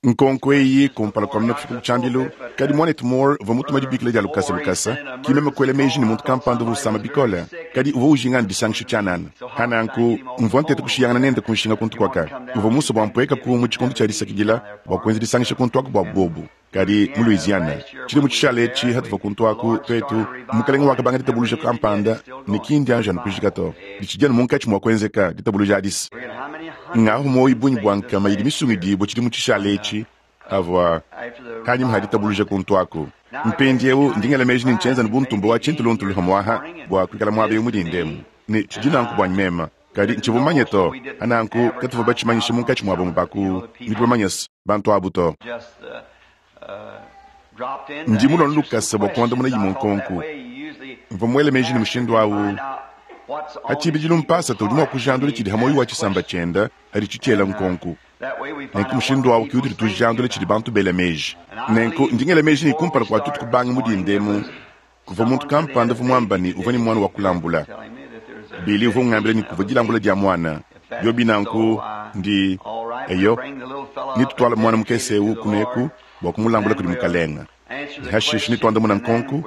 Nkonko eyi kumpala kua meme kufika ku tshiambilu, kadi Muanetu Moore uvua mutume dibikila dia lukasa lukasa, ki meme kuela meji ne muntu kampanda uvua usama bikole, kadi uvua ujinga anu disangisha tshianana. Pa nanku, mvua nteta kushiyangana nende ku nshinga kuntu kuaka. Uvua musue bua mpuekaku mu tshikondo tshia disakidila bua kuenza disangisha kuntu aku bua buobu. Kadi mu Louisiana, tshidimu tshishale etshi, hatuvua kuntu aku, tuetu, Mukalenge wakabanga ditabuluja kampanda, ne ki ndianji anu kujika to. Ditshidi anu munkatshi mua kuenzeka, ditabuluja adi's. Ngahu muoyo bungi bua nkama idi misungidibue tshidimu tshishale etshi, avua kanyima ha ditabuluja kuntu aku. Mpindieu ndi ngela meji ne ntshienza anu bu ntumba wa tshintuluntulu hamuaha bua kuikala muaba eu mu dinda emu, ne tshidi nanku buanyi mema. Kadi ntshivua mumanye to. Pa nanku katuvua batshimanyishe munkatshi mua bamue ba ku nudi bamanye se, bantu abu to. Ndi mulue anu lukasa bua kuandamuna imue nkonko. Mvua muele meji ne mushindu au, pa tshibidilu mpasata udi mua kujandula tshidi ha muoyo wa tshisamba tshiende haditshi tshiela nkonko. Nenku mushindu au ke utudi tujandula tshidi bantu bela meji. Nenku ndi ngela meji ne kumpala kua tuetu kubanga mu dinda emu, Kuvua muntu kampanda uvua muamba ne, uvua ne muana wa kulambula. Billy uvua ungambila ne, kuvua dilambula dia muana. Biobi nanku, ndi, eyo, netutuala muana mukese eu kuneku bua kumulambula kudi Mukalenga. Ne hashishe netuandamuna nkonku,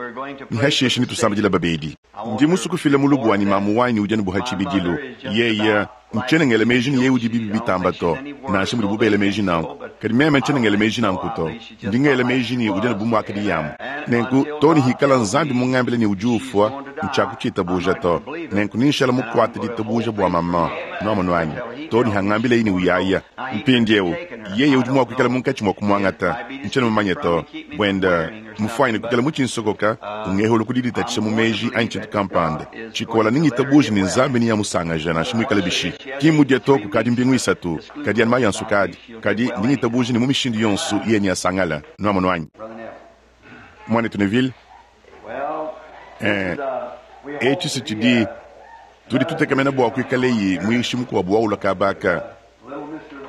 ne hashishe netusambidila babedi. Ndi musue kufila mulubu wanyi mamu wanyi udi anu bu ha tshibidilu. Yeye, ntshiena ngela meji ne yeye udi bibi bitamba to, nansha mudibu bela meji nanku. Kadi meme ntshiena ngela meji nanku to. Ndi ngela meji ne udi anu bu muakadi yamu. Nenku too ne hikala Nzambi mungambile ne udi ufua, ntshiakutshitabuja to. Nenku nenshala mukuate ditabuja bua maman, nuamonu anyi, too ne hangambileyi ne uyaya. Mpindieu, yeye udi mua kuikala munkatshi mua kumuangata, ntshiena mumanye to. Buenda mufuanyine kuikala mutshinsokoka, ungehula ku diditatshisha mu meji anyi tshintu kampanda tshikola, ne ngitabuja ne Nzambi neamusangaja nansha muikale bishi. Ki mmudia to kukadi mbingu isatu, kadi anu mayi a nsukadi. Kadi ndi ngitabuja ne mu mishindu yonso yeye neasangale. Nuamonu anyi? Muanetu Neville? Eh, etshi si tshidi tudi tutekemena bua kuikaleyi muyishi mukuabu wa ulua kaba aka.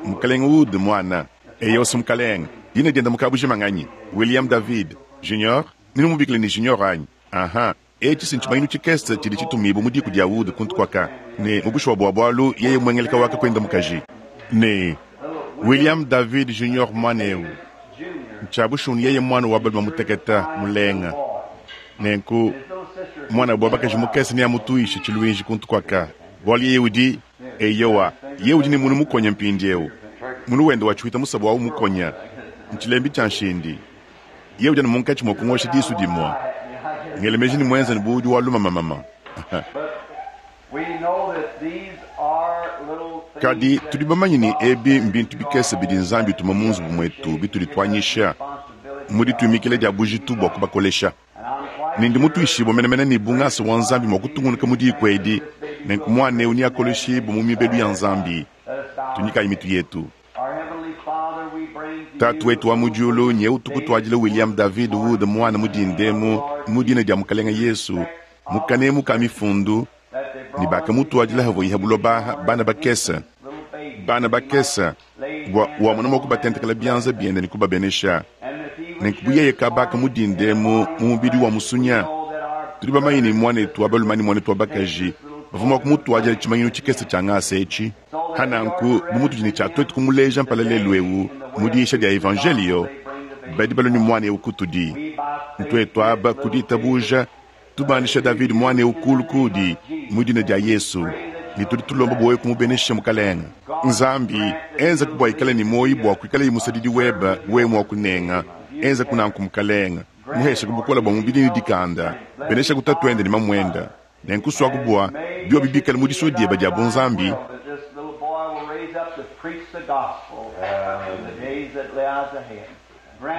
Mukalenge Wood muana. Eyo si mukalenge. Dina diende mu kabujima nganyi? William David. Junior? Nudi numubikila ne Junior anyi? Aha. Etshi si ntshimanyinu tshikese tshidi tshitumibue mu diku dia Wood kuntu kuaka, ne mu bushuwa bua bualu yeye muengeleka wa kakuende mukaji. Ne William David Junior muana eu, ntshia bushuwa ne yeye muana wa balume mutekete mulenga. Nenku muanabu wa bakaji mukese neamutuishe tshiluinji kuntu kuaka, bualu yeye udi, eyowa, yeye udi ne munu mukonya mpindieu. Munu wende wa tshiwita musabu au mukonya, ntshilembi tshia nshindi. Yeye udi anu munkatshi mua kungosha disu dimue. Ngela meji ne muenza ne bu udi wa lumamamama. Kadi tudi bamanye ne, ebi mbintu bikese bidi Nzambi utuma mu nzubu muetu bitudi tuanyisha mu dituimikila dia bujitu bua kubakolesha. Ne ndi mutuishibue menemene ne, bu ngasa wa Nzambi mua kutungunuka mu diku edi, nenku muana eu neakoleshibue mu mibelu ya Nzambi. Tunyikayi mitu yetu. Tatu wetu wa mu diulu, nyewu tukutuadila William David Wood muana mu dinda emu mu dina dia Mukalenga Yesu, mu kanemu ka mifundu, ne bakamutuadila havuaye ha buloba aha bana bakese, bana bakese, bua wamona mua kubatentekela bianza biende ne kubabenesha. Nenku bu yeye kabaka mu dinda emu mu mubidi wa musunya, tudi bamanye ne muanetu wa balume ne muanetu wa bakaji bavua mua kumutuadila tshimanyinu tshikese tshia ngasa etshi. Pa nanku, bu mutudi ne tshia tuetu kumuleja mpala lelu'eu mu diyisha dia evanjeliyo, badi balua ne muana eu kutudi. Ntuetu aba, ku ditabuja, tubandisha Davidi muana eu kulu kuudi mu dina dia Yesu, ne tudi tulomba bua wewe kumubenesha, Mukalenge. Nzambi, enzaku bua ikale ne muoyo bua kuikalaye musadidi webe, wewe mua kunenga. Enzaku nanku, Mukalenge. Muheshaku bukole bua mubidi ne dikanda. Beneshaku tatuende ne mamuende. Nenku suaku bua biobi bikale mu disua diebe dia bunzambi,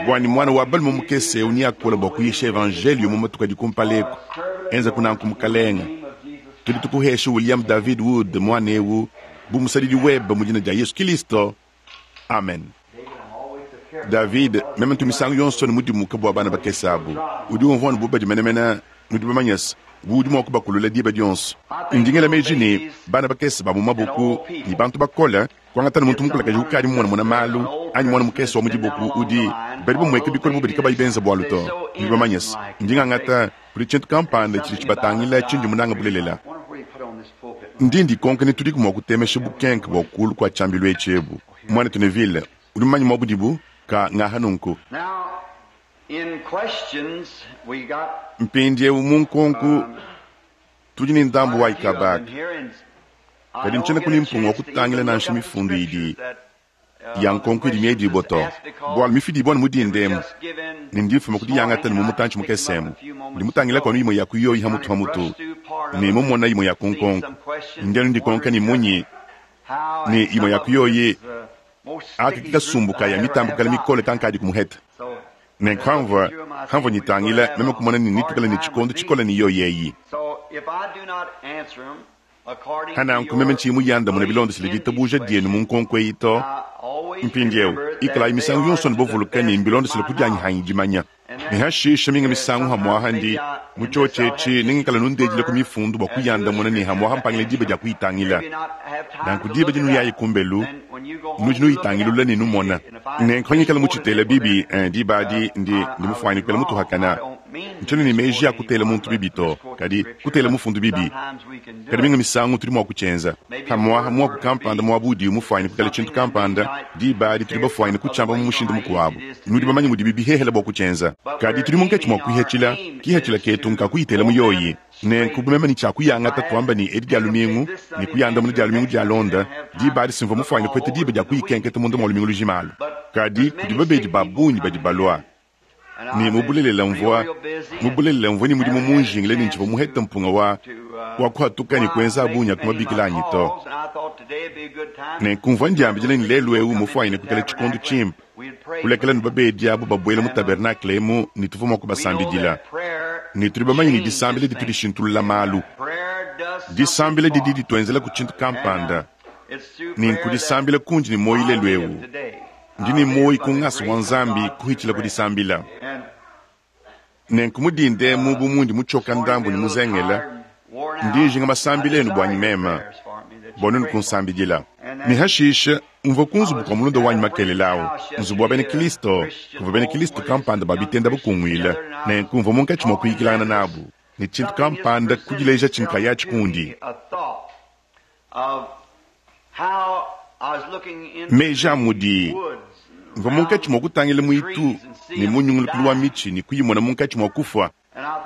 bua ne muana wa balume mukese eu neakole bua kuyisha evanjeliyo mu matuku adi kumpala eku. Enzaku nanku, Mukalenge. Tudi tukuhesha William David Wood, muana eu, bu musadidi webe mu dina dia Yesu Kilisto. Amen. David, meme ntu misangu yonso ne mudimuke bua bana bakese abu. Udi umvua anu bu badi menemene, nudi bamanye se, bu udi mua kubakulula diba dionso. Ndi ngela meji ne, bana bakese ba mu maboku ne bantu bakole, kuangata ne muntu mukulakaje ukadi mumonamona malu anyi muana mukese wa mu diboku udi, badi bamueka bikole bu badi kabayi benza bualu to. Nudi bamanye se, ndi ngangata kudi tshintu kampanda tshidi tshibatangila tshindi munange bulelela. Ndi ndikonka ni tudiku mua kutemesha bukenke bua kuulu kua tshiambilu etshi ebu. Muanetu Neville, udi mumanye mua budibu? Ka ngaha nunku. Mpindieu mu nkonku tudi ne ndambu wa ikabaka, kadi ntshiena ku ne mpunga wa kutangila nansha mifundu idi ya nkonku idi miedibua to, bualu mifidibua anu mu dinda emu, ne ndi mfuma ku diyangata ne mu mutantshi mukese emu. Ndi mutangilaku anu imue ya ku yoyi hamutu hamutu, ne mumona imue ya ku nkonku. Ndi anu ndikonka ne munyi ne imue ya ku yoyi aka ki kasumbu ka ya mitambu kale mikole kankadi kumuheta. Nenku hamvua, hamvua nyitangila, meme kumona ne netuikale ne tshikondo tshikole ne yoyi eyi. Hananku meme ntshiyi muyandamune bilondeshile ditabuja dienu mu nkonko eyi to. Mpindieu, ikalayi misangu yonso nubavuluka ne mbilondeshile ku dianyi hanyi dimanya. Ne hashisha minga misangu hamuaha ndi mu tshiotshi etshi nengikale nundedila ku mifundu bua kuyandamuna ne hamuaha mpangila diba dia kuyitangila. Nanku diba dinuyayi kumbelu, nudi nuyitangilula ne numona. Nenku pangikala mutshitela bibi, eh, diba adi ndi, ndi mufuanyine kuikala mutuhakana. Ntshiena ne meji a kutela muntu bibi to, kadi kutela mufundu bibi. Kadi minga misangu tudi mua kutshienza. Pamu'apa muaku kampanda muaba udiwu mufuanyine kuikala tshintu kampanda, diba adi tudi bafuanyine kutshiamba mu mushindu mukuabu. Nudi bamanye mudibi bihehele bua kutshienza. Kadi tudi munkatshi mua kuihatshila, kihatshila ketu nka kuyitela mu yoyi. Nenku bu meme ne tshia kuyangata tuamba ne edi dia lumingu ne kuyandamuna dia lumingu dialonda, diba adi simvua mufuanyine kupeta diba dia kuyikenketa munda mua lumingu lujima alu. Kadi kudi babedi ba bungi badi balua. Ne mu bulelela mvua, mu bulelela mvua ne mudimu munjingile ne ntshivua muhete mpunga wa, wa kuhatuka ne kuenza a bungi a ku mabikila anyi to. Nenku mvua ndiambidila ne lelu eu mufuanyine kuikala tshikondo tshimpe kulekela ne babedi abu babuela mu tabernakle emu ne tuvua mua kubasambidila. Ne tudi bamanye ne disambila ditu dishintulula malu. Disambila didi dituenzela ku tshintu kampanda. Nenku disambila kundi ne muoyo lelu eu. Ndi ne muoyo ku ngasa wa Nzambi kuhitshila ku disambila. Nenku mu dinda emu bu mundi mutshioka ndambu ne muzengela, ndi njinga masambila enu buanyi meme, bua nuenu kunsambidila. Ne hashishe mvua ku nzubu kua mulunda wanyi makelela au, nzubu wa bena Kristo, kuvua bena Kristo kampanda ba bitenda bakunguila. Nenku mvua munkatshi mua kuyikilangana nabu, ne tshintu kampanda kudileja tshinkayatshi kundi. Meji a mudi mvua munkatshi mua kutangila muitu ne mu nyungulukilu wa mitshi ne kuyimona munkatshi mua kufua.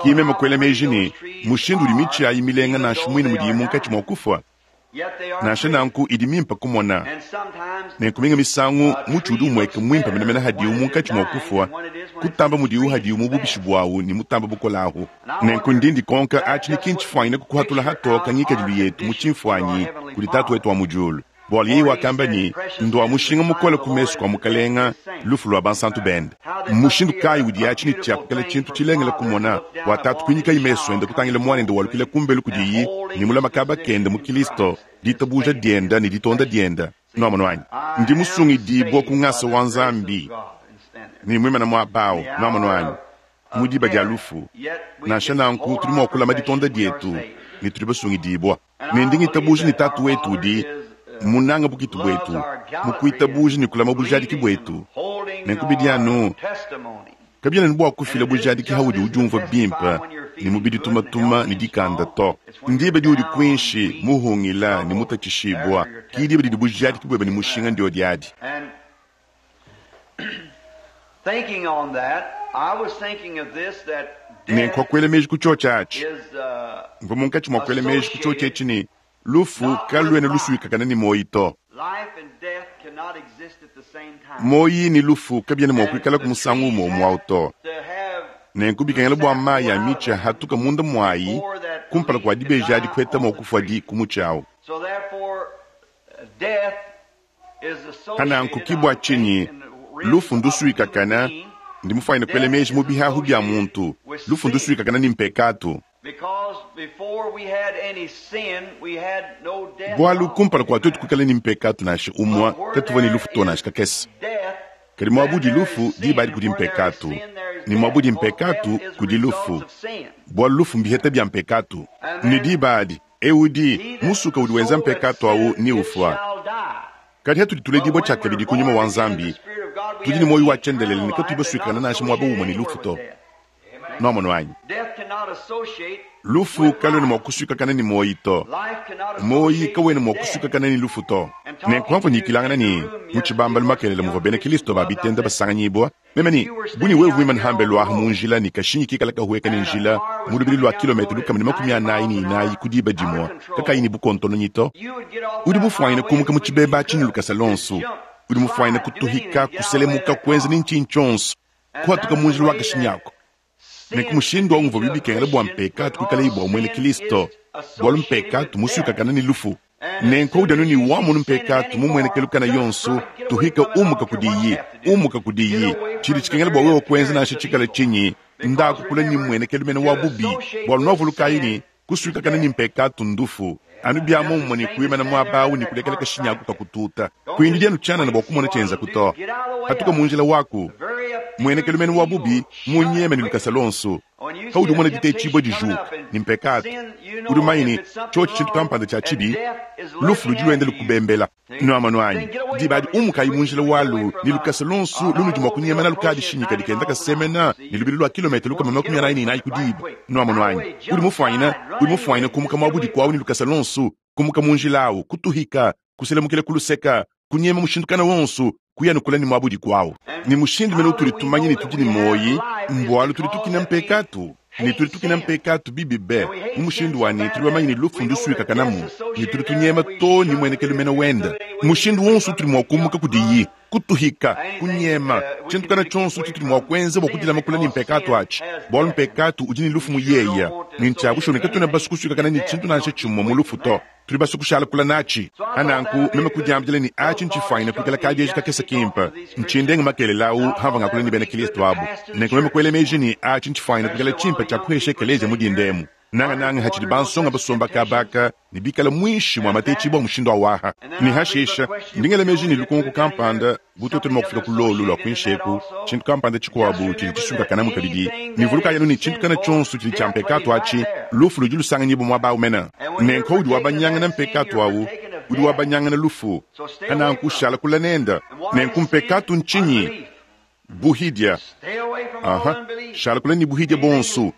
Ki meme kuela meji ne, mushindu udi mitshi ayi milenga nansha muine mudiyi munkatshi mua kufua. Nansha nanku idi mimpe kumona. Nenku minga misangu mutshi udi umueka muimpe menemene hadiwu munkatshi mua kufua kutamba mudiwu hadiwu mu bubishi buawu ne mutamba bukole ahu. Nenku ndi ndikonka atshi ni ki ntshifuanyine kukuhatula hatoka ngikadilu yetu mu tshimfuanyi kudi Tatu wetu wa mu diulu. Bualu yeye wakamba ne, Ndua mushinga mukole ku mesu kua Mukalenga lufu lua bansantu bende. Mmushindu kayi udi atshi ne tshia kuikala tshintu tshilengele kumona bua tatu kuinyikayi mesu ende kutangila muanende walukila kumbelu kudiyi ne mulama kaba kende mu Kilisto, ditabuja diende ne ditonda diende? Nuamonu anyi? Ndi musungidibua ku ngasa wa Nzambi ne muimana muaba au. Nuamonu anyi? Mu diba dia lufu, nansha nanku tudi mua kulama ditonda dietu ne tudi basungidibua. Ne ndi ngitabuja ne Tatu wetu udi munanga bukitu buetu mu kuitabuja ne kulama bujadiki buetu. Nenku bidi anu kabiena ne bua kufila bujadiki haudi udiumvua bimpe ne mubidi tumatuma ne dikanda to. Ndiba diudi kuinshi muhungila ne mutatshishibua, ki diba didi bujadiki buebe ne mushinga ndiodi adi. Nenku wakuela meji ku tshiotshi atshi. Mvua munkatshi mua kuela meji ku tshiotshi etshi ne, lufu kaluena lusuikakana ne muoyo to. Muoyo ne lufu kabiena mua kuikalaku musangu umue umue au to. Nenku bikengela bua mayi a mitshi ahatuka munda muayi kumpala kua dibeji adi kuheta mua kufua di ku mutshi au. Pananku ki bua tshinyi lufu ndusuikakana, ndi mufuanyine kuela meji mu bihahu bia muntu, lufu ndusuikakana ne mpekatu. Bualu kumpala kua tuetu kuikala ne mpekatu nansha umue, katuvua ne lufu to nansha kakese. Kadi muaba udi lufu, diba adi kudi mpekatu, ne muaba udi mpekatu, kudi lufu, bualu lufu mbiheta bia mpekatu. Ne diba adi, eu udi musuka udi wenza mpekatu au ne ufua. Kadi hatudi tuledibua tshiakabidi ku Nyuma wa Nzambi, tudi ne muoyo wa tshiendelele ne katuyi basuikakana nansha muaba umue ne lufu to. Nwamonu anyi? Lufu kaluena mua kusuikakana ne muoyi to. Muoyi kawena mua kusuikakana ne lufu to. Nenku pamvua nyikilangana ne mu tshibambalu makelela muvua bena Kilisto ba bitenda basanganyibua, meme ne, Bu ne wewe muimane hambelu aha mu njila ne kashinyi kikala kahueka ne njila mu lubilu lua kilometa 144 ku diba dimue kakayi ne bukontononyi to, udi mufuanyine kumuka mu tshibeba atshi ne lukasa luonso, udi mufuanyine kutuhika, kuselemuka, kuenza ne ntshinyi tshionso, kuhatuka mu njila wa kashinyi ako. Nenku mushindu au uvuabi bikengela bua mpekatu kuikalayi bua muena Kristo, bualu mpekatu musuikakane ne lufu. Nenku udi anu ne wamonu mpekatu mu mmuenekelu kana yonso, tuhika umuka kudiyi, umuka kudiyi. Tshidi tshikengela bua wewe kuenza nansha tshikale tshinyi, ndaku kule ne mmuenekelu mene wa bubi, bualu nuavulukayi ne, kusuikakana ne mpekatu ndufu. Anu bia muomumue ne kuimana muaba au ne kulekela kashinyi aku kakututa. Kuindidi anu tshianana bua kumona tshienzaku to. Patuka mu njila waku. Mmuenekelu mene wa bubi munyeme ne lukasa luonso. Paudi umona ditetshibua dijuka ne mpekatu, udi mumanye ne, tshiotshi tshintu kampanda tshia tshibi, lufu ludi luenda lukubembela. Nuamonu anyi? Diba adi umukayi mu njila walu ne lukasa luonso lunudi mua kunyema nalu kadishinyika dikenda kasemena ne lubilu lua kilometa 44 ku diba. Nuamonu anyi? Udi mufuanyine, udi mufuanyine kumuka muaba udi kuawu ne lukasa luonso, kumuka mu njila awu, kutuhika, kuselamukila ku luseka, kunyema mushindu kana wonso, kuya ne kula ne muaba udi kuawu. Ne mushindu mene utudi tumanya ne tudi ne muoyi, mbualu tudi tukina mpekatu. Ne tudi tukina mpekatu bibi be, mu mushindu wa ne tudi bamanye ne lufu ndusuikakanamu, ne tudi tunyema too ne muenekelu mene wenda. Mushindu wonso utudi mua kumuka kudiyi, kutuhika, kunyema, tshintu kana tshionso tshitudi mua kuenza bua kudilama kule ne mpekatu atshi, bualu mpekatu udi ne lufu mu yeya, ne ntshia bushuwa ne katuena basue kusuikakana ne tshintu nansha tshimue mu lufu to. Tudi basue kushala kula natshi. Pa nanku, meme kudiambila ne, Atshi ntshifuanyine kuikala kadieji kakese kimpe. Ntshindenge makelela au hamvua ngakula ne bena Kristo abu. Nenku meme kuela meji ne, Atshi ntshifuanyine kuikala tshimpe tshia kuhesha ekeleziya mu dinda emu, nangananga hatshidi bansonga basomba kaba aka ne bikale muinshi mua matetshibua a mushindu au aha. Ne hashisha, ndi ngela meji ne lukonko kampanda, bu tuetu ne mua kufika ku lolu lua kuinshi eku, tshintu kampanda tshikuabu tshidi tshisuikakanamu kabidi. Ne vulukayi anu ne, tshintu kana tshionso tshidi tshia mpekatu atshi, lufu ludi lusanganyibua muaba au mene. Nenku udi wabanyangana mpekatu au, udi wabanyangana lufu. Pa nanku shala kule nende. Nenku mpekatu ntshinyi? Buhidia. Aha, shala kule ne buhidia buonso.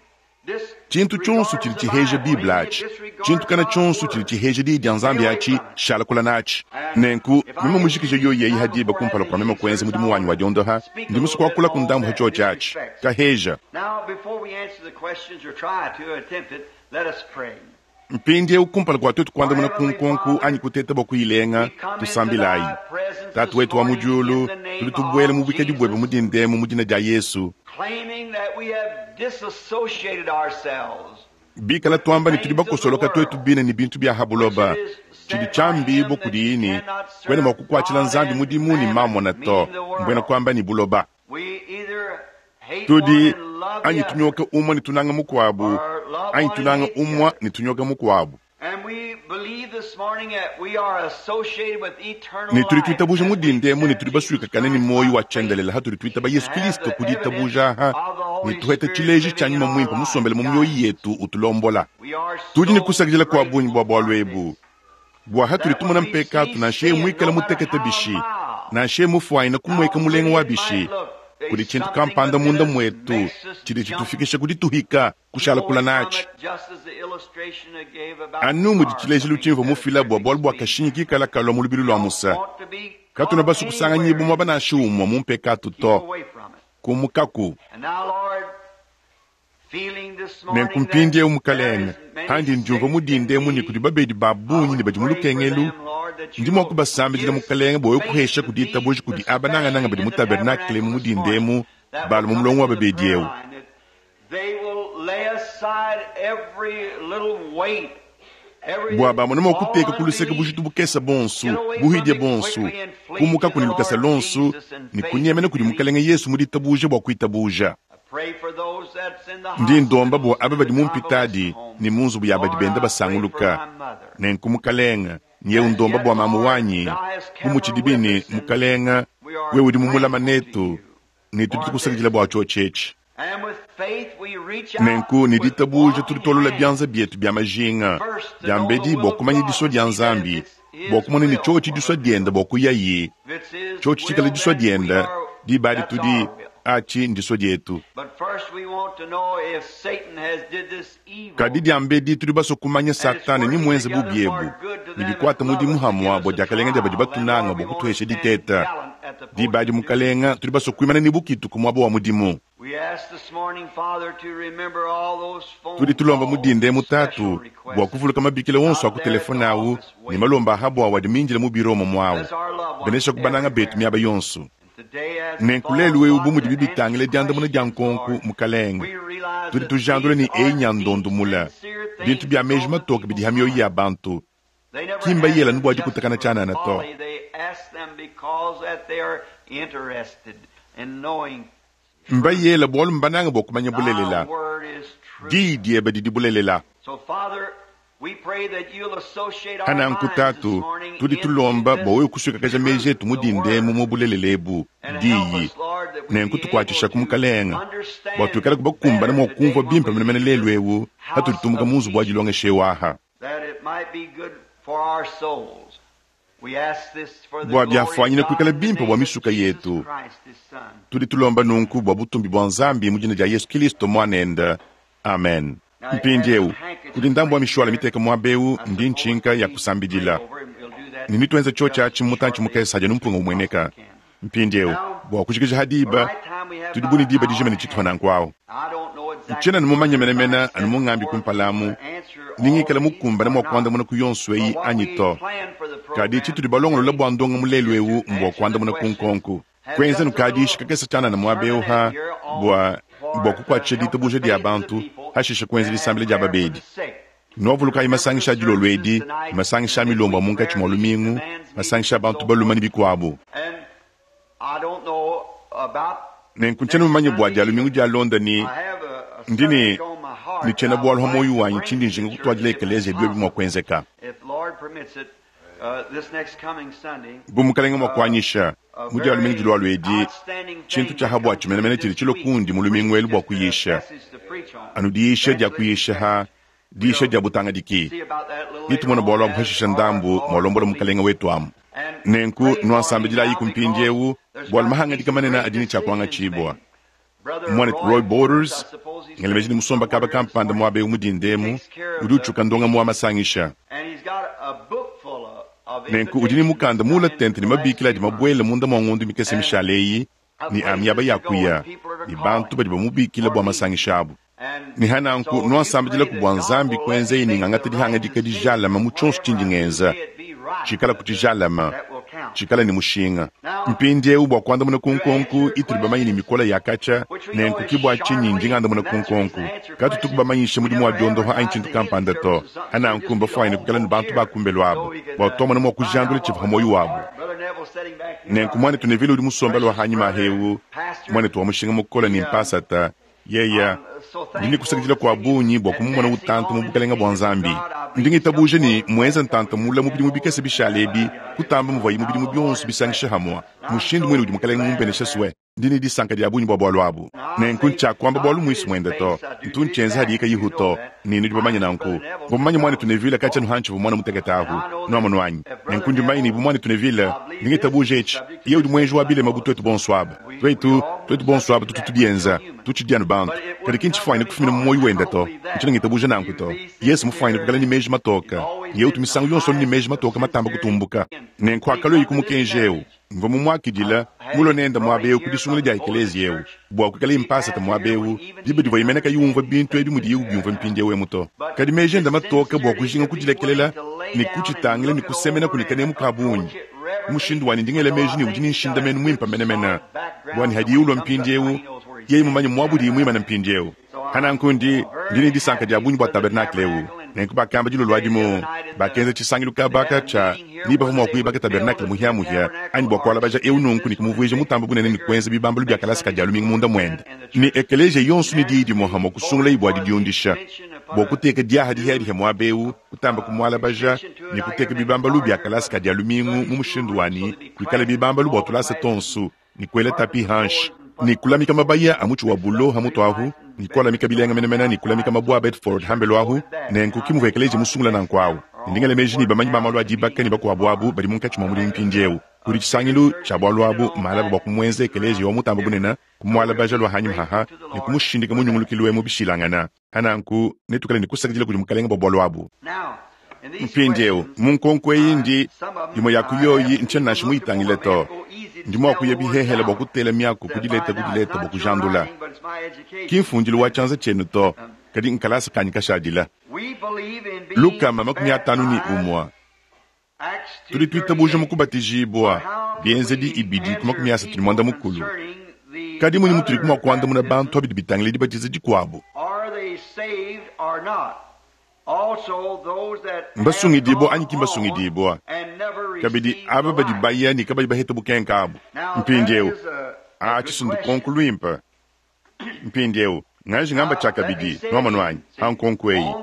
Tshintu tshionso tshidi tshiheja Bible atshi, tshintu kana tshionso tshidi tshiheja Diyi dia Nzambi atshi, shala kula natshi. Nenku, meme mujikije yoyi eyi ha diba kumpala kua meme kuenza mudimu wanyi wa diondoha, ndi musue kuakulaku ndambu ha tshiotshi atshi. Kaheja. Mpindieu kumpala kua tuetu kuandamuna ku nkonko anyi kuteta bua kuyilenga, tusambilayi. Tatu wetu wa mu diulu, tudi tubuela mu buikadi buebe mu dinda emu mu dina dia Yesu. Bikala tuamba ne tudi bakosoloka tuetu bine ne bintu bia ha buloba, tshidi tshiambibua kudiyi ne, kuena mua kukuatshila Nzambi mudimu ne mamona to, mbuena kuamba ne buloba. Tudi anyi tunyoka umue ne tunanga mukuabu, anyi tunanga umue ne tunyoka mukuabu. Ne tudi tuitabuja mu dinda emu ne tudi basuikakane ne muoyo wa tshiendelele hatudi tuitaba Yesu Kilisto ku ditabuja aha ne tuheta tshileji tshia Nyuma Muimpe musombele mu mioyo yetu utulombola. Tudi ne kusakidila kua bungi bua bualu ebu, bua hatudi tumona mpekatu nansha yeye muikale mutekete bishi, nansha yeye mufuanyine kumueka mulenga wa bishi, kudi tshintu kampanda munda muetu tshidi tshitufikisha ku dituhika kushala kula natshi. Anu mudi tshilejilu tshimvua mufila bua bualu bua kashinyi kikala kalua mu lubilu lua musa, katuena basue kusanganyibua muaba nansha umue mu mpekatu to. Kumukaku. Nenku mpindieu, Mukalenge, pandi ndiumvua mu dinda emu ne kudi babedi ba bungi ne badi mu lukengelu, ndi mua kubasambidila, Mukalenge, bua wewe kuhesha ku ditabuja kudi aba nangananga badi mu tabernakle emu mu dinda emu, balua mu mulongo wa babedi eu. Bua bamone mua kuteka ku luseke bujitu bukese buonso, buhidia buonso, kumukaku ne lukasa luonso ne kunyemena kudi Mukalenge Yesu mu ditabuja bua kuitabuja. Ndi ndomba bua aba badi mu mpitadi ne mu nzubu ya badi benda basanguluka. Nenku, Mukalenge, nyeu ndomba bua mamu wanyi, bu mutshidibi ne, Mukalenge, wewe udi mumulama netu, ne tudi tukusakidila bua tshiotshi etshi. Nenku, ne ditabuja tudi tuolola bianza bietu bia majinga diambedi bua kumanya disua dia Nzambi, bua kumona ne tshiotshi disua diende bua kuyayi, tshiotshi tshikale disua diende, diba adi tudi. Aci ndiswa dyetu. Kadi dyambedi tudi baswe kumanya Satana ni mwenze bubi ebu, ne bikwata mudimu hamwa bwa dyakalenga dya badi batunanga bwa kutuhesha diteta. Diba adi, Mukalenga, tudi baswe kwimana ne bukitu ku mwaba wa mudimu. Tudi tulomba mu dinda emu, Tatu, bwa kuvuluka mabikila onso a ku telefone awu ne malomba a habwawu adi mindila mu biro omo mwawu. Beneshaku bananga betu myaba yonso. Nenku lelu ewu bu mudibi bitangila dyandamuna dya nkonku, Mukalenge, tudi tujandula ne eyi nya ndondu mula, bintu bya meji matoke bidi ha myoyi ya bantu. Ki mbayela anu bwa dikutakana tshianana to. Mbayela bualu mbanange bua kumanya bulelela. Diyi diebe didi bulelela. Pa nanku, Tatu, tudi tulomba bua wewe kusuikakaja meji etu mu dinda emu mu bulelela ebu, Diyi. Nenku tukuatshishaku, Mukalenge, bua tuikale kubakumbana mua kumvua bimpe menemene lelu ewu patudi tumuka mu nzubu wa dilongesha ewu aha. Bua biafuanyine kuikala bimpe bua misuka yetu, tudi tulomba nunku bua butumbi bua Nzambi mu dina dia Yesu Kilisto Muanende. Amen. Mpindiewu, kudi ndambu wa mishuala miteka muaba eu, ndi ntshinka ya kusambidila, ne netuenze tshiotshi atshi mu mutantshi mukese hadi anu mpunga umueneka. Mpindiewu, bua kujikija ha diba, tudi bu ne diba dijima ne tshitupa nanku awu. Ntshiena anu mumanye menemene anu mungambi kumpala amu ni ngikala mukumbane mua kuandamuna ku yonso eyi anyi to. Kadi tshitudi balongolola bua ndongamu lelu eu mbua kuandamuna ku nkonku. Kuenza nukadiisha kakese tshianana muaba eu ha bua bua kukuatshisha ditabuja dia bantu, hashishe kuenza disambila dia babedi. Nuavulukayi masangisha a dilolo edi, ne masangisha a milombo a munkatshi mua lumingu, masangisha a bantu balume ne bikuabu. Nenku ntshiena mumanye bua dia lumingu dialonda ni ndi ne ne tshiena-bualu ha muoyo wanyi tshindi njinga kutuadila ekeleziya biobi mua kuenzeka. Bu Mukalenge mua kuanyisha, mu dia lumingu dilualua edi, tshintu tshia ha buatshi menemene tshidi tshilua kundi mu lumingu elu bua kuyisha, anu diyisha dia kuyisha ha diyisha dia butangadiki. Netumone bualu abu hashisha ndambu mualombola Mukalenge wetu amu. Nenku nuansambidilayiku mpindiewu, bualu mahangadika manene adi ne tshia kuangatshibua. Muanetu Roy Borders, ngela meji ne musomba kaba kampanda muaba eu mu dinda emu, udi utshuka ndongamu wa masangisha. Nenku udi ne mukanda muula tente ne mabikila adi mabuele munda mua ngondo mikese mishale eyi ne a miaba ya kuya ne bantu badi bamubikila bua masangisha abu. Ne ha nanku nuansambidilaku bua Nzambi kuenzeyi ne ngangata dihangadika dijalame mu tshionso tshindi ngenza, tshikalaku tshijalame, tshikale ne mushinga. Mpindieu bua kuandamuna ku nkonku itudi bamanye ne mikola ya katshia, nenku ki bua tshinyi ndi ngandamuna ku nkonku. Katutuku bamanyishe mudimu wa diondoha anyi tshintu kampanda to. Ha nanku mbafuanyine kuikala ne bantu ba kumbelu abu bua tuamona mua kujandula tshivua pa muoyo wabu. Nenku muanetu Neville udi musombele wa hanyima ahewu, muanetu wa mushinga mukole ne mpasata, Yeya, ndi ne kusakidila kua bungi bua kumumona utanta mu bukalenga bua Nzambi. Ndi ngitabuja ne mmuenza ntanta mula mu bidimu bikese bishale ebi kutamba muvuaye mu bidimu bionso bisangisha hamua. Mushindu muine udi Mukalenga mumbenesha sue. Ndi ne disanka dia bungi bua bualu abu. Nenku ntshiakuamba bualu muisu muende to. Ntu ntshienza hadiye kayihu to, ne nudi bamanye nanku. Mvua mumanye muanetu Neville katshia anu hantshivua muana mutekete ahu. Nuamonu anyi? Nenku ndi mumanye ne bu muanetu Neville, ndi ngitabuja etshi, yeye udi muenji wa bilema bu tuetu bonso aba. Tuetu, tuetu bonso aba tutu tubienza, tutshidi anu bantu. Kadi ki ntshifuanyine kufumina mu muoyo wende to. Ntshiena ngitabuja nanku to. Yesu mufuanyine kuikala ne meji matoke. Yeye utu misangu yonso anu ne meji matoke matamba kutumbuka. Nenku hakalueye ku mukenji eu, mvua mumuakidila, mulue nende muaba eu ku disungula dia ekeleziya eu, bua kuikalaye mpasata muaba eu, diba divuaye mene kayi umvua bintu ebi mudiye ubiumvua mpindieu emu to. Kadi meji ende matoke bua kujinga kudilekelela ne kutshitangila ne kusemenaku ne kanemu ka bungi. Mushindu wanyi ndi ngela meji ne udi ne nshindamenu muimpe menemene bua ne hadiye ulua mpindieu, yeye mumanye muaba udiye muimane mpindieu. Pa nanku ndi, ndi ne disanka dia bungi bua tabernakle eu. Nenku bakamba dilolo adi mu, bakenza tshisangilu kaba aka tshia ni bavua mua kuibaka tabernakle muhiamuhia anyi bua kualabaja eu nunku ne kumuvuija mutambe bunene ne kuenza bibambalu bia kalasa ka Dia lumingu munda muende. Ne ekeleziya yonso ne diyi dimue hamue kusungulayi bua didiundisha, bua kuteka diaha dihiadihia muaba eu, kutamba kumualabaja ne kuteka bibambalu bia kalasa ka Dia lumingu mu mushindu wa ne kuikale bibambalu bua tulasa tuonso, ne kuela tapi hanshi, ne kulamika mabaya a mutshi wa bulo ha mutu ahu, ne kualamika bilenga menemene, ne kulamika mabue a Bedford ha mbelu ahu. Nenku ki muvua ekeleziya musungula nanku awu. Ne ndi ngela meji ne bamanyi ba malu a dibaka ne bakuabu abu badi munkatshi mua mudimu mpindieu. Kudi tshisangilu tshia bualu abu malaba bua kumuenza ekeleziya wa mutamba bunene, kumualabaja lua hanyima haha ne kumushindika mu nyungulukilu emu bishilangana. Hananku netuikale ne kusakidila kudi Mukelenge bua bualu abu. Mpindieu, mu nkonko eyi ndi imue ya ku yoyi ntshiena nansha muyitangile to. Ndi mua kuya bihehele bua kutela miaku ku dileta ku dileta bua kujandula. Ki mfundilu wa tshianza tshienu to, kadi nkalasa kanyi kashadila. 151. Tudi tuitabuja mu kubatijibua, Bienzedi 2 ku 34. Kadi munyi mutudi mua kuandamuna bantu abidi bitangila dibatiza dikuabu? Mbasungidibua anyi ki mbasungidibua? Kabidi aba badi baya ne kabayi baheta bukenka abu. Mpindieu, atshi ndukonko luimpe. Mpindieu, nganji ngamba tshiakabidi, nuamonu anyi, pa nkonko eyi.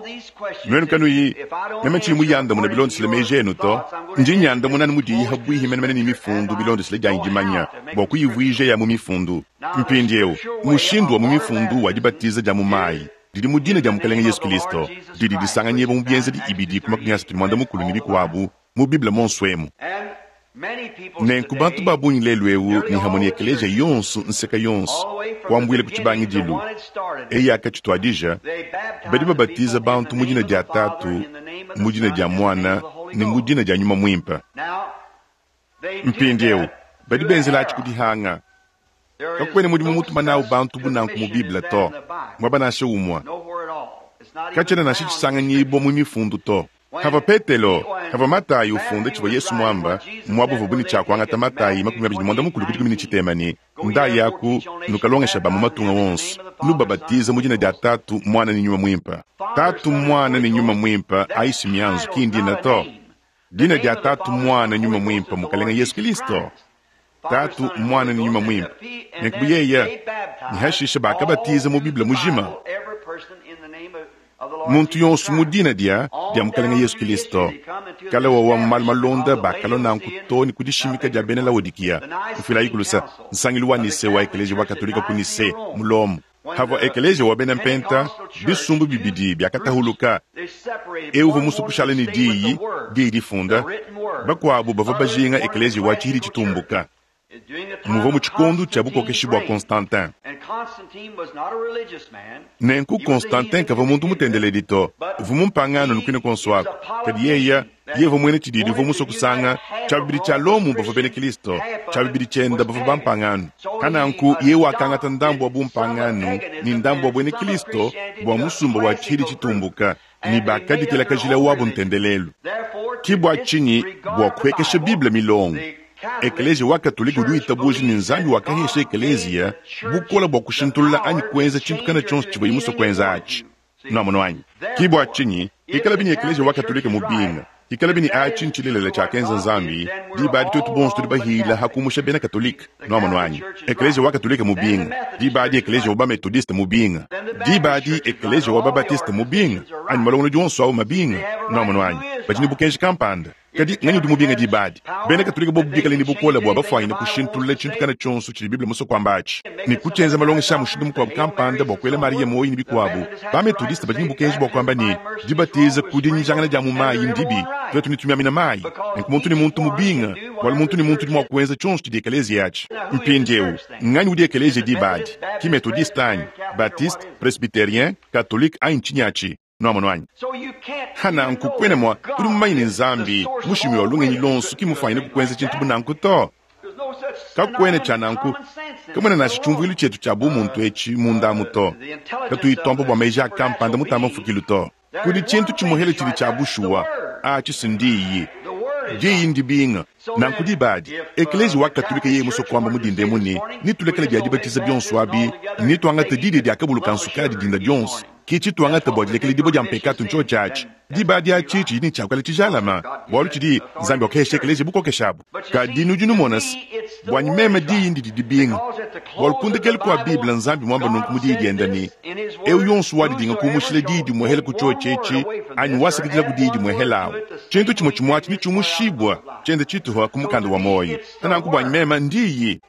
Nuenu kanuyi, meme tshiyi muyandamuna bilondeshile meji enu to, ndi nyandamuna anu mudiyi pabuipi menemene ne mifundu bilondeshile dianyi dimanya, bua kuyivuija ya mu mifundu. Mpindieu, mushindu wa mu mifundu wa dibatiza dia mu mayi didi mu dina dia Mukalenge Yesu Kilisto, didi disanganyibua mu Bienzedi 2 ku 34 ne bikuabu mu Bible monso emu. Nenku bantu ba bungi lelu eu ne hamwe ne ekeleziya yonso nseka yonso kuambuila ku tshibangidilu eyi yakatshituadija, badi babatiza bantu mu dina dia Tatu, mu dina dia Muana ne mu dina dia Nyuma Muimpe. Mpindieu badi benzela atshi ku dihanga. Kakuena mudimu mutuma nawu bantu bu nanku mu Bible to, muaba nansha umue. Katshiena nansha tshisanganyibua mu mifundu to. Havua Petelo, havua Matayi ufunda tshivua Yesu muamba, muaba uvuabu ne tshia kuangata Matayi 24 ku 13 ne, Ndayaku, nukalongesha ba mu matunga wonso, nubabatiza mu dina dia Tatu, Muana ne Nyuma Muimpe. Tatu, Muana ne Nyuma Muimpe aisi mianzu, ki ndina to. Dina dia Tatu, Muana, Nyuma Muimpe, Mukalenge Yesu Kilisto. Tatu, Muana ne Nyuma Muimpe. Nenku bu yeye ne hashishe bakabatiza mu Bible mujima muntu yonso mu dina dia dia Mukalenge Yesu Kilisto. Kale wawa mu malu malonda bakalua nanku to ne ku dishimika dia bena Laodikiya. Mfuilayi kulusa, nsangilu wa Nise wa Ekeleziya wa Katolika ku Nise mu Lomo. Havua ekeleziya wa bena Mpenta, bisumbu bibidi biakatahuluka. Eu uvua musue kushala ne diyi, diyi difunda, bakuabu bavua bajinga ekeleziya wa tshihidi tshitumbuka. Muvua mu tshikondo tshia bukokeshi bua Constantin. Nenku Constantin kavua muntu mutendeledi to, uvua mumpangano nukuine kuonso aku. Kadi yeye yeye uvua muena tshididi uvua musue kusanga tshia bibidi tshia Lomo bavua bena Kristo, tshia bibidi tshienda bavua bampangano. Kananku yeye wakangata ndambu wa bumpangano ne ndambu wa buena Kristo bua musumba wa tshihidi tshitumbuka, ne bakaditela kajila wabu ntendelelu. Ki bua tshinyi bua kuhekesha Bible milongo, Ekeleziya wa Katolika udi witabuja ne Nzambi wakahesha ekeleziya bukola bua kushintulula anyi kuenza tshintu kana tshionso tshivuaye musue kuenza atshi. Nuamonu anyi? Ki bua tshinyi hikala bini ekeleziya wa Katolika mubinga, hikala bini atshi ntshilelela tshiakenza Nzambi, diba adi tuetu bonso tudi bahila ha kumusha bena Katolika. Nuamonu anyi? Ekeleziya wa Katolika mubinga, diba adi ekeleziya wa ba-Metodiste mubinga, diba adi ekeleziya wa ba-Batiste mubinga, anyi malongolodi onso au mabinga. Nuamonu anyi? Badi ne bukenji kampanda. Kadi nganyi udi mubinga diba adi? Bena Katolika bobu bikale ne bukole bua bafuanyine kushintulula tshintu kana tshionso tshidi Bible musue kuamba atshi, ne kutshienza malongesha a mushindu mukuabu kampanda bua kuela Mariya muoyo ne bikuabu, ba-Metodiste badi ne bukenji bua kuamba ne, dibatiza ku dinyijangana dia mu mayi ndibi, tuetu ne tumiamina mayi. Nenku muntu ne muntu mubinga, bualu muntu ne muntu udi mua kuenza tshionso tshidi ekeleziya atshi. Mpindieu, nganyi udi ekeleziya diba adi? Ki Metodiste anyi Batiste, Presbyterien, Katolike anyi ntshinyi atshi? Nuamonu anyi? Hananku kuena mua, udi mumanye ne Nzambi, mushimi wa lungenyi luonso, ki mufuanyine kukuenza tshintu bu nanku to. Kakuena tshia nanku, kamuena nansha tshiumvuilu tshietu tshia bumuntu etshi mundamu to. Katuyi tuamba bua meji a kampanda mutamba mfukilu to. Kudi tshintu tshimuhele tshidi tshia bushuwa, atshi si ndiyi. Diyi ndibinga. Nanku diba adi, Ekeleziya wa Katolika yeye musue kuamba mu dinda emu ne, Netulekele bia dibatiza bionso abi, netuangate didia dia kabulu ka nsukadi dinda dionso, ke tshituangata bua dilekela dibue dia mpekatu ntshiotshi atshi. Diba adi atshi tshidi ne tshiakuikala tshijalama, bualu tshidi Nzambi wakahesha ekeleziya bukokesha abu. Kadi nudi numona se, buanyi meme diyi ndidi dibinga, bualu ku ndekelu kua Bible Nzambi muamba nunku mu Diyi diende ne, Eu yonso wadidinga kumushila diyi dimuehela ku tshiotshi etshi, anyi wasakidila ku diyi dimuehela awu, tshintu tshimue tshimue atshi netshiumushibua tshiende tshituha ku mukanda wa muoyo. Nanku buanyi meme ndiyi.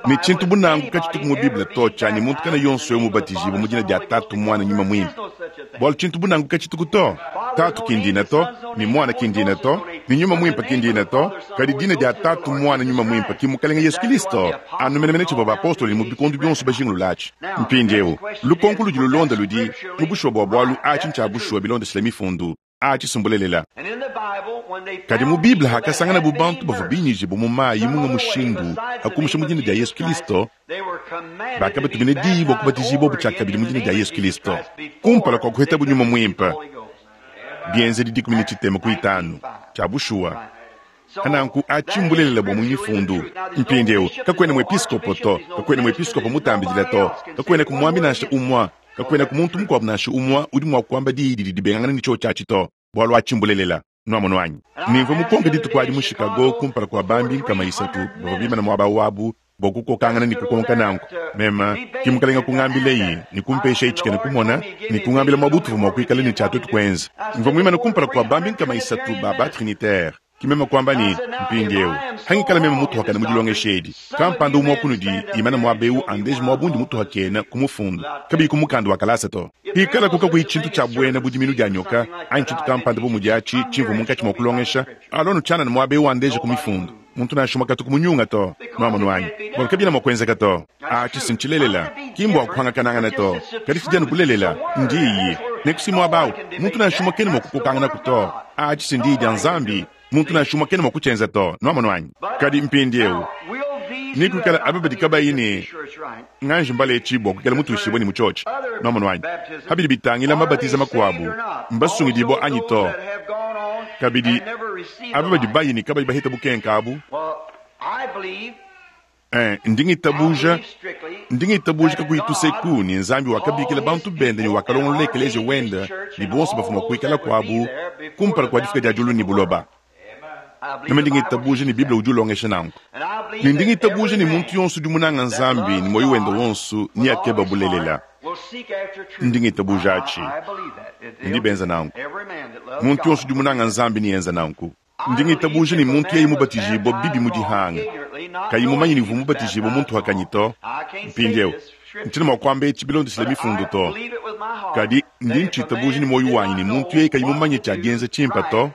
Ne tshintu bu nanku katshituku mu Bible to, tshia ne muntu kana yonso eu mubatijibue mu dina dia Tatu, Muana, Nyuma Muimpe, bualu tshintu bu nanku katshituku to. Tatu ki ndina to, ne Muana ki ndina to, ne Nyuma Muimpe ki ndina to, kadi dina dia Tatu, Muana, Nyuma Muimpe ki Mukalenge Yesu Kilisto, anu menemene tshivua bapostolo ne mu bikondo bionso bajingulula atshi. Mpindieu, lukonko ludi lulonda ludi, mu bushuwa bua bualu, atshi ntshia bushuwa bilondeshile Mifundu. Atshi si mbulelela. Kadi mu Bible hakasanganabu bantu bavua binyijibue mu mayi munga mushindu ha kumusha mu dina dia Yesu Kilisto, bakabatumina diyi bua kubatijibuabu tshiakabidi mu dina dia Yesu Kilisto kumpala kua kuhetabu Nyuma Muimpe. Bienzedi 15. Tshia bushuwa. Nanku atshi mbulelela bua mu Mifundu. Mpindieu, kakuena muepiskopo to, kakuena muepiskopo mutambidila to, kakuenaku muambi nansha umua, kakuenaku muntu mukuabu nansha umua udi mua kuamba diyi didi dibengangana ne tshiotshi atshi to, bualu atshi mbulelela. Nuamonu anyi? Ne mvua mukonke dituku adi mu Chicago kumpala kua bambi 300 bavua bimane muaba wabu bua kukokangana ne kukonka nanku. Meme, ki Mukalenga kungambileyi ne kumpeshayi tshikena kumona ne kungambila muaba utuvua mua kuikala ne tshia tuetu kuenza. Mvua muimane kumpala kua bambi 300 ba ba-trinitaire. Ki meme kuamba ne, Mpindiewu, hangikala meme mutuhakane mu dilongesha edi, kampanda umue wa kunudi imane muaba eu andeje muaba undi mutuhakena ku mufundu, kabiyi ku mukanda wa kalasa to. Pikalaku kakuyi tshintu tshia buena bu diminu dia nyoka anyi tshintu kampanda bu mudi atshi tshimvua munkatshi mua kulongesha, alua nutshianana muaba eu andeje ku mifundu. Muntu nansha umue katu kumunyunga to. Nuamonu anyi? Bualu kabiena mua kuenzeka to. Atshi si ntshilelela, ki mbua kuhangakanangana to, kadi tshidi anu bulelela, ndiyi. Nenku si muaba au, muntu nansha umue kena mua kukokanganaku to. Atshi si ndiyi dia Nzambi, muntu nansha umue kena mua kutshienza to. Nuamonu anyi? Kadi mpindieu, nekuikale aba badi kabayi ne nganji mbaletshi bua kuikala mutuishibue ne mutshiotshi. Nuamonu anyi? Pa bidi bitangila mabatiza makuabu, mbasungidibua anyi to? Kabidi, aba badi bayi ne kabayi baheta bukenka abu, eh, ndi ngitabuja, ndi ngitabuja kakuyi tuseku ne Nzambi wakabikila bantu bende ne wakalongolola ekeleziya wende ne bonso bavua mua kuikala kuabu kumpala kua difika dia diulu ne buloba. Meme ndi ngitabuja ne Bible udi ulongesha nanku. Ne ndi ngitabuja ne muntu yonso udi munanga Nzambi ne muoyo wende wonso neakeba bulelela. Ndi ngitabuja atshi. Ndi benza nanku. Muntu yonso udi munanga Nzambi neenza nanku. Ndi ngitabuja ne muntu yeye mubatijibua bibi mu dihanga, kayi mumanye ne uvua mubatijibue muntu wakanyi to. Mpindieu, ntshiena mua kuamba etshi bilondeshile mifundu to, kadi ndi ntshitabuja ne muoyo wanyi ne muntu yeye kayi mumanye tshia dienza tshimpe to,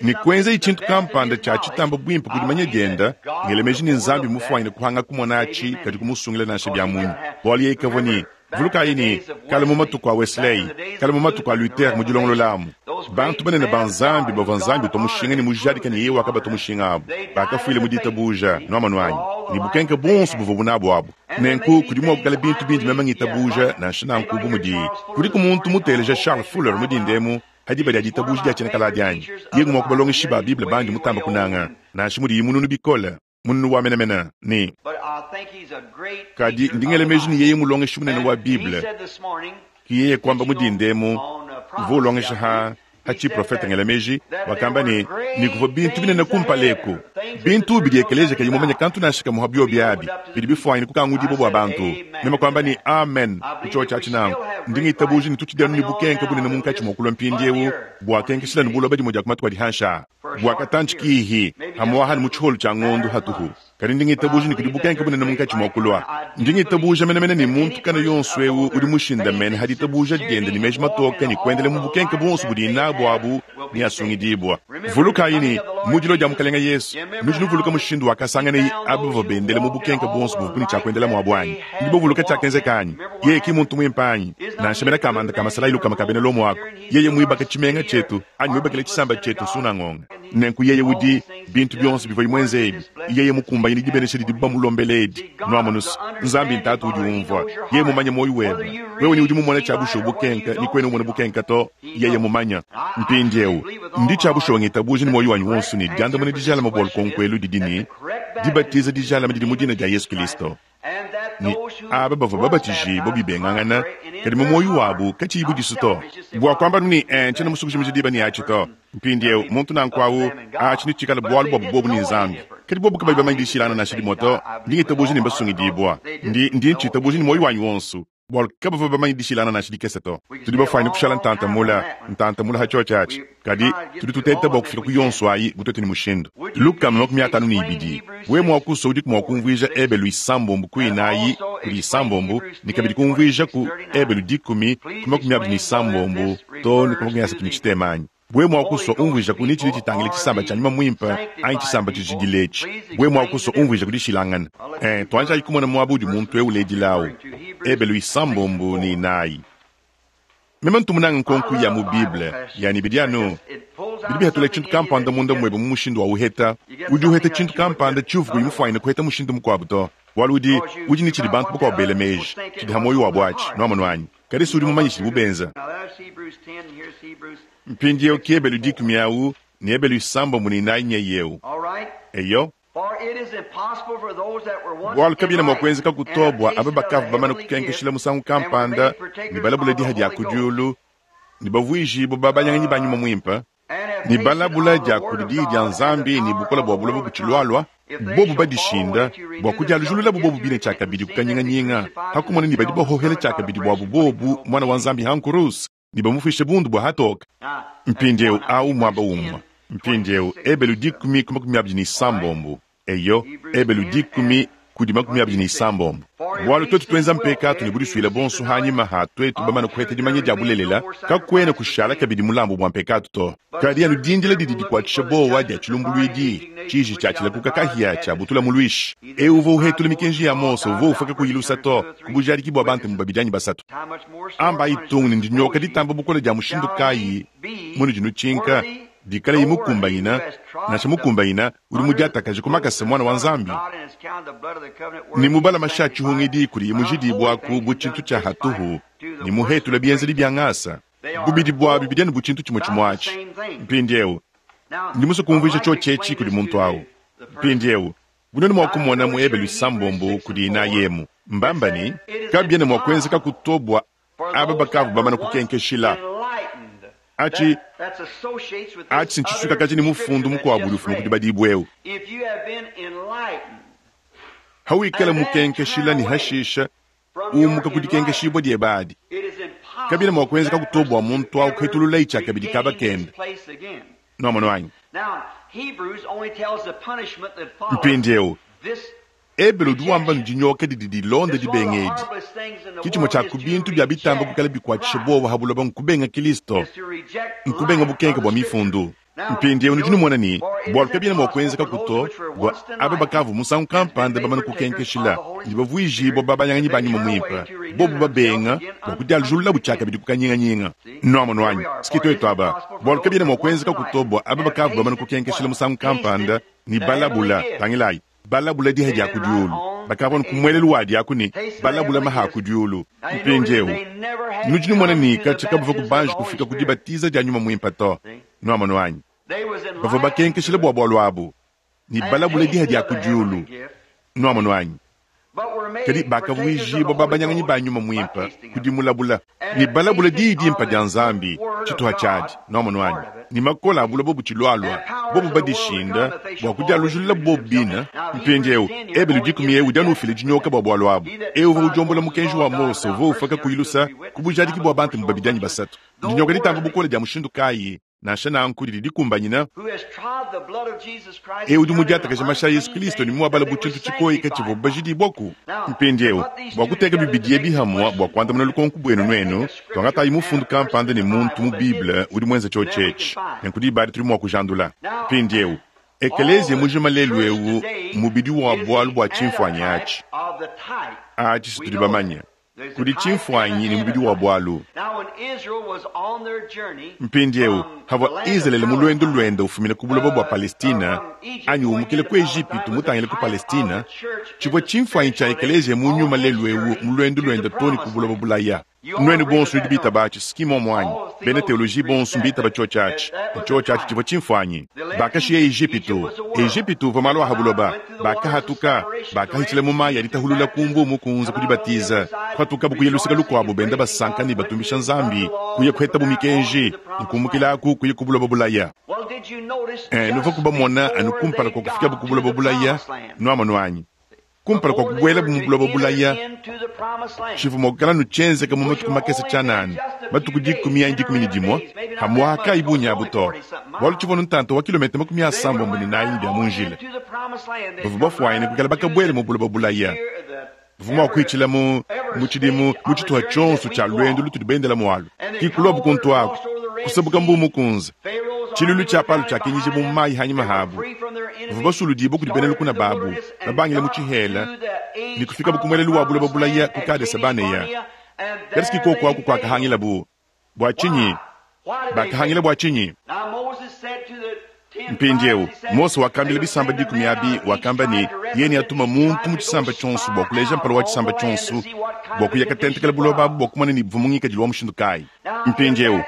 ne kuenzaye tshintu kampanda tshia tshitamba buimpe ku dimanya diende, ngela meji ne Nzambi mmufuanyine kuhanga kumona atshi kadi kumusungila nansha bia munyi, bualu yeye kavua ne Vulukayi ne, kale mu matuku a Wesley, kale mu matuku a Luther mu dilongolola amu, bantu banene ba Nzambi bavua Nzambi utua mushinga ne mujadika ne yeye wakabatua mushinga abu, bakafuila mu ditabuja, nuamonu anyi, ne bukenke buonso buvuabu nabu abu. Nenku kudi mua kuikala bintu bindi meme ngitabuja, nansha nanku, bu mudi, kudiku muntu muteleja Charles Fuller mu dinda emu pa diba dia ditabuja dia tshiena kale adi anyi? Yeye ngumue wa ku balongeshi ba Bible bandi mutamba kunanga, nansha mudiye mununu bikole. Mununu wa menemene ne, kadi ndi ngela meji ne yeye mulongeshi munene wa Bible. Ki yeye kuamba mu dinda emu, uvua ulongesha ha ha tshiprofete ngela meji, wakamba ne, ne kuvua bintu binene kumpala eku, bintu bidi ekeleziya kayi mumanye kantu nansha kamue ha biobi abi, bidi bifuanyine kukangudibua bua bantu. Meme kuamba ne, Amen, ku tshiotshi atshi nanku. Ndi ngitabuja ne tutshidi anu ne bukenke bunene munkatshi mua kulua mpindieu buakenkeshila ne buloba dimue dia ku matuku adi hanshi aa. Bua katantshi kihi, hamuaha ne mu tshiholu tshia ngondo hatuhu, kadi ndi ngitabuja ne kudi bukenke bunene munkatshi mua kulua. Ndi ngitabuja menemene ne muntu kana yonso eu udi mushindamene ha ditabuja diende ne meji matoke ne kuendela mu bukenke buonso budiye nabu abu neasungidibua. Vulukayi ne, mu dilua dia Mukelenge Yesu, nudi nuvuluka mushindu wakasanganeye aba bavua bendela mu bukenke buonso buvuabu ne tshia kuendela muabu anyi? Nudi bavuluka tshiakenzeka anyi? Yeye ki muntu muimpe anyi? Nansha mena kamanda ka masalayi lukama ka bena Lomo aku, yeye muibake tshimenga tshietu anyi muibakile tshisamba tshietu nsunangonga. Nenku yeye udi, bintu bionso bivuaye muenze ebi, yeye mukumbanyine dibenesha didibu bamulombela edi. Nuamonu's, Nzambi n'Tatu udi umvua. Yeye mumanye muoyo webe. Wewe ni udi mumone tshia bushuwa bukenka, ni kuena umona bukenka to. Yeye mumanye. Mpindiewu, ndi tshia bushuwa ngitabuja ne muoyo wanyi wonso ne, diandamuna dijalame bua lukonko elu didi ne, dibatiza dijalame didi mu dina dia Yesu Kilisto. Ne aba bavua babatijibua bibengangana, kadi mu muoyo wabu katshiyi budisu to. Bua kuamba anu ne, Ee, ntshiena musue kujimija diba ne atshi to. Mpindieu, muntu nanku au, atshi netshikale bualu buabu buobu ne Nzambi. Kadi buobu kabayi bamanye dishilangana nansha dimue to, ndi ngitabuja ne mbasungidibua. Ndi, ndi ntshitabuja ne muoyo wanyi wonso. Bualu kabavua bamanye dishilangana nansha dikese to. Tudi bafuanyine kushala ntanta mula, ntanta mula ha tshiotshi atshi. Kadi tudi tuteta bua kufika ku yonso ayi bu tuetu ne mushindu. 252. Wewe mua kusua udiku mua kumvuija Ebelu isambombo ku inayi kudi isambombo ne kabidi kumvuija ku Ebelu dikumi ku 26 too ne ku 33 anyi? Wewe mua kusua umvuijaku ne tshidi tshitangila tshisamba tshia nyuma muimpe anyi tshisamba tshijidila etshi. Wewe mua kusua umvuijaku dishilangana. Ee, tuanjayi kumona muaba udi muntu eu uledila au. Ebelu isambombo ne inayi. Meme ntu munange nkonko ya mu Bible ya ne bidi anu bidi bihatula tshintu kampanda munda muebe mu mushindu wa uheta. Udi uheta tshintu kampanda tshiuvua kuyi mufuanyine kuheta mushindu mukuabu to, bualu udi udi ne tshidi bantu bakuabu bela meji tshidi ha muoyo wabu atshi. Nuamonu anyi? Kadi si udi mumanye tshidibu benza. Mpindieu ki Ebelu dikumi au ne Ebelu isambombo ne inayi nyeye eu. Eyo. Bualu kabiena mua kuenzekaku to bua aba bakavua bamane kukenkeshila musangu kampanda ne balabula diha dia ku diulu ne bavuijibue babanyanganyi ba Nyuma Muimpe ne balabula dia kudi Diyi dia Nzambi ne bukole bua buloba butshilualua, bobu badishinda bua kudialujululabu bobu bine tshiakabidi ku kanyinganyinga, ha kumona ne badi bahohela tshiakabidi buabu bobu Muana wa Nzambi ha nkuruse ne bamufuishe bundu bua hatoke. Mpindieu au muaba umue. Mpindieu Ebelu dikumi ku 26. Eyo, Ebelu dikumi kudi 26. Bualu tuetu tuenza mpekatu ne budisuile buonso hanyima ha tuetu bamane kuheta dimanya dia bulelela, kakuena kushala kabidi mulambu bua mpekatu to. Kadi anu dindila didi dikuatshisha buowa dia tshilumbuluidi, tshiji tshia tshilakuka kahia tshiabutula muluishi. Eu uvua uhetula mikenji ya Mose uvua ufua kakuyi lusa to, ku bujadiki bua bantemu babidi anyi basatu. Ambayi tung ne ndinyoka ditamba bukole dia mushindu kayi munudi nutshinka, dikalayi mukumbanyina, nansha mukumbanyina, udi mudiatakaje ku makasa Muana wa Nzambi, ne mubala mashi a tshihungidi kudiye mujidibuaku bu tshintu tshia hatuhu, ne muhetula bienzedi bia ngasa. Bubidi buabi bidi anu bu tshintu tshimue tshimue atshi. Mpindieu, ndi musue kumvuija tshiotshi etshi kudi muntu au. Mpindieu, bu nuenu mua kumona mu Ebelu isambombo kudi inayi emu, mbamba ne, kabiena mua kuenzekaku to bua aba bakavua bamane kukenkeshila. Atshi, atshi ntshisuikakaje ne mufundu mukuabu udi ufuma ku dibadibua eu. Hawikala mukenkeshila ne hashisha umuka ku dikenkeshibua diebe adi, kabiena mua kuenzekaku to bua muntu au kuhetululayi tshiakabidi kaba kende. Nuamonu anyi? Mpindieu, Ebelu udi wamba ne dinyoka didi dilonda dibenga edi. Ke tshimue tshia ku bintu bia bitamba kuikala bikuatshisha buowa ha buloba nkubenga Kilisto, nkubenga bukenke bua Mifundu. Mpindieu nudi numona ne, bualu kabiena mua kuenzekaku to bua aba bakavua musangu kampanda bamane kukenkeshila ne bavuijibua babanyanganyi ba Nyuma Muimpe, bobu babenga bua kudialujululabu tshiakabidi ku kanyinganyinga. Nuamonu anyi? Siki tuetu aba. Bualu kabiena mua kuenzekaku to bua aba bakavua bamane kukenkeshila musangu kampanda ne balabula, tangilayi, balabula diha dia ku diulu, bakavua ku muelelu wadi aku ne balabula maha a ku diulu. Mpindieu nudi numona ne katshia kabavua kubanji kufika ku dibatiza dia Nyuma Muimpe to. Nuamonu anyi? Bavua bakenkeshila bua bualu abu ne balabula diha dia ku diulu. Nuamonu anyi? Kadi bakavuijibua babanyanganyi ba Nyuma Muimpe ku dimulabula ne balabula diyi dimpe dia Nzambi, tshituha tshiadi. Nuamonu anyi? Ne makole a buloba butshilualua, bobu badishinda bua kudialujilula bobu bine. Mpindieu, Ebelu dikumi eu udi anu ufila dinyoka bua bualu abu. Eu uvua udiombola mukenji wa Mose uvua ufua kakuyi lusa ku bujadiki bua bantemu babidi anyi basatu. Ndinyoka ditamba bukole dia mushindu kayi? Nansha nanku didi dikumbanyina. Eu udi mudiatakaje mashi a Yesu Kristo ne muabala bu tshintu tshikoyika tshivuabu bajidibuaku. Mpindieu, bua kuteka bibidi ebi hamua bua kuandamuna lukonko buenu nuenu, tuangatayi mufundu kampanda ne muntu mu Bible udi muenze tshiotshi etshi, nenku diba adi tudi mua kujandula. Mpindieu, ekeleziya mujima lelu'eu mmubidi wa bualu bua tshimfuanyi atshi. Atshi si tudi bamanye. Kudi tshimfuanyi ne mubidi wa bualu. Mpindieu, pavua Izalele mu luendu luende ufumina ku buloba bua Palestina anyi umukila ku Ejipitu mutangile ku Palestina, tshivua tshimfuanyi tshia ekeleziya mu nyuma lelu'eu mu luendu luende too ne ku buloba bulaya. Nuenu bonso nudi bitaba atshi, si mmuomu anyi? Bena teoloji bonso mbitaba tshiotshi atshi. Ne tshiotshi atshi tshivua tshimfuanyi. Bakashiya Ejipitu. Ejipitu uvua malu a ha buloba. Bakahatuka, bakahitshila mu mayi a ditahulula ku Mbuu Mukunze ku dibatiza, kuhatukabu kuya luseke lukuabu benda basanka ne batumbisha Nzambi, kuya kuhetabu mikenji, ne kumukila aku kuya ku buloba bulaya. Eh, nuvua kubamona anu kumpala kua kufikabu ku buloba bulaya, nuamonu anyi? Kumpala kua kubuelabu mu buloba bulaya, tshivua mua kuikala anu tshienzeka mu matuku makese tshianana, matuku dikumi anyi 11, pamu'apa kaayi bungi abu to, bualu tshivua anu ntanta wa kilometa 94 ne bia mu njila. Bavua bafuanyine kuikala bakabuela mu buloba bulaya. Bavua mua kuitshila mu mu tshidimu mu tshituha tshionso tshia luendu lutudi bendela mualu. Ki kuluabu kuntu aku, kusabuka Mbuu Mukunze. Tshiluilu tshia Palo tshiakinyijibua mu mayi hanyima habu. Bavua basuludibue kudi bena lukuna babu, babangila mu tshihela ne kufikabu ku muelelu wa buloba bulaya ku Kadese-banea. Kadi ki kuoku aku kuakahangilabu. Bua tshinyi? Bakahangila bua tshinyi? Mpindieu, Mose wakambila bisamba dikumi abi, wakamba ne, yeye neatuma muntu mu tshisamba tshionso bua kuleja mpala wa tshisamba tshionso bua kuya katentekela buloba abu bua kumona ne buvua mu ngikadilu wa mushindu kayi. Mpindieu,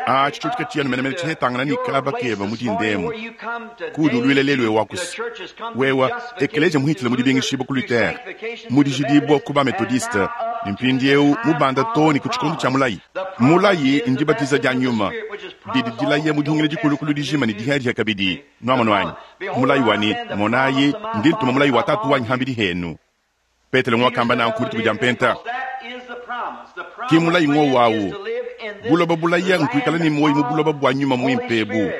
atshi tshiotshi katshiyi anu menemene tshihetangana ne kaba keba mu dinda emu kuudi uluila lelu eu akusi wewa ekeleja muhitshila mu dibingishibua ku Luther, mu dijidibua ku ba Methodiste, ne mpindieu mubanda too ne ku tshikondo tshia mulayi. Mulayi ndibatiza dia nyuma didi dilaya mu dihungila dikulukulu dijima ne dihiadihia kabidi. Nuamonu anyi? Mulayi wa ne, Monayi, ndi ntuma mulayi wa Tatu wanyi hambidi henu. Petelo nguakamba nanku mu dituku dia Mpenta. Ki mulayi ngowu awu. Buloba bulaya nkuikala ne muoyo mu buloba bua nyuma muimpe ebu.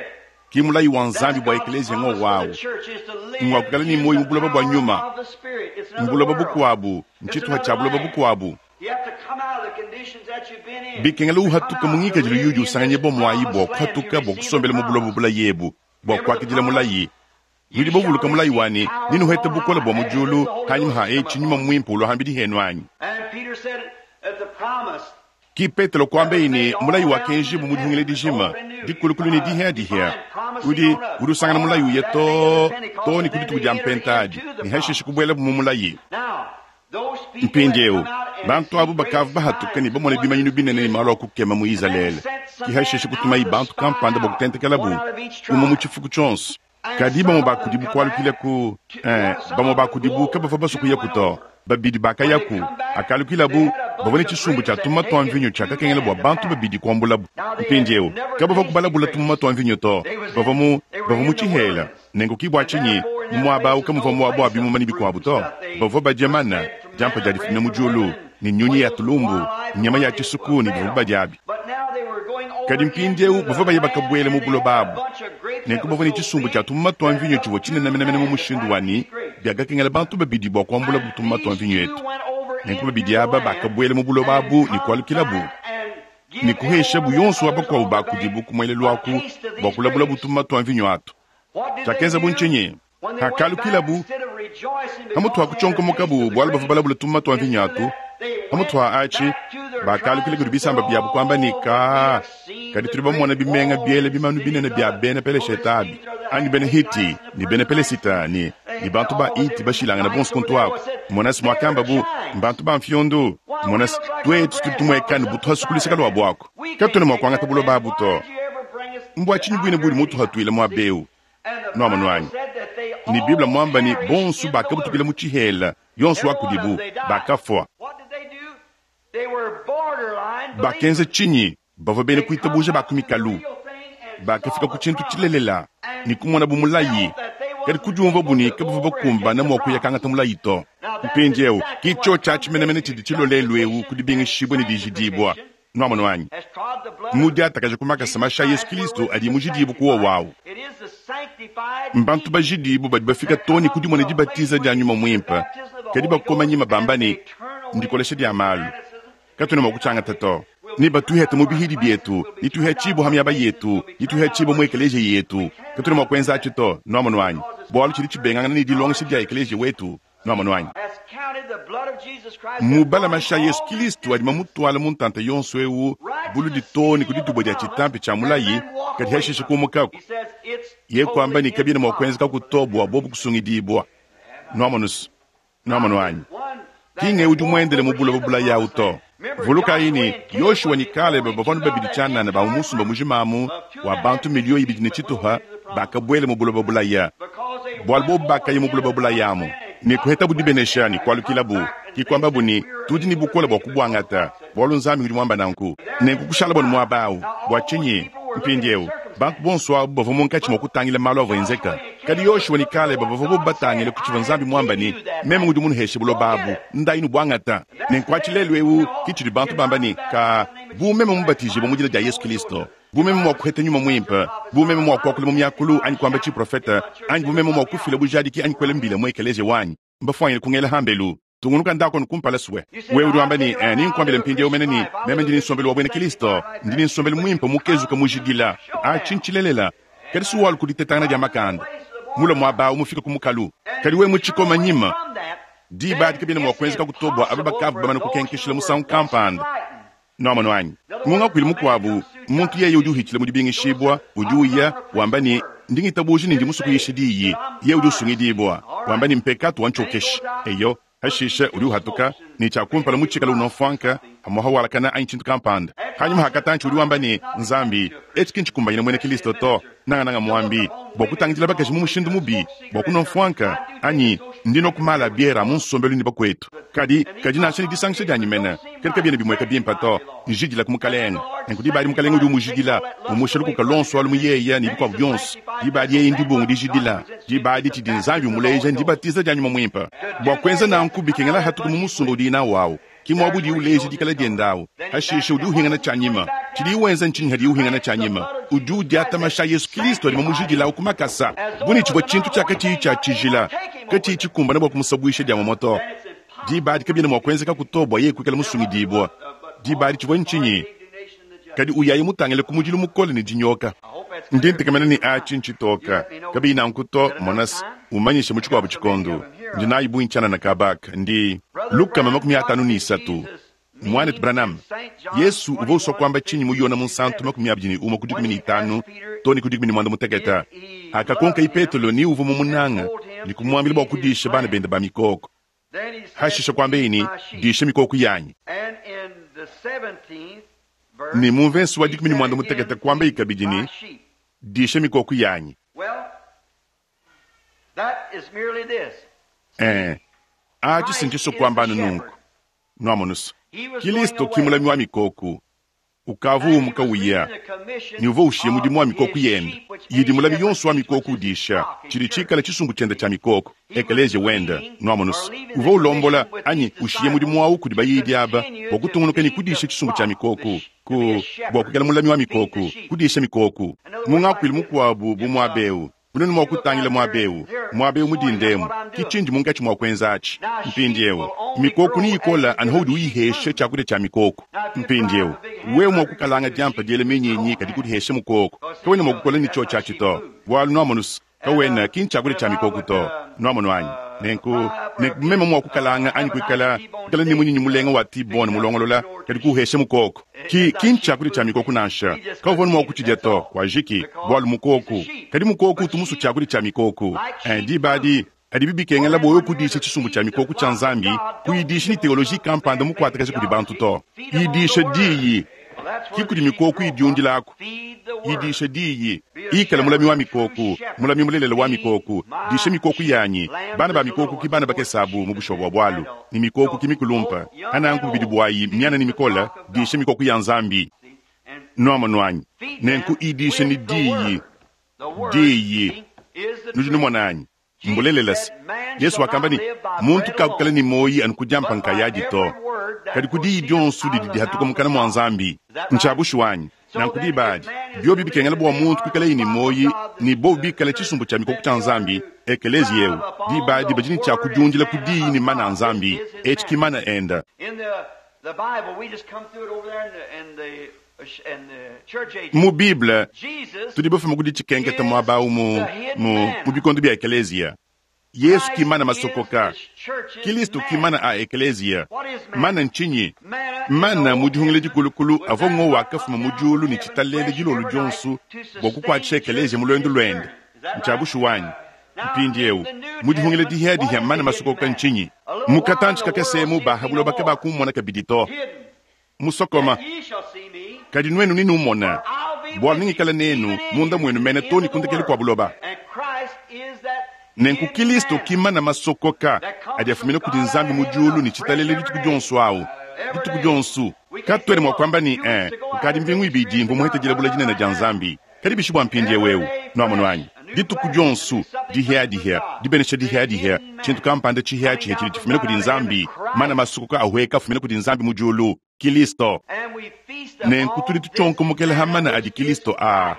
Ki mulayi wa Nzambi bua ekeleziya ngowu awu. Ngua kuikala ne muoyo mu buloba bua nyuma. Mbuloba bukuabu, ntshituha tshia buloba bukuabu. Bikengela uhatuka mu ngikadilu yudi usanganyibua muayi bua kuhatuka bua kusombela mu buloba bulaya ebu, bua kuakidila mulayi. Nudi bavuluka mulayi wa ne, Nenuhete bukole bua mu diulu hanyima ha etshi Nyuma Muimpe ulua hambidi henu anyi? Ki Petelo kuambeyi ne, mulayi wakenjibua mu dihungila dijima, dikulukulu ne dihia-dihia. Udi, udi usangana mulayi uya too, too ne ku dituku dia Mpenta adi, ne hashishe kubuelabu mu mulayi. Mpindieu, bantu abu bakavua bahatuke ne bamone bimanyinu binene ne malu a kukema mu Izalele. Ke hashishe kutumayi bantu kampanda bua kutentekelabu, umue mu tshifuku tshionso. Kadi bamue ba kudibu kualukila ku, eh, bamue ba kudibu kabavua basue kuyaku to. Babidi bakayaku, hakalukilabu, bavua ne tshisumbu tshia tumuma tua mvinyo tshiakakengela bua bantu babidi kuambulabu. Mpindieu, kabavua kubalabula tumuma tua mvinyo to, bavua mu, bavua mu tshihela. Nenku ki bua tshinyi mu muaba au kamuvua muaba wa bimuma ne bikuabu to. Bavua badia mana, diampa dia difumina mu diulu, ne nyunyi ya tulumbu, nyama ya tshisuku ne bivua badiabi. Kadi mpindieu bavua baye bakabuela mu buloba abu. Nenku bavua ne tshisumbu tshia tumuma tua mvinyo tshivua tshinene menemene mu mushindu wa ne, biakakengela bantu babidi bua kuambulabu tumuma tua mvinyo etu. Nenku babidi aba bakabuela mu buloba abu ne kualukilabu ne kuheshabu yonso wa bakuabu ba kudibu ku muelelu aku bua kulabulabu tumuma tua mvinyo atu. Tshiakenzabu ntshinyi? Hakalukilabu, pamutu ha kutshionkomokabu bualu bavua balabula tumuma tua mvinyo atu, pamutu ha atshi, bakalukila kudi bisamba biabu kuamba ne, Ka, kadi tudi bamona bimenga biela bimanu binene bia bena Peleshete abi, anyi bena Hiti ne bena Pelesita ne, ne bantu ba Iti bashilangane bonso kuntu aku. Monasi muakambabu, mbantu ba mfiondu. Monasi, tuetu tudi tumuekane bu tuhasu ku luseke luabu aku. Katuena mua kuangata buloba abu to. Mbua tshinyi buine budi mutuhatuile muaba eu? Nuamonu anyi? Ne Bible muamba ne bonso bakabutukila mu tshihela, yonso wa kudibu, bakafua. Bakenza tshinyi? Bavua bena kuitabuja ba ku mikalu. Bakafika ku tshintu tshilelela ne kumonabu mulayi, kadi kudiumvuabu ne kabavua bakumbana mua kuya kangata mulayi to. Mpindieu, ki tshiotshi atshi menemene tshidi tshilua lelu'eu ku dibingishibua ne dijidibua. Nuamonu anyi? Mmudiatakaje ku makasa mashi a Yesu Kilisto adi mujidibue ku wowo awu. Mbantu bajidibue badi bafika too ne ku dimona dibatiza dia Nyuma Muimpe, kadi bakoma nyima bamba ne, Ndikolesha dia malu. Katuena mua kutshiangata to. Nebatuihate mu bihidi bietu, netuihatshibue ha miaba yetu, netuihatshibue mu ekeleziya yetu. Katuena mua kuenza atshi to. Nuamonu anyi? Bualu tshidi tshibengangana ne dilongesha dia ekeleziya wetu. Nuamonu anyi? Mubala mashi a Yesu Kilisto adi mamutuala mu ntanta yonso eu buludi too ne ku ditubua dia tshitampi tshia mulayi, kadi hashishe kumukaku. Ye kuamba ne kabiena mua kuenzekaku to bua bobu kusungidibua. Nuamonu's? Nuamonu anyi? Ki ng'eu udi muendele mu buloba bulaya awu to. Vulukayi ne, Yoshua ne Kalebe bavua anu babidi tshianana ba mu musumba mujima amu wa bantu miliyo ibidi ne tshitupa bakabuela mu buloba bulaya. Bualu bobu bakaya mu buloba bulaya amu ne kuhetabu dibenesha ne kualukilabu, ke kuambabu ne, Tudi ne bukole bua kubuangata, bualu Nzambi udi muamba nanku. Nenku kushalabu anu muaba au. Bua tshinyi? Mpindieu, bantu bonso abu bavua munkatshi mua kutangila malu avua enzeka. Kadi Yoshua ne Kaleba bavua bobu batangile ku tshivua Nzambi muambe ne, Meme ngudi munuheshe buloba abu, ndayi nubuangata. Nenku atshi lelu eu ke tshidi bantu bamba ne, Ka, bu meme mubatijibue mu dina dia Yesu Kilisto, bu meme mua kuheta Nyuma Muimpe, bu meme mua kuakula mu miakulu anyi kuamba tshiprofete, anyi bu meme mua kufila bujadiki anyi kuela mbila mu ekeleziya wanyi, mbafuanyine kungela hambelu. Tungunuka ndako anu kumpala sue. Wewe udi wamba ne, eh, ninkuambile mpindieu mene ne, meme ndi ne nsombelu wa buena Kristo, ndi ne nsombelu muimpe mukezuke mujidila. Atshi ntshilelela. Kadi suwalu ku ditetangana dia makanda. Mula muaba au mufike ku mukalu. Kadi wewe mutshikoma nyima, diba adi kabiena mua kuenzeka to bua aba bakavua bamane kukenkeshila musangu kampanda. Nuamonu anyi? Mu ngakuilu mukuabu, muntu yeye udi uhitshila mu dibingishibua, udi uya, wamba ne, Ndi ngitabuja ne ndi musue kuyisha diyi. Yeye udi usungidibua, wamba ne, Mpekatu wantshiokeshi. Eyo, hashishe udi uhatuka, ne tshia kumpala mutshikale unua mfuanka, pamuapa walakana anyi tshintu kampanda. Panyima ha katantshi udi wamba ne, Nzambi, etshi ki ntshikumbanyine muena Kilisto to, nangananga muambi, bua kutangidila bakaji mu mushindu mubi, bua kunua mfuanka, anyi ndi nua ku maala a biere a mu nsombelu ne bakuetu. Kadi, kadi nansha ne disangisha dianyi mene, kadi kabiena bimueka bimpe to. Njidila ku Mukalenge. Nenku diba adi Mukalenge udi umujidila, umusha lukuka luonso alu mu yeye ne bikuabu bionso. Diba adi yeye ndibungu dijidila. Diba adi tshidi Nzambi umuleja ndibatiza dia Nyuma Muimpe. Bua kuenza nanku bikengela hatuku mu musumba udiye nawu au. Ki muaba udiye uleja dikala diende au. Hashishe udi uhingana tshianyima. Tshidiye wenza ntshinyi hadiye uhingana tshianyima? Udi udiata mashi a Yesu Kilisto adi mamujidilawu ku makasa, bu ne tshivua tshintu tshia katshiyi tshia tshijila, katshiyi tshikumbane bua kumusabuisha dia muamua to. Diba adi kabiena mua kuenzekaku to bua yeye kuikala musungidibua. Diba adi tshivua ntshinyi? Kadi uyaye mutangile ku mudilu mukole ne dinyoka. Ndi ntekemena ne atshi ntshitoka. Kabiyi nanku to, mona's, umanyishe mu tshikuabu tshikondo. Ndi nayi bungi tshianana kaba aka. Ndi 53. Muanetu Branham, Yesu uvua usua kuamba tshinyi mu Yone Munsantu 21 ku 15 too ne ku 16, hakakonkayi Petelo ni uvua mumunanga ne kumuambila bua kudisha bana bende ba mikoko? Hashishe kuambeyi ne, Disha mikoko yanyi. Ne mu mvese wa 16 kuambeyi kabidi ne, Disha mikoko yanyi. Ee, atshi si ntshisua kuamba anu nunku. Nuamonu's, Kilisto ki mulami wa mikoko. Ukavua umuka uya, ne uvua ushiya mudimu wa mikoko yende, yidi mulami yonso wa mikoko udisha, tshidi tshikale tshisumbu tshiende tshia mikoko, ekeleziya wende. Nuamonu's, uvua ulombola, anyi ushiya mudimu au kudi bayidi aba bua kutungunuka ne kudisha tshisumbu tshia mikoko, ku, bua kuikala mulami wa mikoko, kudisha mikoko. Mu ngakuilu mukuabu bu muaba eu, Nuenu mua kutangila muaba eu, muaba eu mu dinda emu, ki tshindi munkatshi mua kuenza atshi. Mpindieu, mikoku neyikola anu haudi uyihesha tshiakudia tshia mikoku. Mpindieu, wewe mua kukalanga diampa diela minyinyi kadi kudihesha mukoko, kawena mua kukola ne tshiotshi atshi to, bualu nuamonu's, kawena ki ntshiakudia tshia mikoku to. Nuamonu anyi? Nenku, nenku bu meme mua kukalanga anyi kuikala, kuikala ne munyinyi mulenga wa T-bone mulongolola, kadi kuuhesha mukoko. Ki, ki ntshiakudia tshia mikoko nansha. Kawuvua mua kutshidia to, kuajiki, bualu mukoko. Kadi mukoko utu musue tshiakudia tshia mikoko. Eh, diba adi, padibi bikengela bua wewe kudisha tshisumbu tshia mikoko tshia Nzambi, kuyidisha ne teoloji kampanda mukuatakaja kudi bantu to. Yidisha Diyi. Ki kudi mikoko idiundila aku. Yidisha Diyi. Ikala mulami wa mikoko, mulami mulelela wa mikoko. Disha mikoko yanyi. Bana ba mikoko ki bana bakese abu mu bushuwa bua bualu, ne mikoko ki mikulumpa. Ananku bubidi buayi miana ne mikole, disha mikoko ya Nzambi. Nuamonu anyi? Nenku idisha ne Diyi. Diyi. Nudi numona anyi? Mbulelela se, Yesu wakamba ne, Muntu kakukala ne muoyi anu ku diampa nkayadi to, kadi ku diyi dionso didi dihatuka mukana mua Nzambi. Ntshia bushuwa anyi? Nanku diba adi, biobi bikengela bua muntu kuikalaye ne muoyi ne bobu bikale tshisumbu tshia mikoko tshia Nzambi, ekeleziya eu, diba adi badi ne tshia kudiundila ku diyi ne mana a Nzambi. Etshi ki mana enda. Mu Bible, tudi bafuma ku ditshikenketa muaba au mu, mu, mu bikondo bia ekeleziya. Yesu ki mana masokoka. Kilisto ki mana a ekeleziya. Mana ntshinyi? Mana mu dihungila dikulukulu avua ngowa akafuma mu diulu ne tshitalele dilolo dionso bua kukuatshisha ekeleziya mu luendu luende. Ntshia bushuwa anyi? Mpindieu, mu dihungila dihiadihia mana masokoka ntshinyi? Mu katantshi kakese emu ba ha buloba kabakummona kabidi to. Musokoma. Kadi nuenu nenumone, bualu nengikale nenu munda muenu mene too ne ku ndekelu kua buloba. Nenku Kilisto ki mana masokoka adi afumina kudi Nzambi mu diulu ne tshitalele dituku dionso au, dituku dionso. Katuena mua kuamba ne, Eh, kukadi mbingu ibidi mvua muhete dilabula dinene dia Nzambi. Kadi bishi bua mpindieu eu? Nuamonu anyi? Dituku dionso, dihiadihia, dibenesha dihiadihia, tshintu kampanda tshihiatshihia tshidi tshifumina kudi Nzambi, mana masukuka ahueka afumina kudi Nzambi mu diulu, Kilisto. Nenku tudi tutshionkomokela ha mana adi Kilisto aa,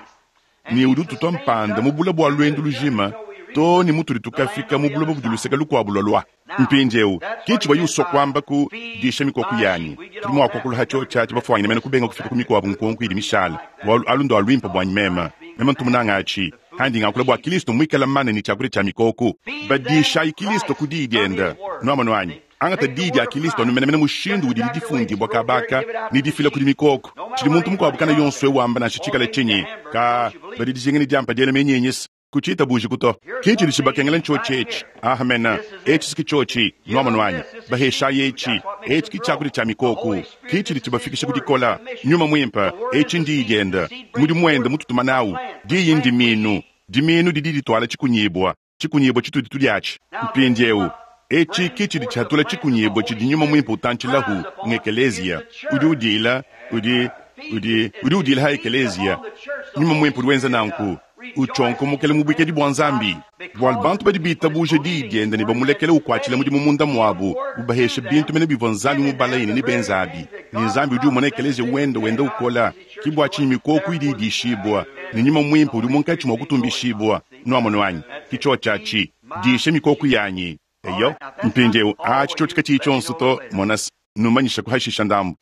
ne udi ututua mpanda mu bula bua luendu lujima too ne mutudi tukafika mu buloba budi luseke lukuabu lualua. Mpindieu, ke tshivua usua kuamba ku disha mikoko yanyi. Tudi mua kuakula ha tshiotshi atshi bafuanyine mene kubenga kufika ku mikuabu nkonko idi mishala, bualu alu ndua luimpe buanyi meme. Meme ntu munanga atshi. Handi ngakula bua Kilisto muikale mana ne tshiakudia tshia mikoko. Badishayi Kilisto ku diyi diende. Nuamonu anyi? Angata diyi dia Kilisto anu menemene mushindu udidi difundibua kaba aka ne difila kudi mikoko. Tshidi muntu mukuabu kana yonso eu wamba nansha tshikale tshinyi, ka badi dijinga ne diampa diela menyenyisa. Kutshiitabujiku to. Ke tshidi tshibakengela ntshiotshi etshi. Amena. Etshi ki tshiotshi. Nuamonu anyi? Baheshayi etshi. Etshi ki tshiakudia tshia mikoko. Ke tshidi tshibafikisha ku dikola. Nyuma Muimpe, etshi n'Diyi diende. Mudimu wende mututuma nawu. Diyi ndimiinu. Dimiinu didi dituala tshikunyibua. Tshikunyibua tshitudi tudiatshi mpindieu etshi ke tshidi tshihatula tshikunyibua tshidi Nyuma Muimpe utantshilahu, ng'ekeleziya. Udi udiila, udi, udi, udi udiila ha ekeleziya. Nyuma Muimpe udi wenza nanku, utshionkomokela mu buikadi bua Nzambi. Bualu bantu badi bitabuja diyi diende ne bamulekela ukuatshila mudimu munda muabu, ubahesha bintu mene bivua Nzambi mubalaye ne nebenzabi. Ne Nzambi udi umona ekeleziya wende wenda ukola. Ke bua tshinyi mikoko idi idishibua, ne Nyuma Muimpe udi munkatshi mua kutumbishibua. Nuamonu anyi? Ke tshiotshi atshi. Disha mikoko yanyi. Eyo. Mpindieu, atshi tshiotshi katshiyi tshionso to, mona's, numanyishaku hashisha ndambu.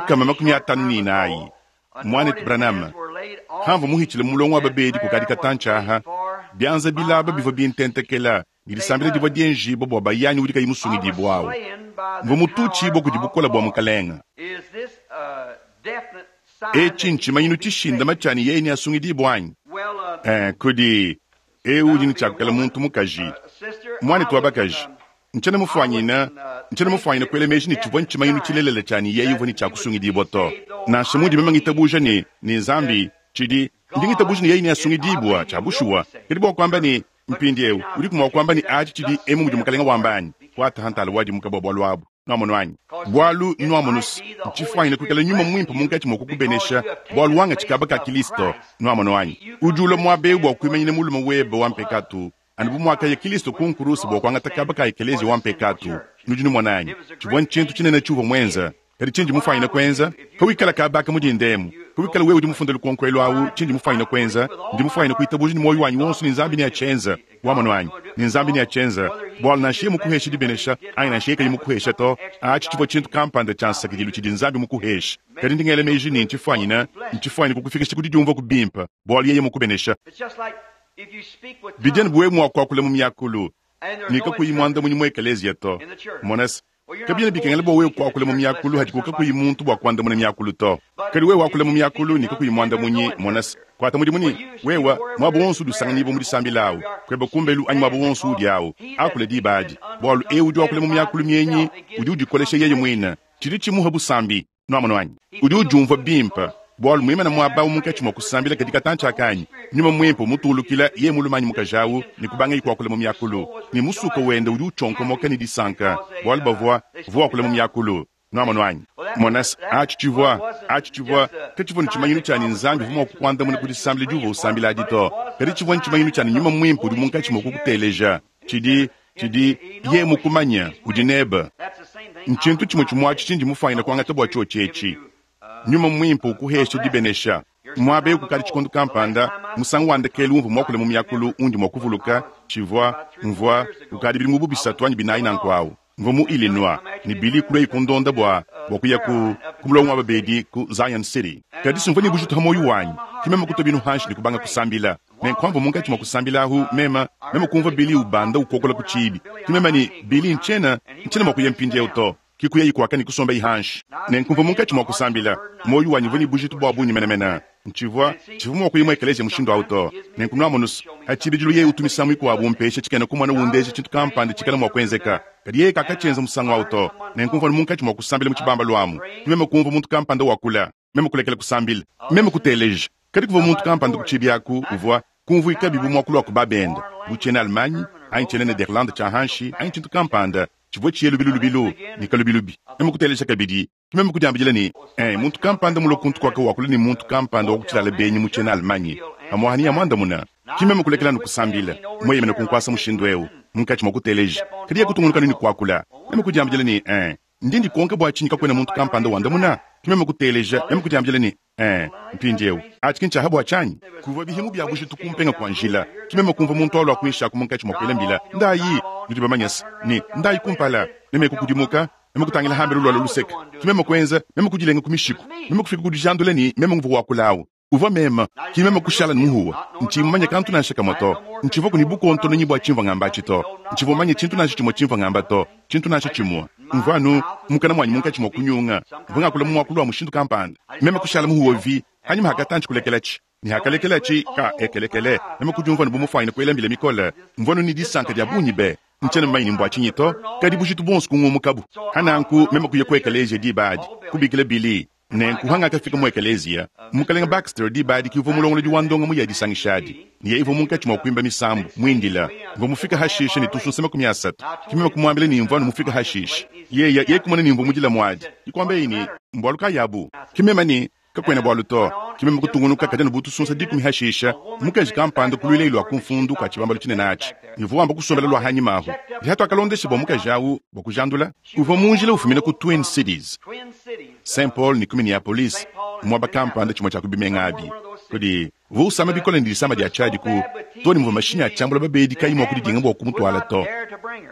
154, Muanetu Branham, hamvua muhitshile mu mulongo wa babedi kukadi katantshi aha, bianza bilaba bivua bintentekela, ne disambila divua dienjibua bua bayanyi udi kayi musungidibua au. Mvua mututshibua kudi bukole bua Mukalenge. Etshi ntshimanyinu tshishindame tshia ne yeye neasungidibue anyi? Eh, kudi eu udi ne tshiakukala muntu mukaji, muanetu wa bakaji. Ntshiena mufuanyine, ntshiena mufuanyine kuela meji ne tshivua ntshimanyinu tshilelela tshia ne yeye uvua ne tshiakusungidibua to. Nansha mundi meme ngitabuja ne, ne Nzambi, tshidi, ndi ngitabuja ne yeye neasungidibua, tshia bushuwa. Kadi bua kuamba ne, mpindieu, udiku mua kuamba ne atshi tshidi emu mudi Mukalenge wamba anyi? Kuata ha ntala wadimuka bua bualu abu. Nuamonu anyi? Bualu, nuamonu's, ntshifuanyine kuikala Nyuma Muimpe munkatshi mua kukubenesha, bualu wangatshi kaba ka Kilisto. Nuamonu anyi? Udi ulua muaba eu bua kuimanyina mulume webe wa mpekatu, anu bu muakaya Kilisto ku nkuruse bua kuangata kaba ka ekeleziya wa mpekatu. Nudi numona anyi? Tshivua ntshintu tshinene tshiuvua muenza. Kadi tshindi mufuanyine kuenza, pawikala kaba aka mu dinda emu, pawikala wewe udi mufunde lukonko elu awu, tshindi mufuanyine kuenza, ndi mufuanyine kuitabuja ne muoyo wanyi wonso ne Nzambi neatshienze. Wamonu anyi? Ne Nzambi neatshienze. Bualu nansha yeye mukuheshe dibenesha, anyi nansha yeye kayi mukuheshe to, atshi tshivua tshintu kampanda tshia nsakidilu tshidi Nzambi mukuheshe. Kadi ndi ngela meji ne ntshifuanyine, ntshifuanyine kukufikisha ku didiumvua ku bimpe, bualu yeye mukubenesha. Bidi anu bu wewe mua kuakula mu miakulu, ne kakuyi muandamunyi mu ekeleziya to. Mona's, kabiena bikengela bua wewe kuakula mu miakulu hadiku kakuyi muntu bua kuandamuna miakulu to. Kadi wewe wakula mu miakulu ne kakuyi muandamunyi, mona's, kuata mudimu ne wewe muaba wonso udi usanganyibua mu disambila awu, kueba kumbelu anyi muaba wonso udi awu, akula diba adi, bualu eu udi wakula mu miakulu mienyi udi udikolesha yeye muine, tshidi tshimuha busambi. Nuamonu anyi? Udi udiumvua bimpe, bualu muimane muaba awu munkatshi mua kusambila kadi katantshi aka anyi? Nyuma Muimpe umutuulukila, yeye mulume anyi mukaji awu, ne kubangaye kuakula mu miakulu. Ne musuka wende udi utshionkomoka ne disanka, bualu bavua, uvua wakula mu miakulu. Nuamonu anyi? Mona's, atshi tshivua, atshi tshivua, katshivua ne tshimanyinu tshia ne Nzambi uvua mua kukuandamuna ku disambila diuvua usambila adi to, kadi tshivua ntshimanyinu tshia ne Nyuma Muimpe udi munkatshi mua kukuteleja. Tshidi, tshidi, Yeye mukumanye, udi nebe. Ntshintu tshimue tshimue atshi tshindi mufuanyine kuangata bua tshiotshi etshi. Nyuma Muimpe ukuheshe dibenesha. Muaba eu kukadi tshikondo kampanda, musangu wa ndekelu umvua muakule mu miakulu undi mua kuvuluka, tshivua, mvua, kukadi bidimu bu bisatu anyi binayi nanku awu. Mvua mu Illinois, ne Billy kuluaye kundonda bua, bua kuya ku, ku mulongo wa babedi ku Zion City. Kadi simvua ne bujitu ha muoyo wanyi, ke meme kutua binu hanshi ne kubanga kusambila. Nenku pamvua munkatshi mua kusambila ahu, meme, meme kumvua Billy ubanda ukokola ku tshiibi. Ke meme ne, Billy, ntshiena, ntshiena mua kuya mpindieu to. Ke kuyayi kuaka ne kusombayi hanshi. Nenku mvua munkatshi mua kusambila. Muoyo wanyi uvua ne bujitu bua bungi menemene. Ntshivua, tshivua mua kuya mu ekeleziya mushindu au to. Nenku nuamonu's, pa tshibidilu yeye utu misangu mikuabu umpesha tshikena-kumona undeja tshintu kampanda tshikala mua kuenzeka. Kadi yeye kakatshienza musangu au to. Nenku mvua anu munkatshi mua kusambila mu tshibambalu amu, ke meme kumvua muntu kampanda wakula. Meme kulekela kusambila. Meme kuteleja. Kadi kuvua muntu kampanda ku tshiibi aku uvua, kumvuikabi bu muakulu wa ku ba-bende, bu tshiena-Allemagne, anyi tshiena-Nederlande tshia hanshi, anyi tshintu kampanda. Tshivua tshiye lubilu lubilu ne kalubilubi. Meme kuteleja kabidi, ke meme kudiambidila ne, Ee, muntu kampanda mulue kuntu kuaka wakula ne muntu kampanda wa ku tshilala benyi mu tshiena-Allemagne. Pamu'apa neamuandamune. Ke meme kulekela anu kusambila, mueyemene ku nkuasa mushindu'eu, munkatshi mua kuteleja. Kadi yeye kutungunuka anu ne kuakula. Meme kudiambidila ne, Ee, ndi ndikonka bua tshinyi kakuena muntu kampanda wandamuna? Ke meme kuteleja, meme kudiambidila ne, Ee, mpindieu, atshi ki ntshia bua tshianyi? Kuvua bihimu bia bujitu kumpenga kua njila. Ke meme kumvua muntu walua kuinshi aku munkatshi mua kuela mbila, Ndayi! Nudi bamanye se, ne, ndayi kumpala! Meme kukudimuka, meme kutangila hambelu lualua luseke. Ke meme kuenza, meme kudilenga ku mishiku. Meme kufika ku dijandula ne, meme nguvua wakula au. Uvua meme. Ke meme kushala ne muhuwa, ntshiyi mumanye kantu nansha kamue to. Ntshivuaku ne bukontononyi bua tshimvua ngamba atshi to. Ntshivua mumanye tshintu nansha tshimue tshimvua ngamba to, tshintu nansha tshimue. Mvua anu, mukana muanyi munkatshi mua kunyunga, mvua ngakula mu muakulu wa mushindu kampanda. Meme kushala muhuwe vi, hanyima hakatantshi kulekelatshi, ne hakalekelatshi ka ekelekele, meme kudiumvua anu bu mufuanyine kuela mbila mikole. Mvua anu ne disanka dia bungi be! Ntshiena mumanye ne mbua tshinyi to, kadi bujitu buonso kungumukabu. Hananku meme kuya ku ekeleziya diba adi, kubikila Billy. Nenku hangakafika mu ekeleziya, Mukalenge Baxter diba adi ki uvua mulongolodi wa ndongamu ya disangisha adi, ne yeye uvua munkatshi mua kuimba misambu, muindila. Mvua mufike hashishe ne tusunsa 30. Ke meme kumuambila ne mvua anu mufike hashishe. Yeye, yeye kumona ne mvua mudila muadi. Ke kuambaye ne, Mbualu kayi abu? Ke meme ne, Kakuena bualu to. Ke meme kutungunuka, kadi anu bu tusunsa dikumi hashishe, mukaji kampanda kuluilaye lua ku mfundu kua tshibambalu tshinene atshi, ne uvua wamba kusombela lua hanyima ahu. Hatuakalondesha bua mukaji au bua kujandula, uvua mu njila ufumina ku Twin Cities, Saint Paul ne ku Minneapolis, muaba kampanda tshimue tshia ku bimenga abi. Kudi uvua usama bikole ne disama dia tshiadi ku too ne muvua mashinyi a tshiambula babedi kayi mua kudidinga bua kumutuala to.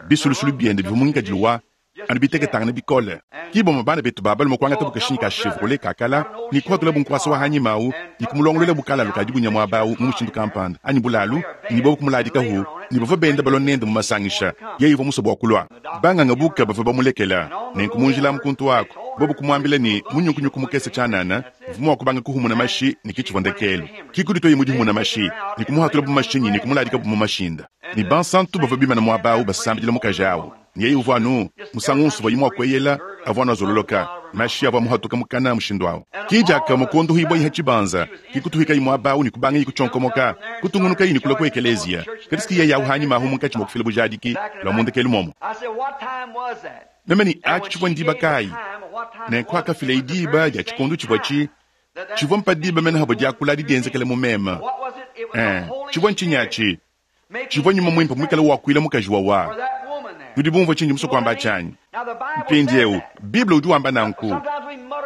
Bisulusulu biende bivua mu ngikadilu wa anu biteketangane bikole. Ki bamue bana betu ba balume kuangatabu kashinyi ka Chevrolet ka kala ne kuhatulabu nkuasa wa hanyima au ne kumulongoluelabu kalalu ka dibunya muaba au mu mushindu kampanda anyi bulalu ne bobu kumuladikahu ne bavua benda balua nende mu masangisha. Yeye uvua musue bua kulua. Banganga buka bavua bamulekela. Nenku mu njila amu kuntu aku, bobu kumuambila ne munyukunyuku mukese tshianana uvua mua kubanga kuhumuna mashi ne ke tshivua ndekelu. Ki kudituaye mu dihumuna mashi ne kumuhatulabu mashinyi ne kumuladikabu mu mashinda. Ne bansantu bavua bimana muaba au basambidila mukaji au. Ne yeye uvua anu, musangu wonso uvuaye mua kueyela, avua anu azololoka, mashi avua amuhatuka mukana mushindu au. Ki diakamue kuondohibua ha tshibanza, ki kutuhikayi muaba au ne kubangayi kutshionkomoka, kutungunukayi ne kulua ku ekeleziya. Kadi si yeye au hanyima ahu munkatshi mua kufila bujadiki lua mu ndekelu muomu. Meme ne, Atshi tshivua ndiba kayi? Nenku hakafilaye diba dia tshikondo tshivua tshi, tshivua mpa diba mene havua diakula adi dienzekele mu meme. Ee, tshivua ntshinyi atshi? Tshivua nyuma muimpe muikale wakuila mukaji wawa. Nudi bumvue tshindi musue kuamba atshi anyi? Mpindieu, Bible udi wamba nanku.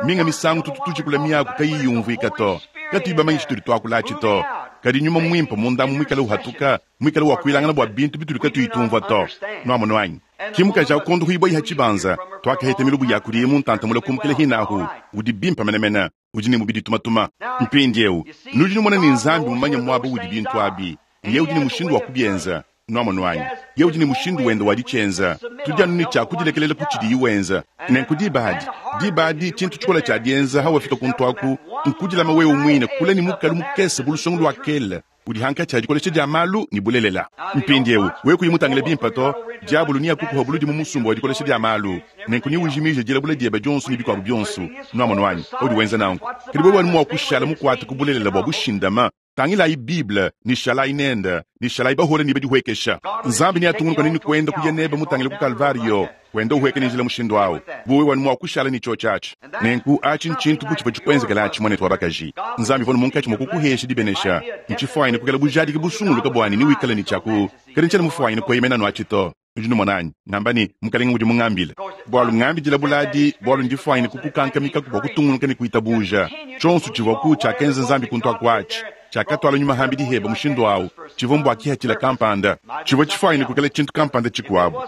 Minga misangu tutu tujikula miaku kayiyi yumvuika to, katuyi bamanye tshitudi tuakula atshi to. Kadi nyuma muimpe mundamu muikale uhatuka, muikale wakuilangana bua bintu bitudi katuyi tumvua to. Nuamonu anyi? Ki mukaji au kondohibua ha tshibanza, tuakaheta milubu ya kudiye mu ntanta mule kumukila hinahu. Udi bimpe menemene. Udi ne mubidi tumatuma. Mpindieu, nudi numona ne Nzambi mumanye muaba udi bintu abi, ne Yeye udi ne mushindu wa kubienza. Nuamonu anyi? Yeye udi ne mushindu wende wa ditshienza. Tudi anu ne tshia kudilekelela ku tshidiyi wenza. Nenku diba adi, diba adi, tshintu tshikole tshia dienza hawafika kuntu aku, nkudilama wewe muine kule ne mukalu mukese bu lusongo lua kele udi hankatshi ha dikolesha dia malu ne bulelela. Mpindieu, wewe kuyi mutangile bimpe to, diabolo neakukuha buludi mu musumba wa dikolesha dia malu, nenku neujimije dilabula diebe dionso ne bikuabu bionso. Nuamonu anyi? Paudi wenza nanku, kadi wewe anu mua kushala mukuate ku bulelela bua bushindama. Tangilayi Bible, ne shalayi nende, ne shalayi bahole ne badihuekesha. Nzambi neatungunuka nenu kuenda kuya nebe mutangile ku Kalvariyo, wenda uhueka ne njila mushindu au, bu wewe anu mua kushala ne tshiotshi atshi. Nenku atshi ntshintu bu tshivua tshikuenzekela atshi, muanetu wa bakaji. Nzambi uvua munkatshi mua kukuhesha dibenesha. Ntshifuanyine kuikala bujadiki busunguluke bua ne newikale ne tshia ku, kadi ntshiena mufuanyine kueyemena anu atshi to. Nudi numona anyi? Ngamba ne, Mukalenge udi mungambile. Bualu ngambidila buladi, bualu ndifuanyine kukukankamikaku bua kutungunuka ne kuitabuja. Tshionso tshivuaku tshiakenza Nzambi kuntu aku atshi, tshiakatuala nyuma hambi diheba mushindu au, tshivua mbua kihatshila kampanda. Tshivua tshifuanyine kuikala tshintu kampanda tshikuabu.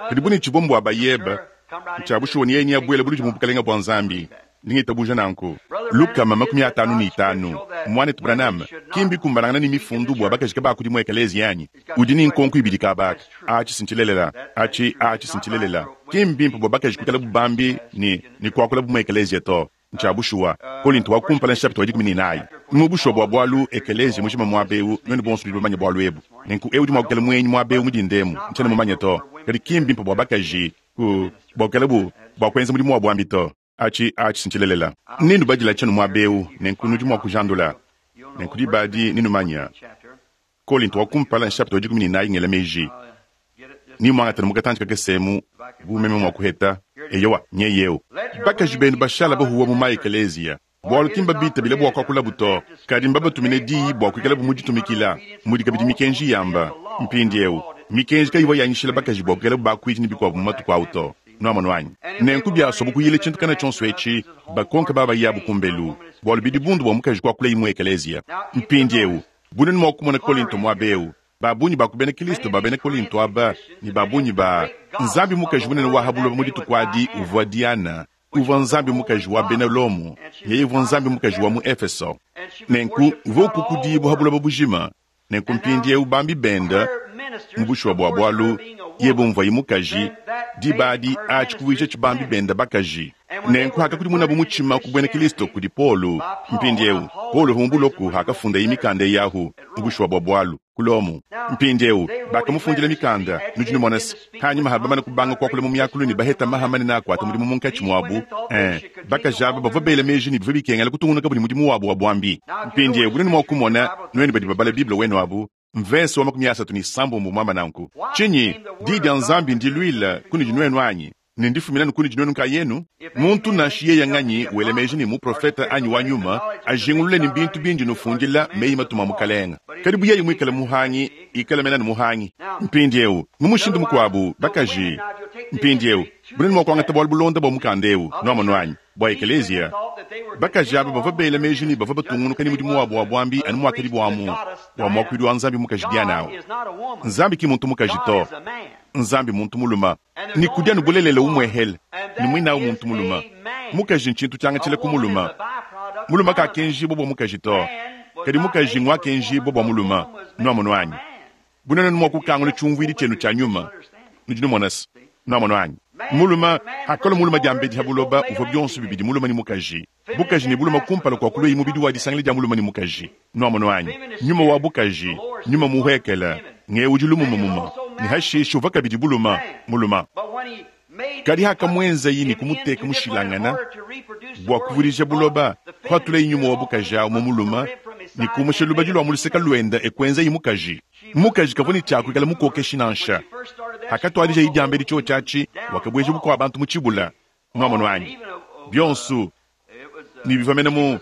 Kadi bu ne tshivua mbua bayebe, ntshia bushuwa ne yeye neabuele buludi mu bukalenge bua Nzambi. Ndi ngitabuja nanku. 155, Muanetu Branham, ki mbikumbanangana ne Mifundu bua bakaji kabakudi mu ekeleziya anyi? Udi ne nkonko ibidi kaba aka. Atshi si ntshilelela. Atshi, atshi si ntshilelela. Ki mbimpe bua bakaji kuikalabu bambi ne, ne kuakulabu mu ekeleziya to. Ntshia bushuwa. Kolinto wa kumpala nshapita wa 14. Mu bushuwa bua bualu, ekeleziya mujima muaba eu, nuenu bonso nudi bamanye bualu ebu. Nenku eu udi mua kuikala muenyi muaba eu mu dinda emu, ntshiena mumanye to. Kadi ki mbimpe bua bakaji ku, bua kuikalabu, bua kuenza mudimu wa buambi to. Atshi, atshi ntshilelela. Nenubadila tshienu muaba eu, nenku nudi mua kujandula. Nenku diba adi nenumanya. Kolinto wa kumpala nshapita wa 14 ngela meji. Nemmuangate mu katantshi kakese emu, bu meme mua kuheta. Eyowa, nyeye eu. Bakaji benu bashala bahuwa mu ma-ekeleziya, bualu ki mbabitabile bua kuakulabu to, kadi mbabatumine diyi bua kuikalabu mu ditumikila, mudi kabidi mikenji yamba. Mpindieu, mikenji kayivua yanyishila bakaji bua kuikalabu bakuidi ne bikuabu mu matuku au to. Nuamonu anyi? Nenku biasuabu kuyila tshintu kana tshionso etshi, bakonke babayabu kumbelu, bualu bidi bundu bua mukaji kuakulayi mu ekeleziya. Mpindieu, bu nuenu mua kumona Kolinto muaba eu, ba bungi ba ku bena Kristo ba bena Kolinto aba ne ba bungi ba nzambi mukaji munene wa ha buloba mu dituku adi uvua Diana, uvua nzambi mukaji wa bena Lomo, yeye uvua nzambi mukaji wa mu Efeso. Nenku uvua ukukudibua ha buloba bujima. Nenku mpindieu bambi bende mu bushuwa bua bualu, yeye bumvuaye mukaji, diba adi atshi kuvuija tshibambi bende bakaji. Nenku hakakudimunabu mutshima ku buena Kristo kudi Paulo. Mpindieu Paulo uvua mu buloko hakafundaye mikanda eyi ahu mu bushuwa bua bualu ku Lomo. Mpindieu bakamufundila mikanda, nudi numona se, hanyima ha bamane kubanga kuakula mu miakulu ne baheta maha manene akuata mudimu munkatshi muabu, eh, bakaji aba bavua bela meji ne bivua bikengela kutungunukabu ne mudimu wabu wa buambi. Mpindieu bunenu mua kumona, nuenu badi babala Bible wenu abu, mvese wa 36 muamba nanku. Tshinyi? Diyi dia Nzambi ndiluile kunudi nuenu anyi? Ne ndifumina anu kunudi nuenu nkayenu? Muntu nansha yeye nganyi wela meji ne muprofete anyi wa nyuma, ajingulule ne bintu bindi nufundila meyi matuma a Mukalenge. Kadi bu yeye muikale muhangi, ikale mene anu muhangi. Mpindieu, mu mushindu mukuabu, bakaji, mpindieu, bunene mua kuangata bualu bulonda bua mukanda eu, nuamonu anyi, bua ekeleziya. Bakaji aba bavua bela meji ne bavua batungunuka ne mudimu wabu wa buambi anu muakadibu amu wa muakuidi wa Nzambi mukaji Diana au. Nzambi ki muntu mukaji to, Nzambi muntu mulume. Ne kudi anu bulelela umuehele, ne muinawu muntu mulume. Mukaji ntshintu tshiangatshila ku mulume. Mulume kakenjibua bua mukaji to, kadi mukaji nguakenjibua bua mulume. Nuamonu anyi? Bu nuenu mua kukangula tshiumvuidi tshienu tshia nyuma, nudi numona se, nuamonu anyi? Mulume, hakalua mulume diambedi ha buloba, uvua bionso bibidi mulume ne mukaji, bukaji ne bulume kumpala kua kulueyi mubidi wa disangila dia mulume ne mukaji. Nuamonu anyi? Nyuma wa bukaji, nyuma muhuekele, ngewu udi lumumumuma, ne hashishe uvua kabidi bulume, mulume. Kadi hakamuenzayi ne kumuteka mushilangana bua kuvudija buloba, kuhatulayi nyuma wa bukaji au mu mulume ne kumusha lubadi lua mu luseke luende e kuenzayi mukaji. Mukaji kavua ne tshia kuikala mukokeshi nansha. Hakatuadijayi diambedi tshiotshi atshi, wakabueja bukua bantu mu tshibula. Nuamonu anyi? Bionso ne bivua mene mu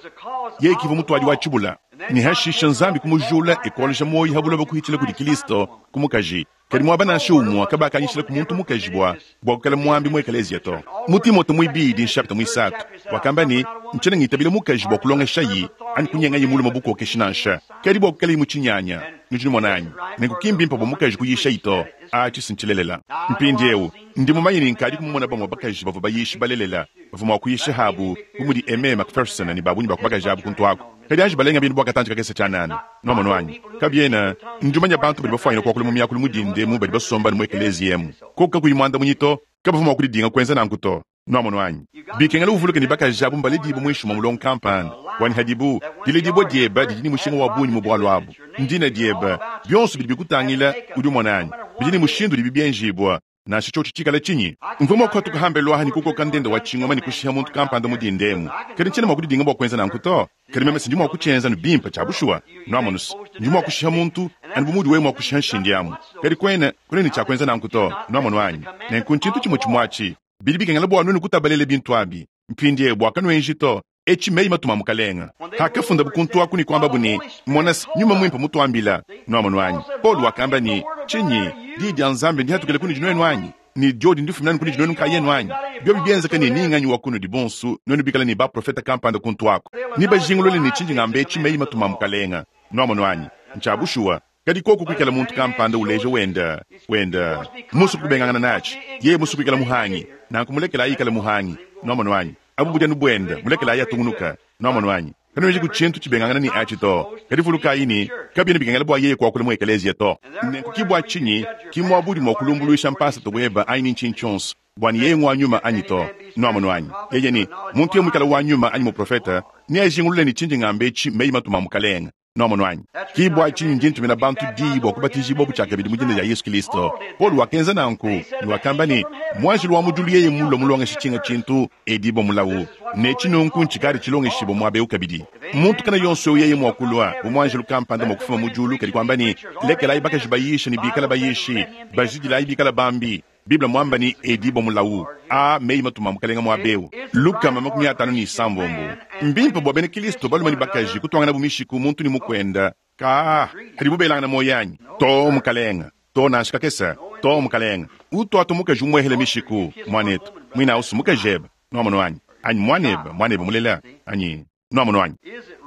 yeye kivua mutuadi wa tshibula. Ne hashisha Nzambi kumujula e kualuja muoyo ha buloba kuhitshila kudi Kristo ku mukaji. Kadi muaba nansha umue kabakanyishila ku muntu mukaji bua bua kuikala muambi mu ekeleziya to. Mu Timote muibidi nshapita muisatu wakamba ne, Ntshiena ngitabila mukaji bua kulongeshayi anyi kunyengayi mulume bukokeshi nansha, kadi bua kuikalayi mu tshinyanya. Nudi numona anyi? Nenku ki mbimpe bua mukaji kuyishayi to. Atshi si ntshilelela. Mpindieu ndi mumanye ne nkadi kumumona bamue bakaji bavua bayishi balelela bavua mua kuyisha habu, bu mudi Aimee McPherson ne ba bungi ba ku bakaji abu kuntu aku. Kadi anji balenga bintu bua katantshi kakese tshianana. Nuamonu anyi? Kabiena, ndi mumanye bantu badi bafuanyine kuakula mu miakulu mu dinda emu badi basomba anu mu ekeleziya emu. Koku kakuyi muandamunyi to, kabavua mua kudidinga kuenza nanku to. Nuamonu anyi? Bikengela uvuluke ne bakaji abu mbaledibue muinshi mua mulongo kampanda wa ne hadibu. Diledibua diebe didi ne mushinga wa bungi mu bualu abu. Ndina diebe, bionso bidi bikutangila, udi umona anyi? Bidi ne mushindu udibi bienjibua. Nansha tshiotshi tshikale tshinyi, mvua mua kuhatuka hambelu aha ne kukoka ndenda wa tshingoma ne kushiha muntu kampanda mu dinda emu. Kadi ntshiena mua kudidinga bua kuenza nanku to. Kadi meme si ndi mua kutshienza anu bimpe tshia bushuwa. Nuamonu se, ndi mua kushiha muntu anu bu muudi wewe mua kushiha nshindi amu. Kadi kuena, kuena ne tshia kuenza nanku to. Nuamonu anyi? Nenku ntshintu tshimue tshimue atshi. Bidi bikengela bua nuenu kutabalela bintu abi. Mpindieu bua kanuenji to. Etshi meyi matuma a Mukalenge. Hakafundabu kuntu aku ne kuambabu ne, Mona se, Nyuma Muimpe mutuambila. Nuamonu anyi? Paulo wakamba ne, Tshinyi? Diyi dia Nzambi ndihatukile kunudi nuenu anyi? Ne diodi ndifumine anu kunudi nuenu nkayenu anyi? Biobi bienzeka ne ni nganyi wa kunudi bonso nuenu bikale ne baprofete kampanda kuntu aku, nebajingulule ne tshindi ngamba etshi meyi matuma a Mukalenge. Nuamonu anyi? Ntshia bushuwa. Kadi koku kuikala muntu kampanda uleja wenda wenda musue kubengangana natshi, yeye musue kuikala muhangi, nanku mulekelayi ikale muhangi. Nuamonu anyi? Abu budi anu buenda, mulekelayi atungunuka. Nuamonu anyi? Kanuenji ku tshintu tshibengangana ne atshi to. Kadi vulukayi ne, kabiena bikengela bua yeye kuakula mu ekeleziya to. Nenku ki bua tshinyi ki muaba udi mua kulumbuluisha mpasata weba anyi ni ntshinyi tshionso. bwa ne yeye ngwa nyuma anyi to. Nwamonu anyi? Yeye ne, Muntu yeye mwikale wa nyuma anyi muprofeta, neajingulule ne cindi ngamba eci mmeyi matuma a Mukalenge. Nwamonu anyi? Ki bwa cinyi ndi ntumina bantu diyi bwa kubatiijiibwabu cyakabidi mu Dina dya Yesu Kilisto. Polo wakenza nanku, ne wakamba ne, Mwanjelu wa mu dyulu yeye mulwe mulongeshe cinga cintu, edibwe mulawu. Ne eci nunku ncikaadi cilongeshibwe mwaba ewu kabidi. Muntu kana yonso ewu yeye mwa kulwa, bu mwanjelu kampanda mwa kufuma mu dyulu kadi kwamba ne, Lekelaayi bakaji bayiishe ne biikale bayiishi, bajidilayi biikale bambi. Bible mwamba ne, Edibwe mulawu. Aa mmeyi matuma a Mukalenge mwaba ewu. 256. Mbimpe bwa bena Kilisto balume ne bakaji kutwanganabu mishiku muntu ne mukwenda. Kaa, padibu belangana muoyo anyi? Too, mukalenge. Too, nansha kakese. Too, mukalenge. Utwatu mukaji umwehele mishiku, mwanetu. Mwine au's mukajebe. Nwamonu anyi? Anyi mwanebe, mwanebe mulela, anyi? Nwamonu anyi?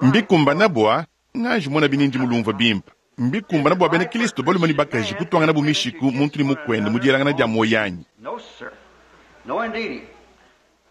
Mbikumbana bwa, nganji monabi ni ndi mulumvwe bimpe. Mbikumbana bwa bena Kilisto balume ne bakaji kutwanganabu mishiku muntu ne mukwende mu dyelangana dya muoyo anyi?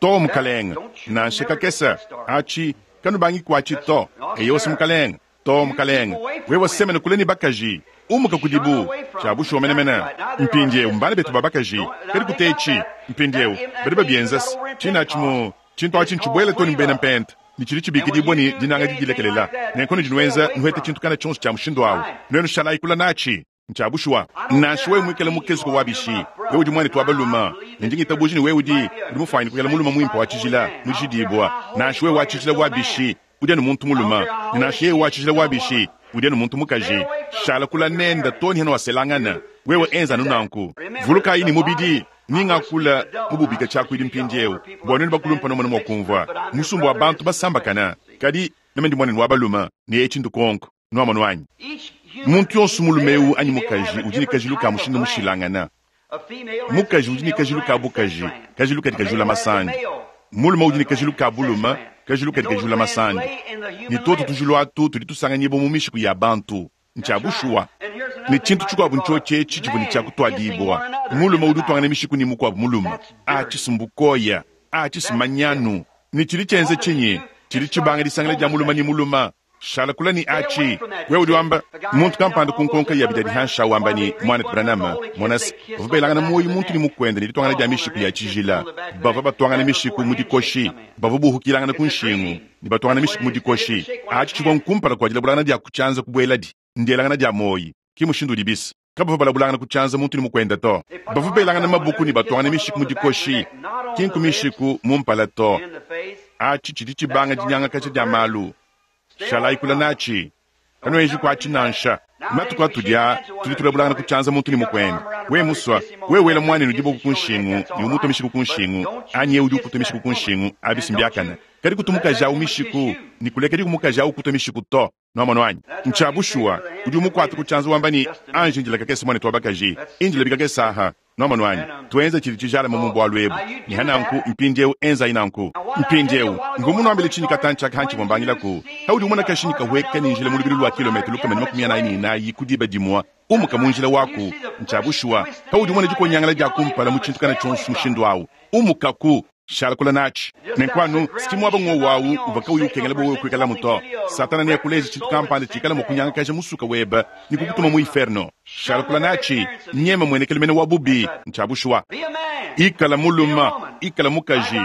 Too, mukalenge. Nansha kakese. Aci, kanubangi kwaci to. Eyo's, mukalenge. Too, mukalenge. Wewe semena kule ne bakaji. Umuka kudibu. Cya bushuwa menemene. Mpindyewu, mbana betu ba bakaji. Kadi kuteeci. Mpindyewu, badi babyenza's. Ciine aci mu, cintu aci ncibwele too ne mu bena Mpenta, ne cidi cibiikidiibwa ne dinanga didilekelela. Nenku nudi nwenza, nuheta cintu kana cyonso cya mushindu awu. Nwenu shalaayi kula naaci. Ncya bushuwa. Nansha wewe mwikale mukezuke wa bishi, wewe udi mwanetu wa balume, ne ndi ngitabuuja ne wewe udi, udi mufwanyine kwikala mulume mwimpe wa cijila, mujidiibwa. Nansha wewe wa cijila wa bishi, udi anu muntu mulume, ne nansha yeye wa cijila wa bishi, udi anu muntu mukaji. Shala kula nende too ne hanuaselangana. Wewe enza anu nanku. Vulukayi ne mubidi, ni ngakula mu bubika tshiakuidi mpindiewu, bua nuenu bakulumpa numone mua kumvua. Musumba wa bantu basambakana, kadi meme ndi muanenu wa balume, ne etshi ndukonko. Nuamonu anyi? Muntu yonso mulume eu anyi mukaji udi ne kajilu ka mushindu mushilangana. Mukaji udi ne kajilu ka bukaji, kajilu kadi kajula masandi. Mulume udi ne kajilu ka bulume, kajilu kadi kajula masandi. Ne tuotu tujilu atu tudi tusanganyibua mu mishiku ya bantu. Ntshia bushuwa. Ne tshintu tshikuabu ntshiotshi etshi tshivua ne tshia kutuadibua, mulume udi utuangana mishiku ne mukuabu mulume. Atshi si mbukoya, atshi si manyanu. Ne tshidi tshienza tshinyi? Tshidi tshibanga disangila dia mulume ne mulume. Shala kule ne aci. Wewe udi wamba, muntu kampanda ku nkonka ya bidadi hanshi awu wamba ne, Muanetu Branham, mona's, bavua belangana muoyo muntu ne mukuende ne dituangana dia mishiku ya tshijila. Bavua batuangana mishiku mu dikoshi. Bavua buhukilangana ku nshingu ne batuangana mishiku mu dikoshi. Aci tshivua nkumpala kua dilabulangana dia ku tshianza kubueladi. Ndielangana dia muoyo. Ki mushindu udibis. Kabavua balabulangana ku tshianza muntu ne mukuende to. Bavua belangana mabuku ne batuangana mishiku mu dikoshi, ki nku mishiku mu mpala to. Aci tshidi tshibanga dinyangakaja dia malu. Shalayi kule natshi, kanuenji kuatshi nansha. Matuku atudi aa, tudi tulabulangana ku tshianza muntu ne mukuende. Wewe musua, wewe wela muanenu diboko ku nshingu ne umutua mishiku ku nshingu, anyi yeye udi ukutua mishiku ku nshingu, abi si mbiakane. Kadi kutu mukaji awu mishiku, ne kulekedi mukaji awu ukutua mishiku to. Nwamonu anyi? Ncya bushuwa. Udi umukuata ku tshianza wamba ne, Anji indila kakese, muanetu wa bakaji. Indila bikakese aha. Nwamonu anyi? Tuenze tshidi tshijalame mu bualu ebu. Ne ha nanku, mpindiewu enzayi nanku. Mpindiewu, mvua munuambile tshinyi katantshi aka hantshivua mbangilaku? Paudi umona kashinyi kahueka ne njila mu lubilu lua kilometre 144 ku diba dimue, umuka mu njila waku. Ntshia bushuwa. Paudi umona dikonyangala dia kumpala mu tshintu kana tshionso mushindu au, umukaku. Shala kule natshi. Nenku anu, si muaba ng'wowu au uvua kauyi ukengela bua wewe kuikalamu to. Satana neakuleje tshintu kampanda tshikala mua kunyangakaja musuka webe ne kukutuma mu iferno. Shala kule natshi. Nyema muenekelu mene wa bubi. Ntshia bushuwa. Ikala mulume, ikala mukaji.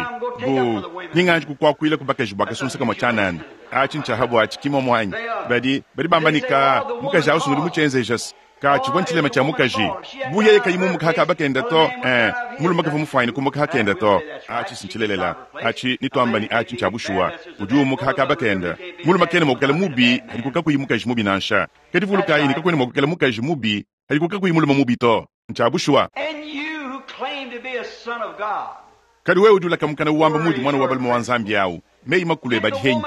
Bu ni nganji kukuakuila ku bakaji bua kasunsa kamue tshianana. Atshi ntshia ha buatshi, ki muomu anyi? Badi, badi bamba ne, Kaa, mukaji au s'ngudi mutshienzeja's. Ka, tshivua ntshilema tshia mukaji. Bu yeye kayi mumuka ha kaba kenda to, eh, mulume kavua mufuanyine kumuka ha kenda to. Atshi si ntshilelela. Atshi, nituamba ne atshi ntshia bushuwa. Udi umuka ha kaba kenda. Mulume kena mua kuikala mubi hadiku kakuyi mukaji mubi nansha. Kadi vulukayi ne kakuena mua kuikala mukaji mubi hadiku kakuyi mulume mubi to. Ntshia bushuwa. Kadi wewe udi ulaka mukana wamba muudi muana wa balume wa Nzambi awu, meyi makulu ebe adi henyi?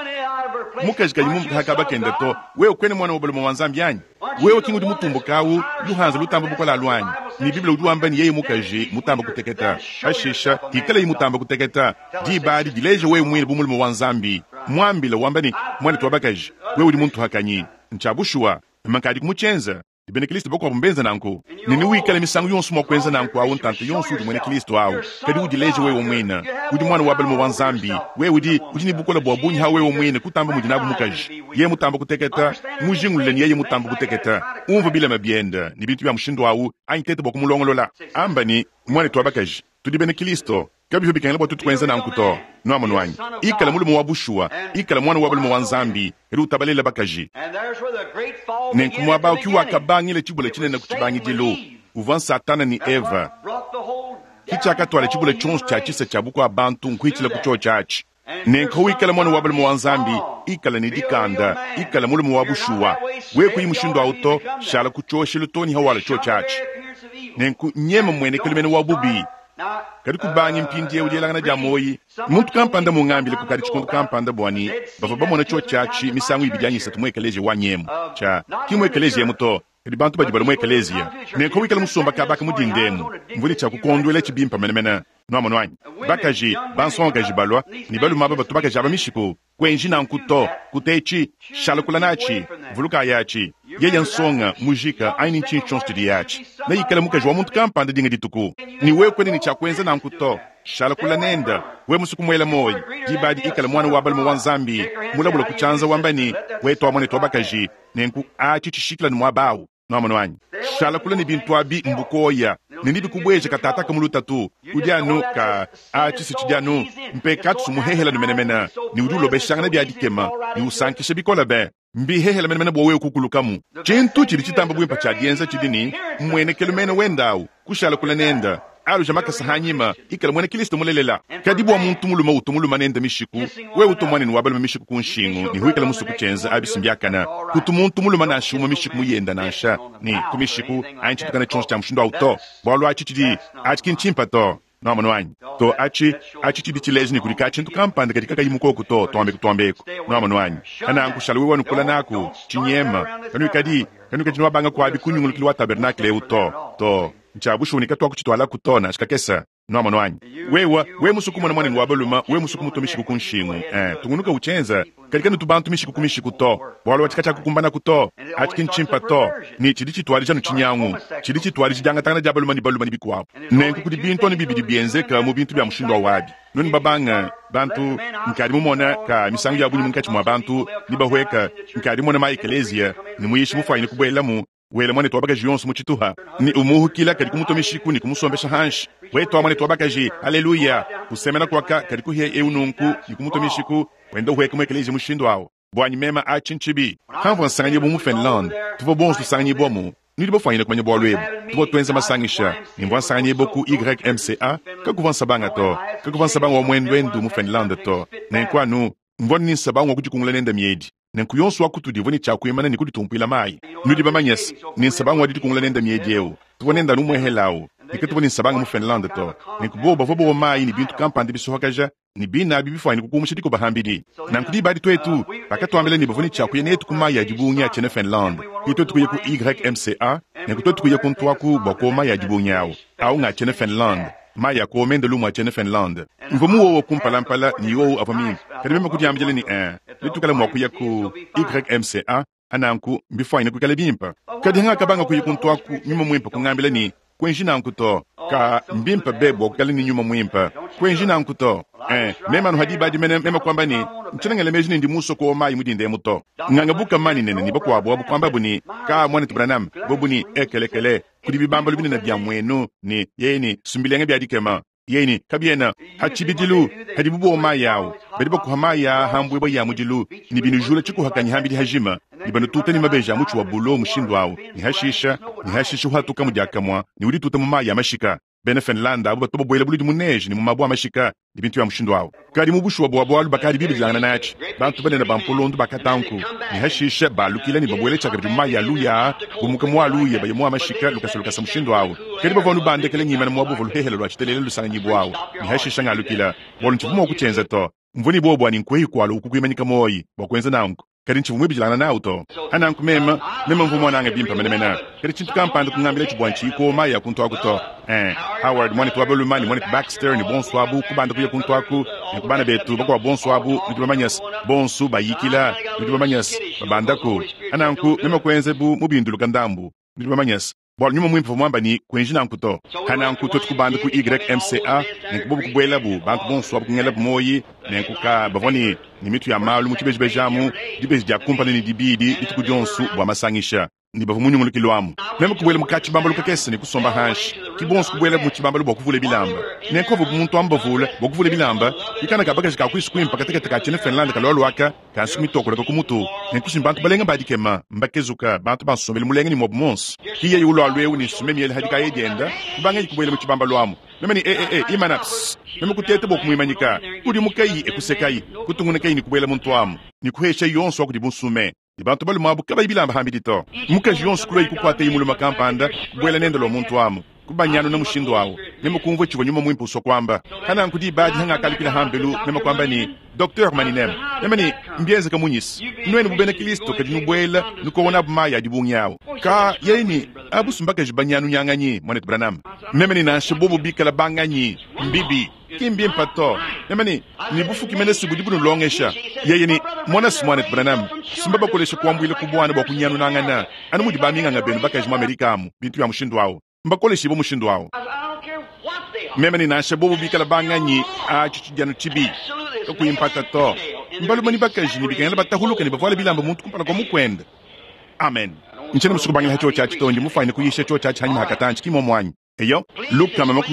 Mukaji kayi mumbuka ha kaba kende to, wewe kuena muana wa balume wa Nzambi anyi? Wewe ki ngudi mutumbuka awu, luhanza lutamba bukole alu anyi? Ne Bible udi wamba ne yeye mukaji mutamba kuteketa. Pashisha, hikalayi mutamba kuteketa, diba adi dileja wewe muine bu mulume wa Nzambi. Muambila wamba ne, Muanetu wa bakaji, wewe udi muntuhakanyi. Ntshia bushuwa. Meme nkadiku mutshienze. Ne bena Kilisto bakuabu mbenze nanku. Ne newikale misangu yonso mua kuenza nanku awu ntanta yonso udi muena Kilisto awu. Kadi udileje wewe muine. Udi muana wa balume wa Nzambi. Wewe udi, udi ne bukole bua bungi ha wewe muine kutamba mudi nabu mukaji. Yeye mutamba kuteketa, mujingulule ne yeye mutamba kuteketa. Umvua bilema biende ne bintu bia mushindu awu, anyi teta bua kumulongolola. Amba ne, Muanetu wa bakaji. Tudi bena Kilisto. Kabivua bikengela bua tuetu kuenza nanku to. Nwamonu anyi? Ikala mulume wa bushuwa. Ikala muana wa balume wa Nzambi, kadi utabalela bakaji. Nenku muaba au ki wakabangila tshibula tshinene ku tshibangidilu. Uvua n'Satana ne Eva. Ki tshiakatuala tshibula tshionso tshia tshisa tshia bukua-bantu nkuitshila ku tshiotshi atshi. Nenku wikala muana wa balume wa Nzambi, ikala ne dikanda, ikala mulume wa bushuwa. Wewe kuyi mushindu au to, shala ku tshioshelu too ne hawala tshiotshi atshi. Nenku nyema mmuenekelu mene wa bubi. Kadi kubangi mpindieu dielangana dia muoyi. Muntu kampanda mungambile kukadi tshikondo kampanda bua ne bavua bamona tshiotshi atshi misangu ibidi anyi isatu mu ekeleziya wanyi emu. Tshia, ki mu ekeleziya emu to, kadi bantu badi balua mu ekeleziya. Nenku wikala musomba kaba aka mu dinda emu, mvua ne tshia kukonduelatshi bimpe menemene. Nwamonu anyi? Bakaji, bansongakaji balua, ne balume aba batu bakaji aba mishiku. Kuenji nanku to. Kutetshi. Shala kula natshi. Vulukayi atshi. Yeye nsonga, mujika, anyi ni ntshinyi tshionso tshidiye atshi, neikale mukaji wa muntu kampanda dinga dituku. Ne wewe kuena ne tshia kuenza nanku to. Shala kula nende. Wewe musue kumuela muoyo, diba adi ikala muana wa balume wa Nzambi, mulabula ku tshianza wamba ne, Wetu wa muanetu wa bakaji. Nenku atshi tshishikila ne muaba awu. Nwamonu anyi? Shala kule ne bintu abi, mbukoya, ne nebikubueje katataka mu lutatu. Udi anu ka a tshisa tshidi anu mpekatu muhehela menemene, ne udi ulobeshangana bia dikema ne usankisha bikole be. Mbihehele menemene bua wewe kukulukamu. Tshintu tshidi tshitamba buimpe tshia dienza tshidi ne, mmuenekelu mene wende au, kushala kule nende. Aluja makasa hanyima, ikala muena Kristo mulelela. Kadi bua muntu mulume utu mulume nende mishiku, wewe utu muanenu wa balume mishiku ku nshingu ne huikala musue kutshienza, abi si mbiakana. Kutu muntu mulume nansha umue mishiku muyenda nansha ne ku mishiku anyi tshitukana tshionso tshia mushindu au to, bualu atshi tshidi atshi ki ntshimpe to. Nwamonu anyi? To, atshi, atshi tshidi tshileja ne kudi ka tshintu kampanda kadi kakayi mukoku to, tuambeku tuambeku. Nwamonu anyi? Pananku shala wewe nukula naku, tshinyema. Kanuikadi, kanuikadi nuabanga kuabi ku nyungulukilu wa tabernakle eu to. To. Ntshia bushuwa ne katuakutshitualaku to nansha kakese. Nwamonu anyi? Wewe, wewe musue kumona muanenu wa balume, wewe musue kumutua mishiku ku nshingu, eh, tungunuka utshienza. Kadi kanutu bantu mishiku ku mishiku to, bualu atshi katshiakukumbanaku to. Atshi ki ntshimpe to, ne tshidi tshituadija anu tshinyangu. Tshidi tshituadija diangatangana dia balume ne balume ne bikuabu. Nenku kudi bintu anu bibidi bienzeka mu bintu bia mushindu au abi. Nuenu babange, bantu, nkadi mumone ka misangu ya bungi munkatshi mua bantu, ne bahueka, nkadi mumone ma ekeleziya, ne muyishi mufuanyine kubuelamu, wela muanetu wa bakaji yonso mu tshituha, ne umuhukila kadi kumutua mishiku ne kumusombesha hanshi. Wetu muanetu wa bakaji, haleluya! Usemena kuaka kadi kuhia eu nunku ne kumutua mishiku, wenda uhueka mu ekeleziya mushindu au. Buanyi meme atshi ntshibi. Pamvua nsanganyibua mu Finlande, tuvua bonso tusanganyibuamu. Nudi bafuanyine kumanya bualu ebu. Tuvua tuenza masangisha, ne mvua nsanganyibua ku YMCA. Kakuvua nsabanga to. Kakuvua nsabanga wa muenduendu mu Finlande to. Nenku anu mvua ne nsabanga wa kudikungula nende miedi. Nenku yonso wa kutudi uvua ne tshia kuimana ne kuditumpuila mayi. Nudi bamanye se, ne nsabanga wa didikungula nende miedi eu, tuvua nende anu umuehela au, ne katuvua ne nsabanga mu Finlande to. Nenku bobu bavua bowa mayi ne bintu kampanda bisohakaja, ne bine abi bifuanyine kukuumusha dikoba pambidi. Nanku diba adi tuetu, bakatuambila ne bavua ne tshia kuya netu ku mayi a dibungi a tshiena Finlande. Ke tuetu kuya ku YMCA, nenku tuetu kuya kuntu aku bua kuowa mayi a dibungi au. Au nga tshiena Finlande, mayi a kuowa mende lumu a tshiena Finlande. Mvua muowe kumpalampala ne yowu avua mimpe, kadi meme kudiambila ne, Ee, netuikale mua kuya ku YMCA, nanku mbifuanyine kuikala bimpe. Kadi ngakabanga kuya kuntu aku, nyuma muimpe kungambila ne, Kuenji nanku to. Ka, mbimpe be bua kuikala ne nyuma muimpe. Kuenji nanku to. Eh, meme anu ha diba adi mene meme kuamba ne, Ntshiena ngela meji ne ndi musue kuowa mayi mu dinda emu to. Ngangabuka manyi nene ne bakuabu abu kuambabu ne, Ka, muanetu Branham, bobu ne, ekelekele, kudi bibambalu binene bia muenu, ne, yeye ne, sumbilenga bia dikema. Yeye ne, Kabiena ha tshibidilu hadibu buowa mayi au, badi bakuha mayi aa ha mbuebue ya mudilu, ne binujula tshikuhakanyi ham'bidi hajima, ne banututa ne mabeji a mutshi wa bulo mushindu au, ne hashisha, ne hashisha uhatukamu diakamue ne udituta mu mayi a mashika. Bena Finlande abu batu babuela buludi mu neige ne mu mabue a mashika ne bintu bia mushindu au. Kadi mu bushuwa bua bualu bakadi bibidilangana natshi, bantu banene ba mpolondo bakatanku, ne hashisha balukila ne babuela tshiakabidi mu mayi a luya aa, bumuka mu a luya baya mu a mashika lukasa lukasa mushindu au. Kadi bavua anu bandekele ngimana muaba uvua luhehele lua tshitelele lusanganyibua au, ne hashisha ngalukila, bualu ntshivua mua kutshienza to. Mvua ne buowa bua ne nkuehi kualu uku kuimanyika muoyi bua kuenza nanku, kadi ntshivua muibidilangana nawu to. Ananku meme, meme mvua muanange bimpe menemene, kadi tshintu kampanda kungambilatshi bua ntshiyi kuowa mayi a kuntu aku to. Eh, Howard, muanetu wa balume, ne muanetu Baxter, ne bonso abu, kubanda kuya kuntu aku, ne ku bana betu bakuabu bonso abu, nudi bamanye-se, bonso bayikila, nudi bamanye-se, babandaku. Ananku meme kuenza bu mubinduluka ndambu, nudi bamanye-se. Bualu Nyuma Muimpe uvua muamba ne, Kuenji nanku to. Pananku tuetu kubanda ku YMCA, nenku bobu kubuelabu, bantu bonso abu kungelabu muoyi, nenku ka bavua ne, ne mitu ya malu mu tshibejibeji amu, dibeji dia kumpala ne dibidi dituku dionso bua masangisha, ne bavua mu nyungulukilu amu. Meme kubuela mu ka-tshibambalu kakese ne kusomba hanshi. Ki bonso kubuelabu mu tshibambalu bua kuvula bilamba. Nenku avu bu muntu amu bavula bua kuvula bilamba, ki kana ka bakaji ka kuisu kuimpe katekete ka tshiena Finlande kalualua aka, ka nsuki mitokoleka ku mutu. Nenku si mbantu balenga ba dikema, mbakezuka, bantu ba nsombelu mulenga ne muabu muonso. Ki yeye ulualua eu ne nsume miele ha dikaya dienda, kubangaye kubuela mu tshibambalu amu. Meme ne, E, e, e, imana, psst! Meme kuteta bua kumuimanyika. Kudimukayi, e kusekayi, kutungunukayi ne kubuela muntu amu, ne kuheshayi yonso wa kudibu nsume. Ne bantu balume abu kabayi bilamba hambidi to. Mukaji yonso kuluayi kukuatayi mulume kampanda, kubuela nende lua muntu amu, kubanyanuna mushindu awu. Meme kumvua tshivua Nyuma Muimpe usua kuamba. Pa nanku diba adi hangakalukila hambelu, meme kuamba ne, Docteur Maninem, meme ne, mbienzeka munyi-s nuenu bu bena Kilisto kadi nubuela nukowa nabu mayi a dibungi awu? Ka, yeye ne, abu si mbakaji banyanunyanganyi, Muanetu Branham. Meme ne, Nansha bobo bikala banganyi, mbibi. Ki mbimpe to. Meme ne, Ne bufuki mene si budi bunulongesha. Yeye ne, Mona-s, Muanetu Branham, si mbabakolesha kuambuila ku buana bua kunyanunangana, anu mudi baminganga benu bakaji mu Amerika amu, bintu bia mushindu awu. Mbakoleshibue mushindu awu. Meme ne, Nansha bobo bikala banganyi, aci cidi anu cibi, kakuyi mpata to. Mbalume ne bakaji ne bikengela batahuluke ne bavuale bilamba muntu kumpala kua mukuende. Amen. Ntshiena musue kubangila ha cioci aci to, ndi mufwanyine kuyisha cioci aci hanyima ha katanci, ki momu anyi? Eyo,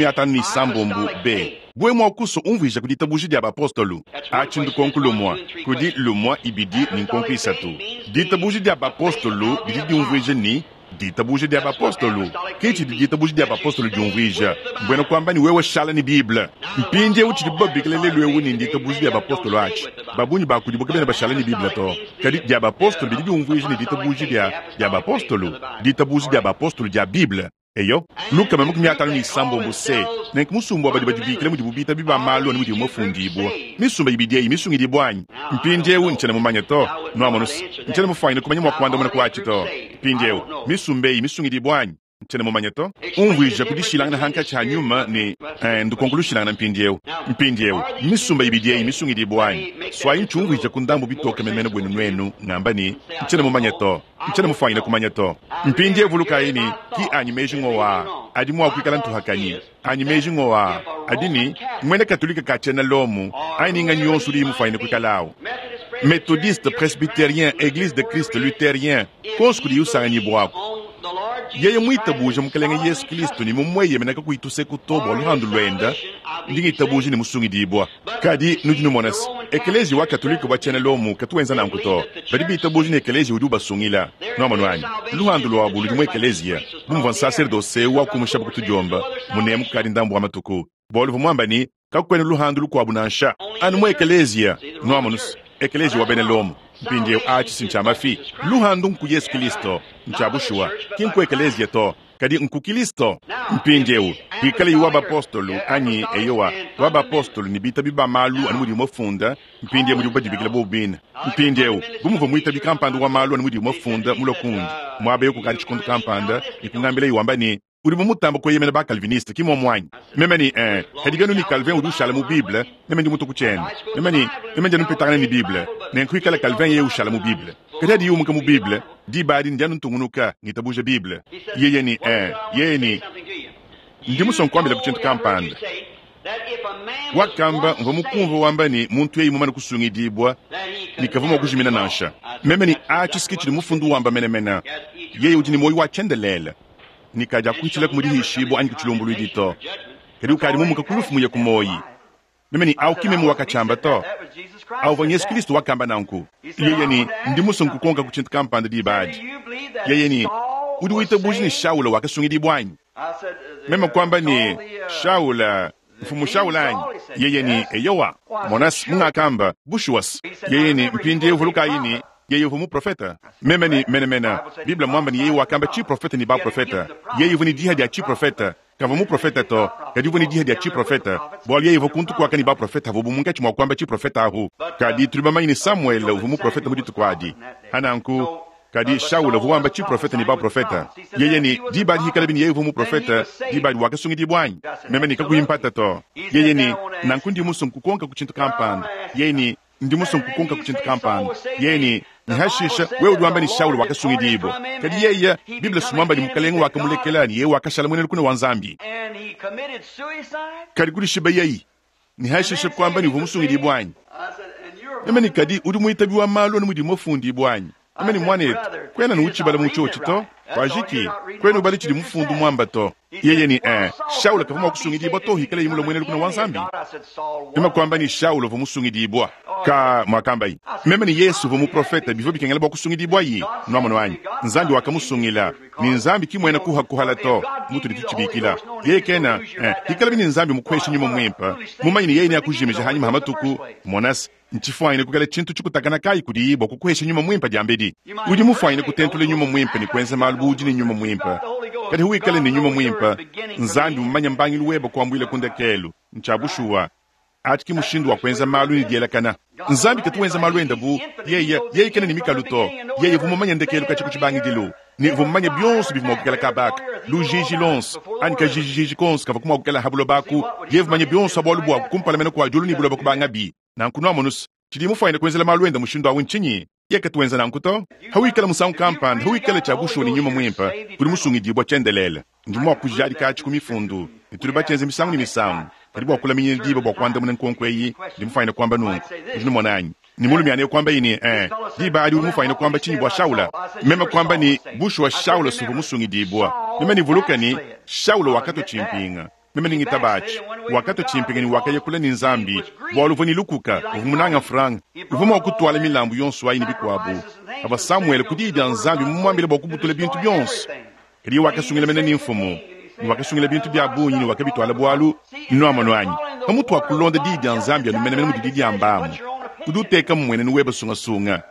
56 B. Bue mua kusua umvuija ku ditabuja dia bapostolu. Atshi ndukonku lumua. Kudi lumua, ibidi, ne nkonku isatu. Ditabuja dia bapostolu didi diumvuija ne, ditabuja dia bapostolu. Ke tshidi ditabuja dia bapostolu diumvuija, mbuena kuamba ne wewe shala ne Bible. Mpindieu tshidibu babikila lelu eu ne nditabuja dia bapostolo atshi, ba bungi ba kudibu kabena bashala ne Bible to. Kadi dia bapostolo bidi biumvuija ne ditabuja dia dia bapostolo, ditabuja dia bapostolo dia Bible. Eyo, 56 C. Nenku musumba wa badi badibikila mudibu bitabi ba malu anu mudiwu mafundibua, misumba ibidi eyi misungidibua anyi? Mpindiewu ntshiena mumanye to. Nuamonu's, ntshiena mufwanyine kumanya mwa kuandamuna ku aci to. Mpindiewu, misumba eyi misungidibua anyi? Ntshiena mumanye to. Umvuija ku dishilangana hankatshi ha nyuma ne, eh, ndukonko lushilangana mpindiewu. Mpindiewu, misumba ibidi eyi misungidibua anyi? Swayi ntshiumvuija ku ndambu bitoke menemene buenu nuenu, ngamba ne, ntshiena mumanye to. Ntshiena mufwanyine kumanya to. Mpindiewu vulukayi ne, ki anyi meji ngowa aa adi mua kuikala ntuhakanyi. Anyi meji ngowa aa adi ne, muena Katolike ka tshiena Lomo, anyi ni nganyi yonso udiyi mufwanyine kuikala awu, Methodiste, Presbyterien, Eglise de Christ, Lutherien, konso kudiyi usanganyibuaku. Yeye muitabuja Mukelenge Yesu Kilisto ne mumueyemena kakuyi tuseku to bua luhandu luenda, ndi ngitabuja ne musungidibua. Kadi nudi numona se, Ekeleziya wa Katolike wa tshiena Lomo katu wenza nanku to. Badi bitabuja ne ekeleziya udi ubasungila. Nuamonu anyi? Luhandu luabu ludi mu ekeleziya. Bu muvua nsaserdose eu wakumushabu ku tudiomba munemu kukadi ndambu wa matuku, bualu uvua muamba ne, Kakuena luhandu lukuabu nansha, anu mu ekeleziya. Nuamonu se, ekeleziya wa bena Lomo. Mpindieu atshi si ntshia mafi. Luhandu nku Yesu Kilisto. Ntshia bushuwa. Ki nku ekeleziya to. Kadi nku Kilisto. Mpindieu, kuikalayi wa bapostolo anyi, eyowa, wa bapostolo ne bitabi ba malu anu mudiwu mafunda, mpindieu mudibu badibikila bobu bine. Mpindieu, bu muvua muitabi kampanda wa malu anu mudiwu mafunda mulue kundi muaba eu kukadi tshikondo kampanda ne kungambilaye wamba ne, Udi bu mutamba kueyemena ba-Calviniste, ki mmuomu anyi? Meme ne, Ee, kadi bianu ne Calvin udi ushala mu Bible, meme ndi mutue ku tshiende. Meme ne, Meme ndi anu mpetangana ne Bible, nenku ikala Calvin yeye ushala mu Bible. Kadi hadiye umuka mu Bible, diba adi ndi anu ntungunuka, ngitabuja Bible. Yeye ne, Ee, yeye ne, Ndi musue nkuambilaku tshintu kampanda. Wakamba, mvua mukumvue wamba ne, muntu yeye mumane kusungidibua, ne kavua mua kujimina nansha. Meme ne, Atshi s'ke tshidi Mufundu wamba menemene. Yeye udi ne muoyo wa tshiendelele, ne kadiakuhitshilaku mu dihishibua anyi ku tshilumbuluidi to, kadi ukadi mumuka ku lufu muye ku muoyi. Meme ne, Au ki meme wakatshiamba to. Au uvua n'Yesu Kilisto wakamba nanku. Yeye ne, Ndi musue nkukonkaku tshintu kampanda diba adi. Yeye ne, Udi witabuja ne Shaula wakasungidibua anyi? Meme kuamba ne, Shaula, Mfumu Shaula anyi? Yeye ne, Eyowa. Mona's, mungakamba, bushuwa's. Yeye ne, Mpindiewu vulukayi ne, yeye uvua muprofeta. Meme ne, Menemene. Bible mmuamba ne yeye wakamba tshiprofeta ne baprofeta. Yeye uvua ne diha dia tshiprofeta. Kavua muprofeta to, kadi uvua ne diha dia tshiprofeta, bualu yeye uvua kuntu kuaka ne baprofeta avuabu munkatshi mua kuamba tshiprofeta ahu. Kadi tudi bamanye ne Samuele uvua muprofeta mu dituku adi. Pananku, kadi Shaula uvua wamba tshiprofeta ne baprofeta. Yeye ne, Diba adi hikalabi ne yeye uvua muprofeta, diba adi wakasungidibua anyi? Meme ne, Kakuyi mpata to. Yeye ne, Nanku ndi musue nkukonkaku tshintu kampanda. Yeye ne, Ndi musue nkukonkaku tshintu kampanda. Yeye ne, Ne hashisha, wewe udi wamba ne Shaula wakasungidibua. Kadi yeye, Bible si muamba ne Mukalenge wakamulekela ne yeye wakashala muena lukuna wa Nzambi. Kadi kudishibayayi, ne hashisha kuamba ne uvua musungidibua anyi? Meme ne, Kadi udi muitabi wa malu anu mudiwu mafundibua anyi? Meme ne, Muanetu, kuena anu utshibala mu tshiotshi to. Kwajiki, kwena ubala tshidi mufundu muamba to. Yeye ne, Ee, Shaula kavua mua kusungidibua to hikaleye mulue muena lukuna wa Nzambi. Meme kuamba ne, Shaula uvua musungidibua. Ka, muakambaye. Meme ne, Yesu uvua muprofeta, bivua bikengela bua kusungidibwaye. Nwamonu anyi? Nzambi wakamusungila. Ne Nzambi ki muena kuhakuhala to, mutudi tutshibikila. Yeye kena, ee, hikalabi ne Nzambi mukuheshe Nyuma Muimpe, mumanye ne Yeye neakujimije hanyima ha matuku, mona's, Ntshifuanyine kuikala tshintu tshikutakana kayi kudiyi bua kukuhesha Nyuma Muimpe diambedi? Udi mufuanyine kutentula Nyuma Muimpe ne kuenza malu bu udi ne Nyuma Muimpe. Kadi huwikale ne Nyuma Muimpe, Nzambi mumanye mbangilu webe kuambuila ku ndekelu. Ntshia bushuwa. Atshi ki mushindu wa kuenza malu ne dielakana. Nzambi katu wenza malu ende bu yeye, yeye kena ne mikalu to. Yeye uvua mumanye ndekelu katshia ku tshibangidilu, ne uvua mumanye bionso bivua mua kuikala kaba aka, lujiji luonso anyi kajijiji konso kavua mua kuikala ha buloba aku. Yeye uvua mumanye bionso ha bualu buaku kumpala mene kua diulu ne buloba kubangabi. Nanku nuamonu's, tshidiye mufuanyine kuenzela malu ende mushindu awu ntshinyi? Yeye katu wenza nanku to. Hawikala musangu kampanda, hawikala tshia bushuwa ne Nyuma Muimpe, udi musungidibua tshiendelele. Ndi mua kujadika atshi ku Mifundu, ne tudi batshienze misangu ne misangu. Kadi bua kulaminyina diba bua kuandamuna nkonko eyi, ndi mufuanyine kuamba nunku. Nudi numona anyi? Ne mulume ane kuambaye ne, Ee, diba adi udi mufuanyine kuamba tshinyi bua Shaula? Meme kuamba ne, Bushuwa Shaula s'uvua musungidibua. Meme ne vuluka ne, Shaula wakatua tshimpinga. Meme ne ngitaba atshi. Wakatua tshimpinga ne wakaya kule ne Nzambi, bualu uvua ne lukuka, uvua munange mfranga. Uvua mua kutuala milambu yonso ayi ne bikuabu. Pavua Samuele ku diyi dia Nzambi mumuambile bua kubutula bintu bionso, kadi yeye wakasungila mene ne mfumu, ne wakasungila bintu bia bungi ne wakabituala bualu, nuamonu anyi, pamutu wa kulonda diyi dia Nzambi anu menemene mudidi diamba amu, udi uteka mmuenenu webe sungasunga.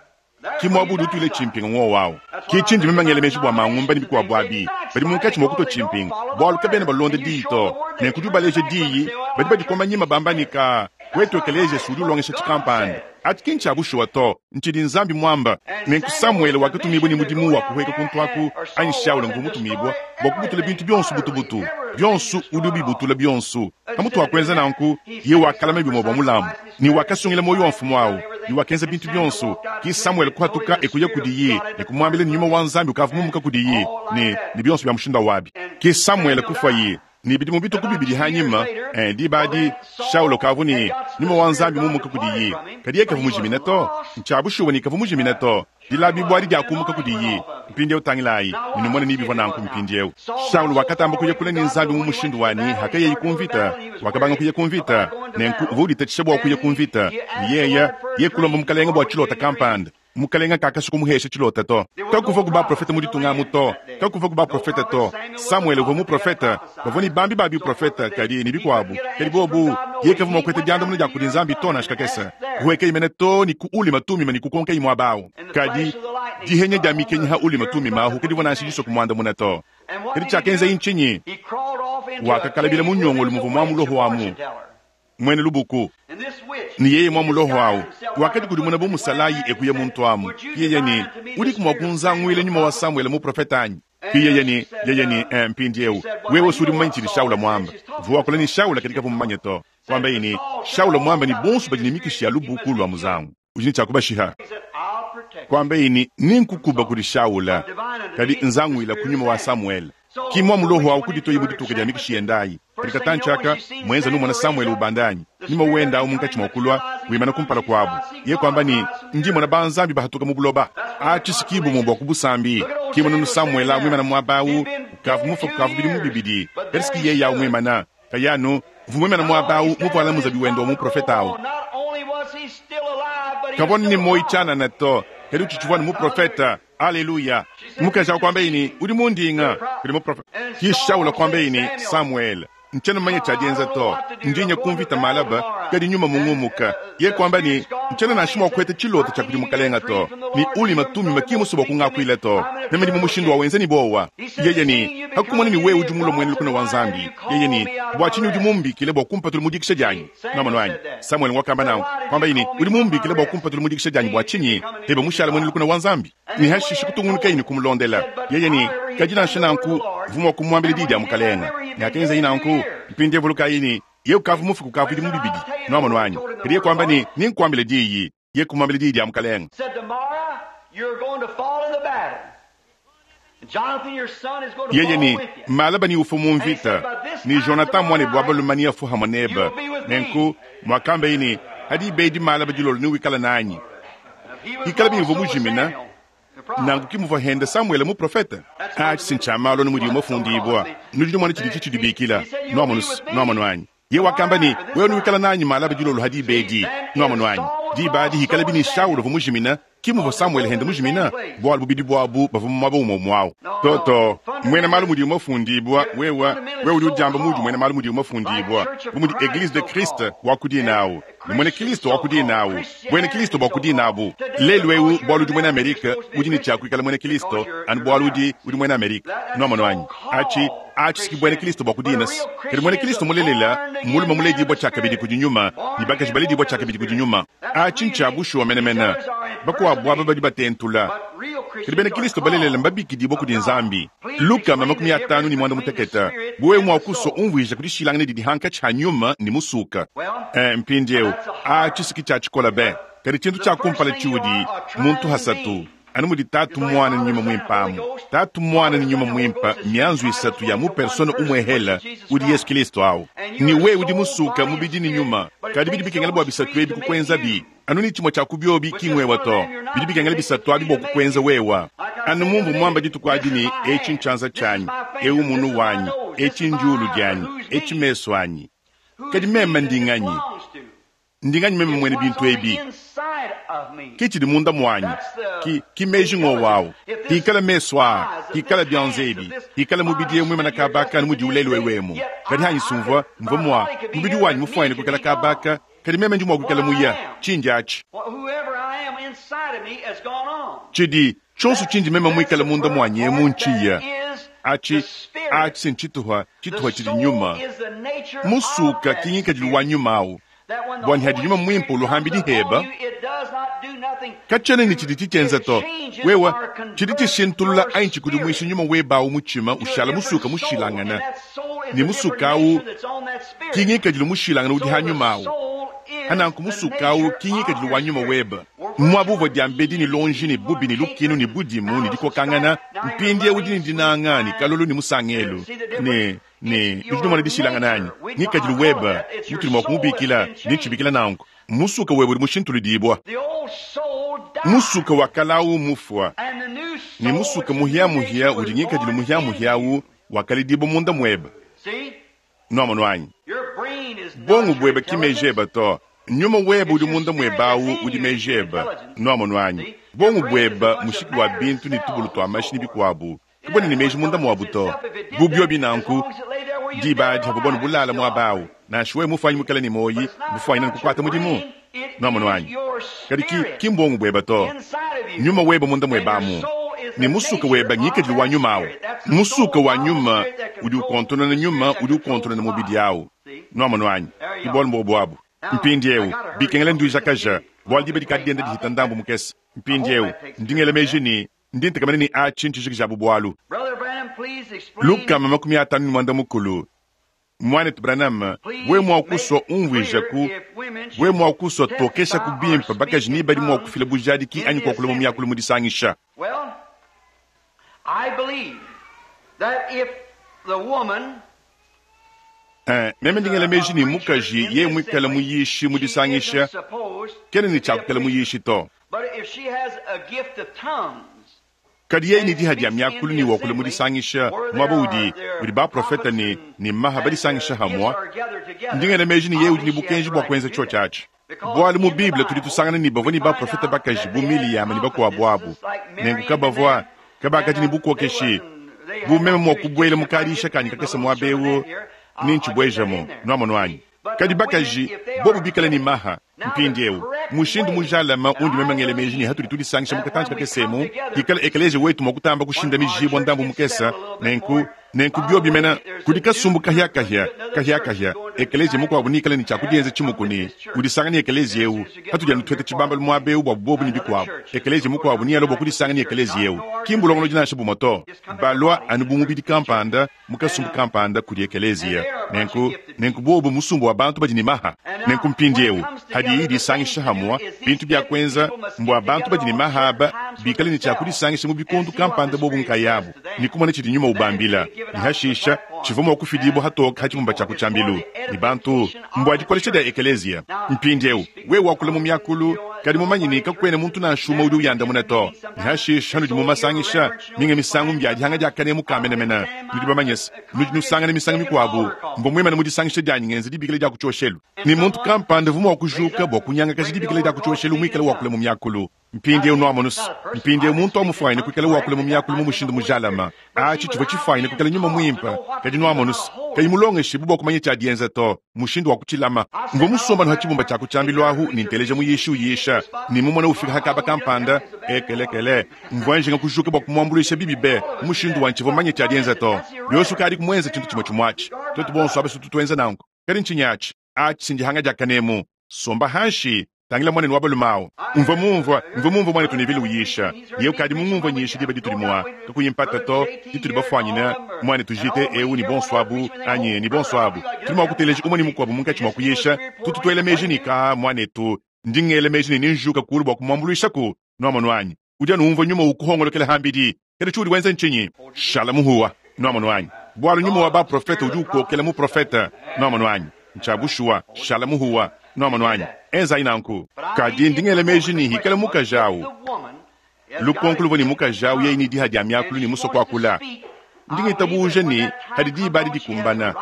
Ki muaba udi utuila tshimpinga ng'wowu awu. Ki tshindi meme ngela meji bua mangumba ne bikuabu abi, badi munkatshi mua kutua tshimpinga, bualu kabena balonda diyi to. Nenku udi ubaleja diyi, badi badikoma nyima bamba ne, Kaa, wetu ekeleziya udi ulongesha tshikampanda. Atshi ki ntshia bushuwa to, ntshidi Nzambi muamba. Nenku Samuele wakatumibua ne mudimu wa kuhueka kuntu aku, anyi Shaula nguvua mutumibua bua kubutula bintu bionso butubutu, bionso udi ubibutula bionso. Pamutu wa kuenza nanku, yeye wakalama bimue bua mulambu, ne wakasungila muoyo wa mfumu au, ne wakenza bintu bionso. Ke Samuele kuhatuka e kuya kudiye ne kumuambila ne nyuma wa Nzambi ukavua mumuka kudiye, ne, ne bionso bia mushindu au abi. Ke Samuele kufuaye. Ne bidimu bitue ku bibidi hanyima, eh, diba adi, Shaula ukavua ne nyuma wa Nzambi mumuka kudiye, kadi yeye kavua mujimine to. Ntshia bushuwa ne kavua mujimine to. Dilabibua adi diakumuka kudiye. Mpindieu tangilayi, ne numone ni bivua nanku mpindieu. Shaula wakatamba kuya kule ne Nzambi mu mushindu wa ne, hakayaye ku mvita, wakabanga kuya ku mvita. Nenku uvua uditatshisha bua kuya ku mvita, ne yeye, yeye kulomba mukalenge bua tshilota kampanda. Mukalenga kakasua kumuhesha tshilota to. Kakuvuaku baprofete mu ditunga amu to. Kakuvuaku baprofete to. Samuele uvua muprofete. Bavua ne bambi ba biprofete, kadi ne bikuabu. Kadi bobu, yeye kavua mua kuheta diandamuna dia kudi Nzambi to nansha kakese. Kuhuekaye mene to ne ku Ulima Tumima ne kukonkaye muaba au. Kadi dihenya dia mikenyi ha Ulima Tumima ahu kadivua nansha disua kumuandamuna to. Kadi tshiakenzaye ntshinyi? Wakakalabila mu nyongolo muvua mua muloho amu. Muena lubuku, ne yeye mwa muloho awu, wakadikudimuna bu musalayi e kuya muntu amu. Yeye ne, Udiku mua kunzanguila nyuma wa Samuele muprofete anyi? Ki yeye ne, yeye ne, eh, mpindiewu, wewe si udi mumanye tshidi Shaula muamba. Mvua wakula ne Shaula kadi kavua mumanye to. Kuambaye ne, Shaula muamba ne bonso badi ne mikishi ya lubuku lua muzangu, udi ne tshia kubashiha. Kuambaye ne, Nenkukuba kudi Shaula, kadi nzanguila ku nyuma wa Samuele. Ki mua muloho awu kuditoyi mu dituka dia mikishi yenda ayi. Kadi katantshi aka, muenza numona Samuele ubanda anyi? Nyuma wenda awu munkatshi mua kulua, wimana kumpala kuabu. Yeye kuamba ne, Ndi mmona banzambi bahatuka mu buloba. Atshi si ki bumue bua ku busambi. Ki mununu Samuele awu muimana muaba awu, ukavua mufue kukavua bidimu bibidi, kadi si ki yeye awu muimana. Kayi anu uvua muimana muaba awu muvuala muzabi wende wa muprofete awu. Kavua ne muoyo tshianana to, kadi utshitshivua anu muprofete. Aleluya! Mukaji awu kuambaye ne, Udi mundinga kudi muprofete. Ki Shaula kuambaye ne, Samuele, ntshiena mumanye tshia dienza to. Ndi nya ku mvita malaba, kadi nyuma mungumuka. Yeye kuamba ne, Ntshiena nansha mua kuheta tshilota tshia kudi Mukalenga to, ne Ulima Tumima ki musue bua kungakuila to. Meme ndi mu mushindu wa wenza ne buowa. Yeye ne, Hakumona ne wewe udi mulue muena lukuna wa Nzambi. Yeye ne, Bua tshinyi udi mumbikile bua kumpatula mu dikisha dianyi? Nwamonu anyi? Samuele ngwakamba nanku, kuambaye ne, Udi mumbikile bua kumpatula mu dikisha dianyi bua tshinyi? Pebe mushale muena lukuna wa Nzambi. Ne hashishe kutungunukaye ne kumulondela. Yeye ne, Kadi nansha nanku, mvua mua kumuambila diyi dia Mukalenga. Ne hakenzaye nanku, mpindieu vulukayi ne, yeye ukavua mufue kukavua bidimu bibidi. Nwamonu anyi? Kadi yeye kuamba ne, Nenkuambile diyi. Yeye kumuambila diyi dia Mukalenga. Yeye ne, Malaba neufue mu mvita, ne Jonathan muanebe wa balume neafue hamue nebe. Nenku muakambeye ne, Ha diba edi malaba dilolo newikale nanyi. Hikala bimvua mujimina, Nanku ki muvua henda Samuele muprofete. Atshi si ntshia malu anu mudiwu mafundibua. Nudi numona tshiditshi tshidibikila. Nuamonu's? Nuamonu anyi? Yeye wakamba ne, Wewe nuikala nanyi malaba dilolo ha diba edi. Nuamonu anyi? Diba adi hikalabi ne Shaula uvua mujimina, ki muvua Samuele henda mujimina, bualu bubidi buabu bavua mu muaba umue umue au. To, to, muena malu mudiwu mafundibua, wewe, wewe udi udiamba muudi muena malu mudiwu mafundibua, bu mudi Eglise de Christ wa ku dina au, ne muena Kilisto wa ku dina au, buena Kilisto bua ku dina abu. Lelu eu, bualu udi muena Amerike, udi ne tshia kuikala muena Kilisto anu bualu udi, udi muena Amerike. Nuamonu anyi? Atshi, atshi si ki buena Kilisto bua ku dina-s. Kadi muena Kilisto mulelela mmulume muledibua tshiakabidi kudi Nyuma, ne bakaji baledibua tshiakabidi kudi Nyuma. Atshi ntshia bushuwa menemene. Bakuabu aba badi batentula. Kadi bena Kristo balelela mbabikidibue kudi Nzambi. Lukama 51. Bu wewe mua kusua umvuija ku dishilangana didi hankatshi ha nyuma ne musuka. Eh, mpindieu, atshi si ki tshia tshikola be. Kadi tshintu tshia kumpala tshiudi, muntu hasatu, anu mudi Tatu, Muana ne Nyuma Muimpe amu. Tatu, Muana ne Nyuma Muimpe mmianzu isatu ya mu persona umuehele udi Yesu Kilisto au. Ne wewe udi musuka mubidi ne nyuma, kadi bidi bikengela bua bisatu ebi kukuenzabi. Anu ne tshimue tshia ku biobi ki ngwewa to. Bidi bikengela bisatu abi bua kukuenza wewa. Anu mumvua muamba dituku adi ne, Etshi ntshianza tshianyi, eu munu wanyi, etshi ndiulu dianyi, etshi mesu anyi. Kadi meme ndi nganyi? Ndi nganyi meme muena bintu ebi? Ke tshidi munda muanyi, ki, ki meji ngowu awu. Hikala mesu aa, hikala bianza ebi, hikala mubidi eu muimana kaba aka anu mudiwu lelu eu emu. Kadi hanyi sumvua, mvua mua, mubidi wanyi mufuanyine kuikala kaba aka, kadi meme ndi mua kuikala muya. Tshindi atshi. Tshidi, tshionso tshindi meme muikale munda muanyi emu ntshiya. Atshi, atshi si ntshituha, tshituha tshidi nyuma. Musuka ki ngikadilu wa nyuma awu. Bua ne hadi Nyuma Muimpe uluhambidi heba, katshiena ne tshidi tshitshienza to. Wewa, tshidi tshishintulula anyi tshikudimuisha nyuma weba awu mutshima ushala musuka mushilangana ne musuka awu ki ngikadilu mushilangana udi ha nyuma awu. Hananku musuka awu ki ngikadilu wa nyuma weba. Muaba uvua diambedi ne lonji ne bubi ne lukinu ne budimu ne dikokangana, mpindieu udi ne dinanga ne kalolo ne musangelu ne Ne nudi numona dishilangana anyi? Ngikadilu weba, mutudi mua kumubikila, ndi ntshibikila nanku, musuka weba udi mushintuludibua. Musuka wa kala awu mufua, ne musuka muhia-muhia udi ngikadilu muhia-muhia awu wakaledibua munda mueba. Nuamonu anyi? Bongo bueba ki meji eba to. Nyuma weba udi munda mueba awu udi meji eba. Nuamonu anyi? Bongo bueba mushiki wa bintu ne tubulu tua mashi ne bikuabu. Kabena ne meji munda muabu to. Bu biobi nanku, diba adi havua buanu bulala muaba awu, nansha wewe mufuanyi muikale ne muoyi, bufuanyine ne kukuata mudimu. Nuamonu anyi? Kadi ki, ki mbongo bueba to. Nyuma weba munda mueba amu, ne musuka weba ngikadilu wa nyuma awu. Musuka wa nyuma udi ukontonona nyuma udi ukontonona mubidi awu. Nuamonu anyi? Ki bualu mbobu abu. Mpindiewu, bikengela nduijakaja, bualu diba dikadi dienda dihita ndambu mukese. Mpindiewu, ndi ngela meji ne, Ndi ntekemena ne atshi ntshijikija bu bualu. 550. Muanetu Branham, wewe mua kusua umvuijaku, wewe mua kusua tokeshaku bimpe bakaji ni badi mua kufila bujadiki anyi kuakula mu miakulu mu disangisha. Eh, meme ndi ngela meji ne mukaji yeye muikale muyishi mu disangisha kena ne tshia kuikala muyishi to. Kadi yeye ne diha dia miakulu ne wakula mu disangisha muaba udi udi baprofete ne ne maha badisangisha hamua, ndi ngela meji ne yeye udi ne bukenji bua kuenza tshiotshi atshi. Bualu mu Bible tudi tusangana ne bavua ne baprofete bakaji bu Miliyama ne bakuabu abu, nenku kabavua kabakadi ne bukokeshi. Bu meme mua kubuela mu kadiisha kanyi kakese muaba eu, nentshibuejemu. Nuamonu anyi? Kadi bakaji bobu bikale ne maha mpindiewu, mushindu mujalame undi meme ngela meji ne hatudi tudisangisha mu katantshi kakese emu, pikala ekeleziya wetu mua kutamba kushindamijibua ndambu mukese, nenku, nenku biobi mena kudi kasumbu kahiakahia, kahiakahia, ekeleziya mukuabu neikale ne tshia kudienza tshimuku ne udisanga ne ekeleziya eu, hatudi anu tueta tshibambalu muaba eu buabu bobu ne bikuabu, ekeleziya mukuabu nealua bua kudisanga ne ekeleziya eu. Ki mbulongolodi nansha bumue to. Balua anu bu mubidi kampanda mu kasumbu kampanda kudi ekeleziya. Nenku, nenku bobu musumba wa bantu badi ne maha. Nenku mpindiewu, hadiyi idisangisha hamua, bintu bia kuenza mbua bantu badi ne maha aba bikale ne tshia kudisangisha mu bikondu kampanda bobu nkayabu ne kumona tshidi Nyuma ubambila, ne hashisha tshivua mua kufidibua hatoke ha tshibumba tshia ku tshiambilu ne bantu. Mbua dikolesha dia ekeleziya. Mpindiewu, wewe wakula mu miakulu, Kadi mumanye ne, kakuena muntu nansha umue udi uyandamuna to. Ne hashishe hanudi mumasangisha, minga misangu mbia dihanga dia kanemu ka menemene. Nudi bamanye se, nudi nusangana misangu mikuabu, mvua muimane mu disangisha dianyi ngenza dibikila dia ku tshioshelu, ne muntu kampanda uvua mua kujuka bua kunyangakaja dibikila dia ku tshioshelu muikale wakula mu miakulu. Mpindieu nuamonus, mpindieu muntu amufuanyine kuikala wakula mu miakulu mu mushindu mujalama. Atshi tshivua tshifuanyine kuikala nyuma muimpe, kadi nuamonus, kayi mulongeshibue bua kumanya tshia dienza to, mushindu wa kutshilama. Mvua musomba anu ha tshibumba tshia ku tshiambilu ahu ne nteleja muyishi uyisha, ne mumona ufika ha kaba kampanda, ekelekele, mvua njinga kujuka bua kumuambuluisha bibi be, mu mushindu wa ntshivua mumanye tshia dienza to. Yonso ukadiku muenze tshintu tshimue tshimue atshi. Tuetu bonso aba sutu tuenza nanku. Kadi ntshinyi atshi? Atshi si ndihanga dia kanemu. Somba hanshi, tangila muanenu wa balume awu. Mvua mumvua, mvua mumvua muanetu Neville uyisha. Yeye ukadi mungumvua nyisha diba ditudi mua, kakuyi mpata to, ditudi bafuanyine, muanetu JT eu ne bonso abu, anyi ne bonso abu. Tudi mua kuteleja umue ne mukuabu munkatshi mua kuyisha. Tutu tuela meji ne, Kaa, muanetu, ndi ngela meji ne nenjuka kulu bua kumuambuluishaku. Nuamonu anyi? Udi anu umvua nyuma ukuhongolokela hambidi. Kadi tshiudi wenza ntshinyi? Shala muhuwa. Nuamonu anyi? Bualu nyuma wa baprofete udi ukokela muprofete. Nuamonu anyi? Ntshia bushuwa. Shala muhuwa. Nuamonu anyi? Enzayi nanku. Kadi ndi ngela meji ne hikala mukaji awu, lukonko luvua ne mukaji awu yeye ne diha dia miakulu ne musua kuakula. Ndi ngitabuja ne hadi diba adi dikumbana,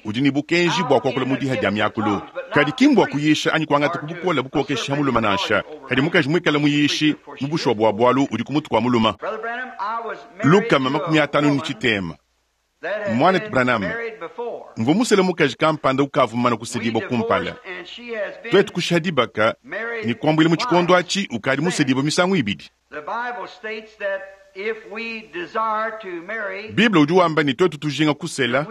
udi ne bukenji bua kuakula mu diha dia miakulu. Kadi ki mbua kuyisha anyi kuangata ku bukole bukokeshi ha mulume nansha. Hadi mukaji muikale muyishi, mu bushuwa bua bualu udi ku mutu kua mulume. 350. Muanetu Branham, mvua musele mukaji kampanda ukavua mumane kusedibua kumpala. Tuetu kushiha dibaka ne kuambuila mu tshikondo atshi ukadi musedibue misangu ibidi. Bible udi wamba ne tuetu tujinga kusela,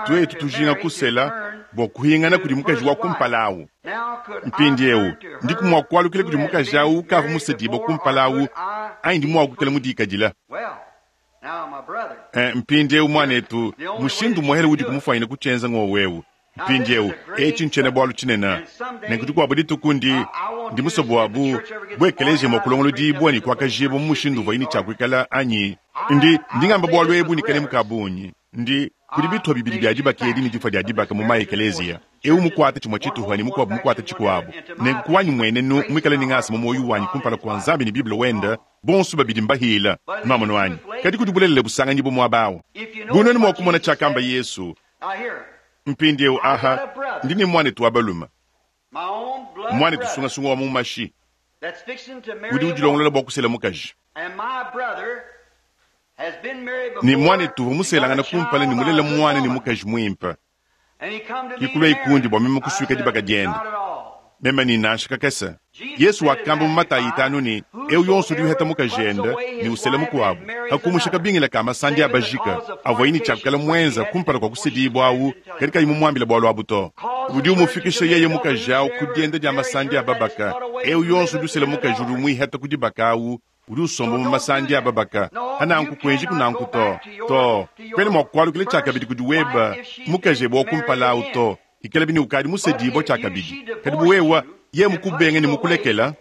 tuetu tujinga kusela bua kuhingana kudi mukaji wa kumpala awu. Mpindieu, ndiku mua kualukila kudi mukaji awu ukavua musedibue kumpala awu anyi ndi mua kuikala mudikadila? Eh, mpindieu muanetu, mushindu muhele udi kumufuanyine kutshienza ngowu eu. Mpindieu, etshi ntshiena-bualu tshinene. Nenku dikuabu dituku ndi, ndi musue bua bu, bu ekeleziya mua kulongolodibua ne kuakajibua mu mushindu uvuaye ne tshia kuikala anyi? Ndi, ndi ngamba bualu ebu ne kanemu ka bungi. Ndi, kudi bituha bibidi bia dibaka edi ne difua dia dibaka mu ma-ekeleziya, eu mukuate tshimue tshituha ne mukuabu mukuate tshikuabu. Nenku ku wanyi mmuenenu, muikale ne ngasa mu muoyo wanyi kumpala kua Nzambi ne Bible wende, bonso babidi mbahila. Nuamonu anyi? Kadi kudi bulelela busanganyibue muaba au. Bu nuenu mua kumona tshiakamba Yesu, Mpindieu aha, ndi ne muanetu wa balume, muanetu sungasunga wa mu mashi, udi udilongolola bua kusela mukaji. Ne muanetu uvua muselangane kumpala ne mulela muana ne mukaji muimpe. Ke kuluaye kundi bua meme kusuika dibaka diende. Meme ne, Nansha kakese. Yesu wakamba mu Matayi itanu ne, Eu yonso udi uheta mukajende ne usela mukuabu, pa kumusha kabingila ka masandi a bajike avuaye ne tshia kuikala muenza kumpala kua kusedibua au, kadi kayi mumuambile bualu abu to, udi umufikisha yeye mukaji au ku dienda dia masandi a babaka. Eu yonso udi usela mukaji udi umuihata ku dibaka au, udi usomba mu masandi a babaka. Hananku kuenjiku nanku to. To, kuena mua kualukila tshiakabidi kudi weba mukaji ebe wa kumpala au to. Ikalabi ne ukadi musedibua tshiakabidi. Kadi bu wewa, yeye mukubenga ne mukulekela,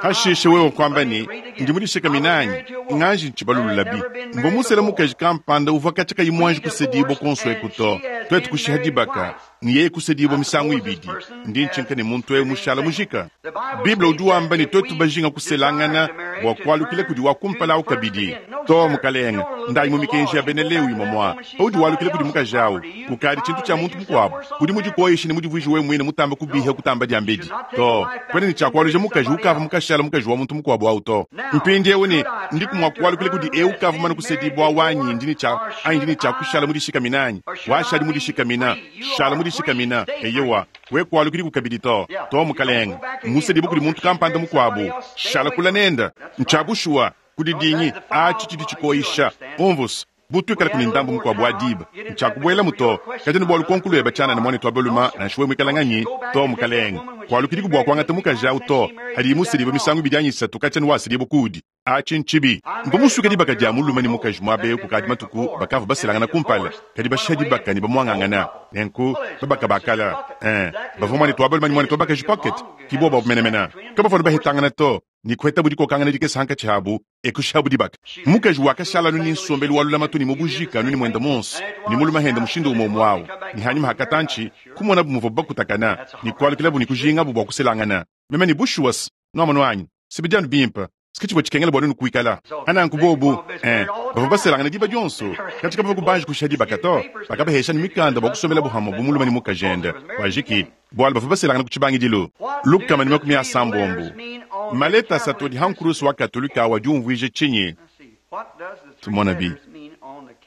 hashishe wewe kuamba ne, Ndi mudishikamine anyi? Nganji ntshibalululabi. Mvua musele mukaji kampanda uvua katshia kayi muanji kusedibua kuonso eku to. Tuetu kushiha dibaka, ne yeye kusedibua misangu ibidi. Ndi ntshinka ne muntu eu mushala mujika. Bible udi wamba ne tuetu bajinga kuselangana bua kualukila kudi wa kumpala au kabidi. To, mukalenge, ndayi mu mikenji ya bena Lewi momua. Paudi walukila kudi mukaji au, ukadi tshintu tshia muntu mukuabu. Udi mudikoyishe ne mudivuije wewe muine mutambe kubiha kutamba diambedi. To, kuena ne tshia kualuja mukaji ukavua mukashala mukaji wa muntu mukuabu au to. Mpindieu ne ndiku mua kualukila kudi eu ukavua mumane kusedibua au anyi ndi ne tshia anyi ndi ne tshia kushala mudishikamine anyi? Washadi mudishikamina, shala mudishikamina. Eyowa, we kualukidiku kabidi to. To, mukalenge, mmusedibue kudi muntu kampanda mukuabu, shala kula nende. Ntshia bushuwa. Kudidingi, atshi tshidi tshikoyisha. Umvus, bu tuikalaku ne ndambu mukuabu wa diba, ntshiakubuelamu to. Kadi anu bua lukonko lueba tshianana, muanetu wa balume, nansha wewe muikale nganyi, to, mukalenge, kualukidiku bua kuangata mukaji au to. Hadiye musedibue misangu ibidi anyi isatu katshia anu wasedibua kuudi. Atshi ntshibi. Mvua musuike dibaka dia mulume ne mukaji muaba eu kukadi matuku. Bakavua baselangana kumpala, kadi bashiha dibaka ne bamuangangana. Nenku, babaka ba kala, ee, bavua muanetu wa balume ne muanetu wa bakaji Pocket. Ki bobu abu menemene. Kabavua anu bahetangana to, ne kuhetabu dikokangana dikese hankatshi habu, e kushihabu dibaka. Mukaji wakashala anu ne nsombelu wa lulamatu ne mu bujike anu ne muende muonso, ne mulume hende mushindu umue umue au. Ne hanyima ha katantshi, kumonabu muvuabu bakutakana, ne kualukilabu ne kujingabu bua kuselangana. Meme ne, Bushuwa's, nwamonu anyi? S'bidi anu bimpe. S'ke civwa cikengela bwa nwenu kwikala. Pa nanku bobo, ee, bavwa baselangana diba dyonso, kaci kabavwa kubanji kushiha dibaka to. Bakabaheesha ne mikanda bwa kusombelabo hamwe bu mulume ne mukajende. Kwajiki, bwalu bavwa baselangana ku cibangidilu. 360. Maleta asatu adi ha nkurusu wa Katolika awu adi umvwija cinyi? Tumonabi.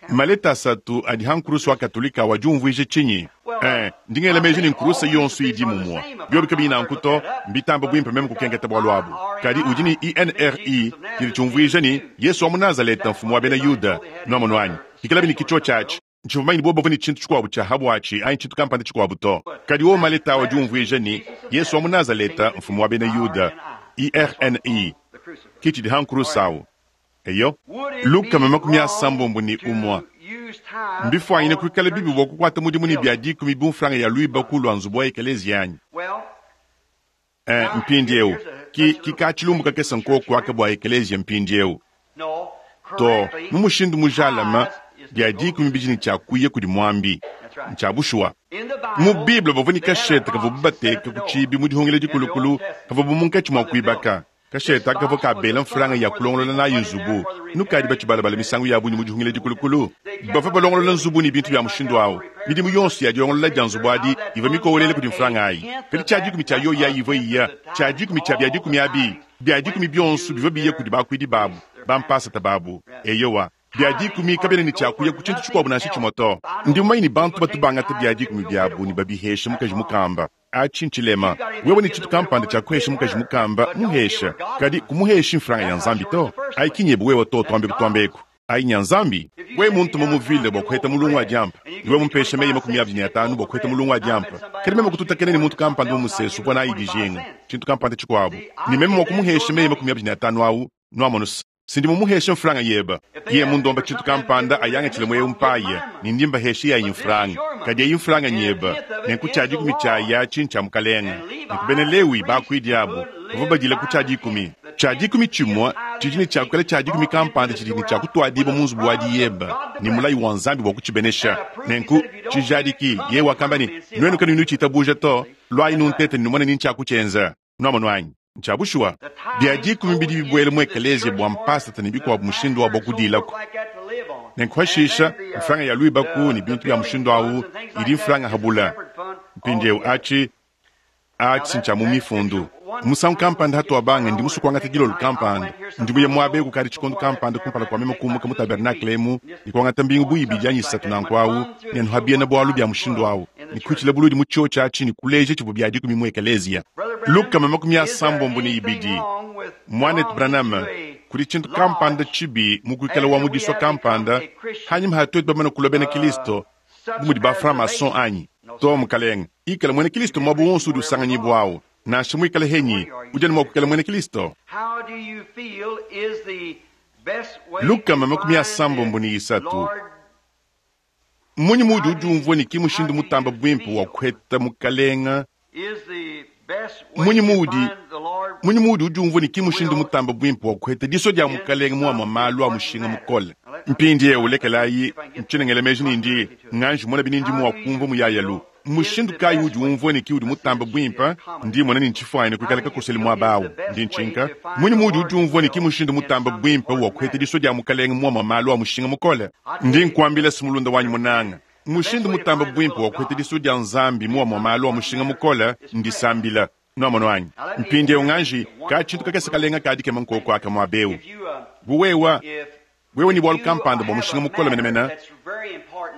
Maleta asatu adi ha nkurusu wa Katolika awu adi umvwija cinyi? Ee, ndi ngela meji ne nkurusa yonso idi mumue. Biobi kabiyi nanku to, mbitamba buimpe meme kukenketa bualu abu. Kadi udi ne INRI, tshidi tshiumvuija ne, Yesu wa mu Nazaleta, Mfumu wa bena Yuda. Nwamonu anyi? Pikalabi ne ki tshiotshi atshi, ntshivua mumanye ne bobu bavua ne tshintu tshikuabu tshia ha buatshi anyi tshintu kampanda tshikuabu to. Kadi wowo maleta au adi umvuija ne, Yesu wa mu Nazaleta, Mfumu wa bena Yuda. IRNI, ki tshidi ha nkurusa au. Eyo. 361. Mbifuanyine kuikala bibi bua kukuata mudimu ne bia dikumi bu mfranga ya luibaku lua nzubu wa ekeleziya anyi? Ee, mpindieu, ki, ki ka-tshilumbu kakese nkoku aka bua ekeleziya mpindieu to. Mu mushindu mujalame, bia dikumi bidi ne tshia kuya kudi muambi. Ntshia bushuwa. Mu Bible bavua ne kashete kavuabu bateka ku tshiibi mu Dihungila Dikulukulu pavuabu munkatshi mua kuibaka. Kashete aka kavua kabela mfranga ya kulongolola nayi nzubu. Nukadi batshibalabala misangu ya bungi mu dihungila dikulukulu. Bavua balongolola nzubu ne bintu bia mushindu au. Midimu yonso ya dilongolola dia nzubu adi ivua mikowelele kudi mfranga ayi. Kadi tshia-dikumi tshia yoyi ayi ivua iya, tshia-dikumi tshia bia-dikumi abi, bia-dikumi bionso bivua biya kudi bakuidi babu, bampasata babu. Eyowa. Bia dikumi kabiena ne tshia kuya ku tshintu tshikuabu nansha tshimue to. Ndi mumanye ne bantu batu bangata bia dikumi biabu ne babihesha mukaji mukamba. Atshi ntshilema. Wewe ne tshintu kampanda tshia kuhesha mukaji mukamba, muhesha. Kadi kumuheshi mfranga ya Nzambi to. Ayi ki nyebe wewe to, tuambe kutuamba eku. Ayi nya Nzambi. Wewe muntuma mu ville bua kuheta mulungu wa diampa, ne wewe mumpesha meyi 25 bua kuheta mulungu wa diampa, kadi meme kututakena ne muntu kampanda mu musesu uvua nayi dijinga tshintu kampanda tshikuabu, ne meme mua kumuhesha meyi 25 awu, nuamonu's, Si ndi mumuheshe mfranga yeba. Yeye mundomba tshintu kampanda, ayangatshile muewu mpaya, ne ndi mbahesha yayi mfranga. Kadi eyi mfranga nyeba, nenku tshia dikumi tshiayi atshi ntshia Mukalenga. Nenku bena Lewi, bakuidi abu, bavua badila ku tshia dikumi. Tshia dikumi tshimue tshidi ne tshia kuikala tshia dikumi kampanda tshidi ne tshia kutuadibua mu nzubu wa diyeba, ne mulayi wa Nzambi bua kutshibenesha. Nenku, tshijadiki, yeye wakamba ne, Nuenu kanuyi nutshitabuja to, luayi nuntete ne numone ni ntshiakutshienza. Nuamonu anyi? Ntshia bushuwa. Bia dikumi bidi bibuela mu ekeleziya bua mpasata ne bikuabu mushindu wabu wa kudiilaku. Nenku pashisha, mfranga ya luibaku ne bintu bia mushindu au idi mfranga ha bula. Mpindieu atshi, atshi ntshia mu Mifundu. Musangu kampanda hatuabanga, ndi musue kuangata dilolo kampanda. Ndi muye muaba eu kukadi tshikondo kampanda kumpala kua meme kumuka mu tabernakle emu ne kuangata mbingu bu ibidi anyi isatu nanku au, ne nuha biena-bualu bia mushindu au, ne kuitshila buludi mu tshiotshi atshi ne kuleja tshivua bia dikumi mu ekeleziya. 322. Muanetu Branham, kudi tshintu kampanda tshibi mu kuikala wa mu disua kampanda hanyima ha tuetu bamane kulua bena Kilisto bu mudi ba franc-maçon anyi? To, mukalenge. Ikala muena Kilisto muaba wonso udi usanganyibuawu. Nansha muikale henyi, udi anu mua kuikala muena Kilisto. 363. Mmunyi muudi udiumvua ne ki mushindu mutamba buimpe wa kuheta Mukalenga? Mmunyi muudi Mmunyi muudi udiumvua ne ki mushindu mutamba buimpe wa kuheta disua dia Mukalenga mu amue malu a mushinga mukole? Mpindieu lekelayi ntshiena ngela meji ne ndi nganji mona bini ndi mua kumvua muyayalu. Mmushindu kayi uudi umvua ne ki udi mutambe buimpe? Ndi mmona ne ntshifuanyine kuikala kakosele muaba au. Ndi ntshinka. Mmunyi muudi udiumvua ne ki mushindu mutambe buimpe wa kuheta disua dia Mukalenge mu amue malu a mushinga mukole? Ndi nkuambila se mulunda wanyi munanga, mushindu mutambe buimpe wa kuheta disua dia Nzambi mu amue malu a mushinga mukole ndisambila. Nuamonu anyi? Mpindieu nganji, ka tshintu kakese kalenga ka dikema nkoku aka muaba eu. Bu wewa. Wewe ne bualu kampanda bua mushinga mukole menemene,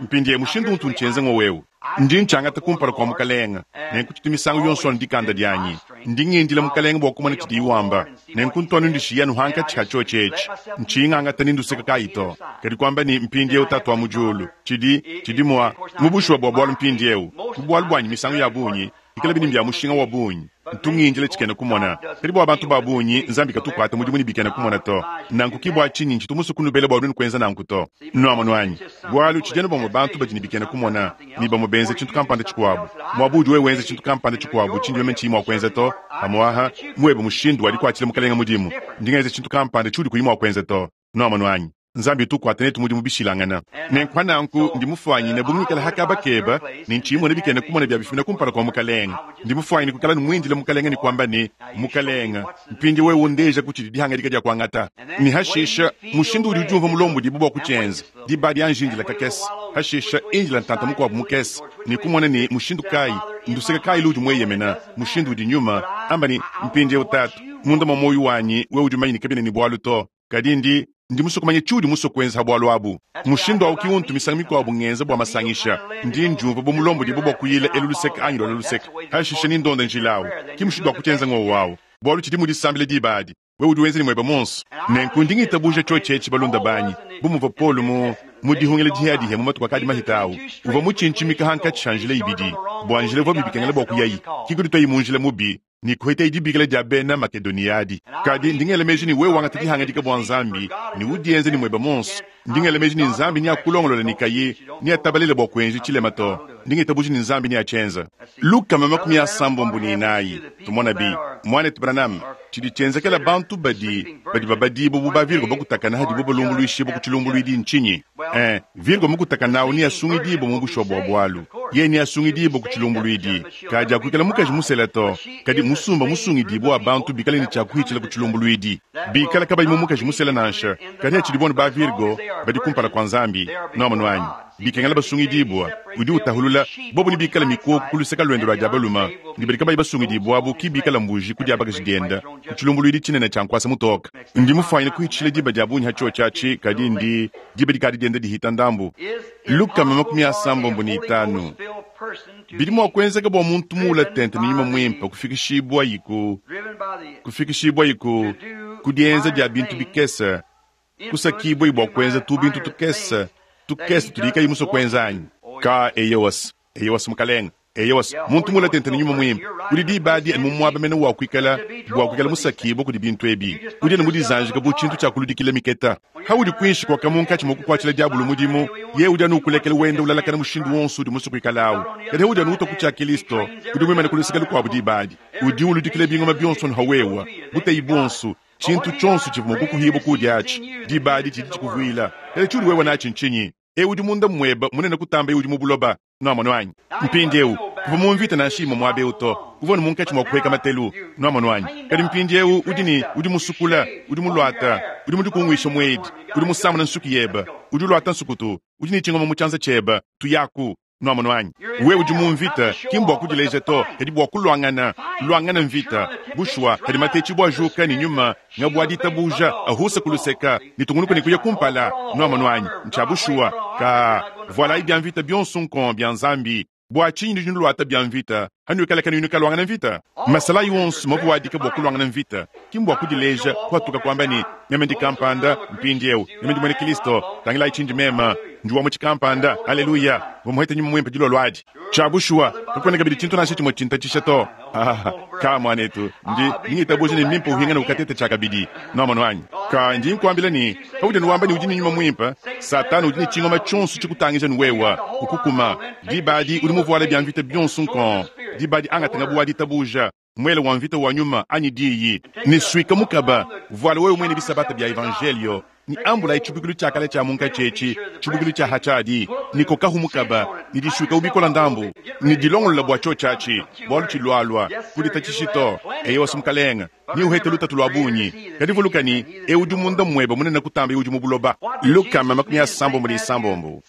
mpindieu mushindu untu ntshienza ng'wowu eu. Ndi ntshiangata kumpala kua Mukalenge, nenku tshitu misangu yonso anu dikanda dianyi. Ndi ngindila Mukalenge bua kumona tshidiye wamba, nenku ntu anu ndishiya anu hankatshi ha tshiotshi etshi, ntshiyi ngangata ni nduseka kayi to. Kadi kuamba ne, Mpindieu Tatu wa mu Diulu, tshidi, tshidi mua, mu bushuwa bua bualu mpindieu, mu bualu buanyi misangu ya bungi, Bikalabi ne mbia mushinga wa bungi, ntu ngindila tshikena kumona. Kadi bua bantu ba bungi, Nzambi katu ukuata mudimu ne bikena kumona to. Nanku ki bua tshinyi ntshitu musue kunubela bua nuenu kuenza nanku to. Nuamonu anyi? Bualu tshidi anu bamue bantu badi ne bikena kumona, ne bamue benza tshintu kampanda tshikuabu. Muaba udi wewe wenza tshintu kampanda tshikuabu tshindi meme ntshiyi mua kuenza to, pamu'aha, muebe mushindu wa dikuatshila Mukalenge mudimu, ndi ngenza tshintu kampanda tshiudi kuyi mua kuenza to. Nuamonu anyi? Nzambi utu ukwata netu mudimu bishilangana. Nenku pa nanku ndi mufwanyine bu ngikala ha kaba keba ne nciyi mmona bikena kumona bya bifumina kumpala kwa Mukalenge. Ndi mufwanyine kwikala ne mwindile Mukalenge ne kwamba ne, Mukalenge, mpindyewu wewe undeejaku cidi dihangadika dya kwangata. Ne hashisha, mushindu udi udyumvwa mulombodibwe bwa kucyenza, diba adi anji indila kakese, hashisha indila ntanta mukwabo mukese, ne kumona ne mushindu kaayi, nduseke kaayi luudi mweyemena, mushindu udi Nyuma, amba ne, Mpindyewu, Taatu, munda mwa mwoyi wanyi, wewe udi mumanye ne kabyena ne bwalu to, kadi ndi, ndi musue kumanya tshiudi musue kuenza ha bualu abu. Mushindu au ki untu misangu mikuabu ngenza bua masangisha. Ndi ndiumvua bu mulombodibue bua kuyila elu luseke anyi luala luseke, hashishe ni ndonda njila au. Ki mushindu wa kutshienza ngowu au, bualu tshidi mu disambila diba adi. Wewe udi wenza ne muebe muonso. Nenku ndi ngitabuja tshiotshi etshi, balunda banyi, bu muvua Paulo mu, mu dihungila dihiadihia mu matuku akadi mahita au, uvua mutshintshimika hankatshi ha njila ibidi, bua njila ivua mibikengela bua kuyayi, ki kudituayi mu njila mubi, ne kuhetayi dibikila dia bena Makedonia adi. Kadi ndi ngela meji ne wewe wangata dihangadika bua Nzambi ne udienza ne muebe muonso, ndi ngela meji ne Nzambi neakulongolole ne kayi neatabalele bua kuenji tshilema to. Ndi ngitabuja ne Nzambi neatshienza. 394, Tumonabi, Muanetu Branham, tshidi tshienzekela bantu badi, badi babadibua bu ba-virgo bakutakana hadibo balumbuluishibua ku tshilumbuluidi ntshinyi? Ee, virgo mukutakana au neasungidibue mu bushuwa bua bualu. Yeye neasungidibue ku tshilumbuluidi. Kadi akuikala mukaji musela to, kadi musumba musungidibue wa bantu bikale ne tshia kuhitshila ku tshilumbuluidi. Bikala kabayi mu mukaji musela nansha, kadi hatshidibua anu ba virgo, badi kumpala kua Nzambi. Nuamonu anyi? Bikengela basungidibua. Udi utahulula, bobo nebikale mikoko ku luseke luende lua dia balume, ne badi kabayi basungidibua abu ki bikala mbuji ku dia bakaji diende, ku tshilumbuluidi tshinene tshia nkuasa mutoke. Ndi mufuanyine kuhitshila diba dia bungi ha tshiotshi atshi, kadi ndi, diba dikadi dienda dihita ndambu. 355. Bidi mua kuenzeka bua muntu muula tente ne Nyuma Muimpe kufikishibuayi ku, kufikishibuayi ku, ku dienza dia bintu bikese, kusakibuayi bua kuenza tubintu tukese, tukese tudiye kayi musue kuenza anyi? Ka, eyowas, eyowas, mukalenge. Eyowas, muntu muula tente ne Nyuma Muimpe udi diba adi anu mu muaba mene wa kuikala, bua kuikala musakibue kudi bintu ebi. Udi anu mudizanjike bu tshintu tshia kuludikila miketa. Haudi kuinshi kuaka munkatshi mua kukuatshila diabolo mudimu, yeye udi anu ukulekela wenda ulalakana mushindu wonso udi musue kuikala au. Kadi haudi anu utua ku tshia Kilisto, udi muimane ku luseke lukuabu diba adi. Udi uludikila bingoma bionso anu ha wewa, buteyi buonso, tshintu tshionso tshivua mua kukuhibua kudi atshi, diba adi tshidi tshikuvuila. Kadi tshiudi wewa natshi ntshinyi? Eu udi munda muebe munene kutamba eu udi mu buloba. Nuamonu anyi? Mpindiewu, kuvua mu mvita nansha imue muaba eu to. Uvua anu munkatshi mua kupueka matelu. Nuamonu anyi? Kadi mpindiewu udi ne, udi musukula, udi muluata, udi mudikunguisha muedi, udi musamuna nsuki yebe, udi uluata nsukutu, udi ne tshingoma mu tshianza tshiebe. Tuyaku. Nuamonu anyi? Wewe udi mu mvita, ki mbua kudileja to, kadi bua kuluangana. Luangana mvita. Bushuwa, padi matetshibua ajuka ne nyuma, ngabu wa ditabuja, ahusa ku luseka, ne tungunuka ne kuya kumpala. Nuamonu anyi? Ntshia bushuwa. Kaa, vualayi bia mvita bionso nkong bia Nzambi. Bua tshinyi nudi nuluata bia mvita hanuikala kanuyi nukaluangana mvita? Masalayi onso mavuadika bua kuluangana mvita, ki mbua kudileja, kuatuka kuamba ne, Meme ndi kampanda, mpindieu, meme ndi muena Kilisto, tangilayi tshindi meme, ndi wa mu tshikampanda, aleluya, mvua muhete Nyuma Muimpe dilolo adi. Tshia bushuwa, kakuena kabidi tshintu nansha tshimue tshintatshisha to. Ah, ka, muanetu, ndi, ndi ngitabuja ne mmimpe uhingane ukatete tshiakabidi. Nuamonu anyi? Ka, ndi nkuambila ne, paudi anu wamba ne udi ne Nyuma Muimpe, Satana udi ne tshingoma tshionso tshikutangija ne wewa, ukukuma. Diba adi udi muvuale bia mvita bionso nkong. Diba adi angata ngabu wa ditabuja, muele wa mvita wa nyuma anyi diyi, ne suika mukaba, vuala wewe muine bisabata bia evanjelio, ne ambulayi tshibuikilu tshia kale tshia munkatshi etshi, tshibuikilu tshia ha tshiadi, ne kokahu mukaba, ne disuikahu bikola ndambu, ne dilongolola bua tshiotshi atshi, bualu tshilualua. Kuditatshishi to. Eyowa, Mukalenge, neuhete lutatu lua bungi, kadi vuluka ne, eu udi munda muebe munene kutamba eu udi mu buloba. 366.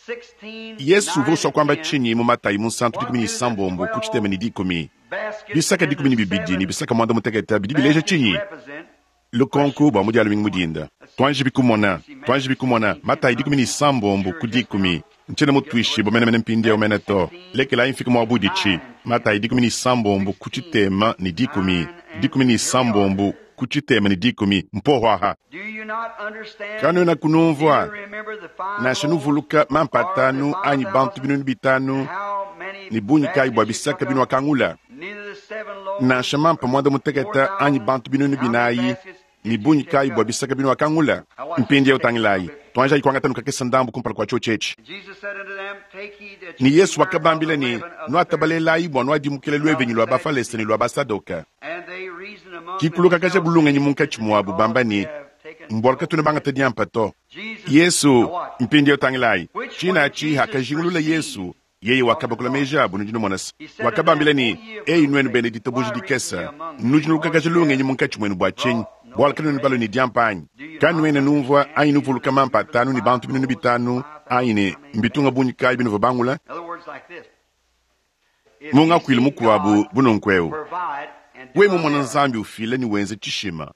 Yesu uvua usua kuamba tshinyi mu Matayi munsantu 16 ku tshitema ne dikumi? Bisaka 12 ne bisaka muanda mutekete bidi bileja tshinyi? Lukonku bua mu Dia lumingu mu dinda. Tuanjibi kumona, tuanjibi kumona, Matayi 16 ku dikumi. Ntshiena mutuishibue menemene mpindieu mene to. Lekelayi mfike muabuditshi. Matayi 16 ku tshitema ne dikumi, 16 ku tshitema ne dikumi, mpoho aha. Kanuenaku numvua, nansha nuvuluka mampa atanu anyi bantu 5000, ne bungi kayi bua bisaka binuakangula? Nansha mampa muanda mutekete anyi bantu 4000, ne bungi kayi bua bisaka binuakangula? Mpindieu tangilayi, tuanjayi kuangata nukakese ndambu kumpala kua tshiotshi etshi. Ne Yesu wakabambila ne, Nuatabalelayi bua nuadimukila luevenyi lua Bafalese ne lua Basadoke. Kikulukakaja bulungenyi munkatshi muabu bamba ne, Mbualu katuena bangate diampa to. Yesu, mpindieu tangilayi, tshine atshi hakajingulula Yesu, yeye wakabakula meji abu, nudi numona se, wakabambila ne, Eyi nuenu bena ditabuja dikese, nudi nulukakaja lungenyi munkatshi muenu bua tshinyi? Bualu kanuena balue ne diampa anyi? Kanuena numvua anyi nuvuluka mampa atanu ne bantu 5000 anyi ne mbitunga bungi kayi binuvua bangula? Mu ngakuilu mukuabu bu nunku eu, wewe mumona Nzambi ufila ne wenza tshishima,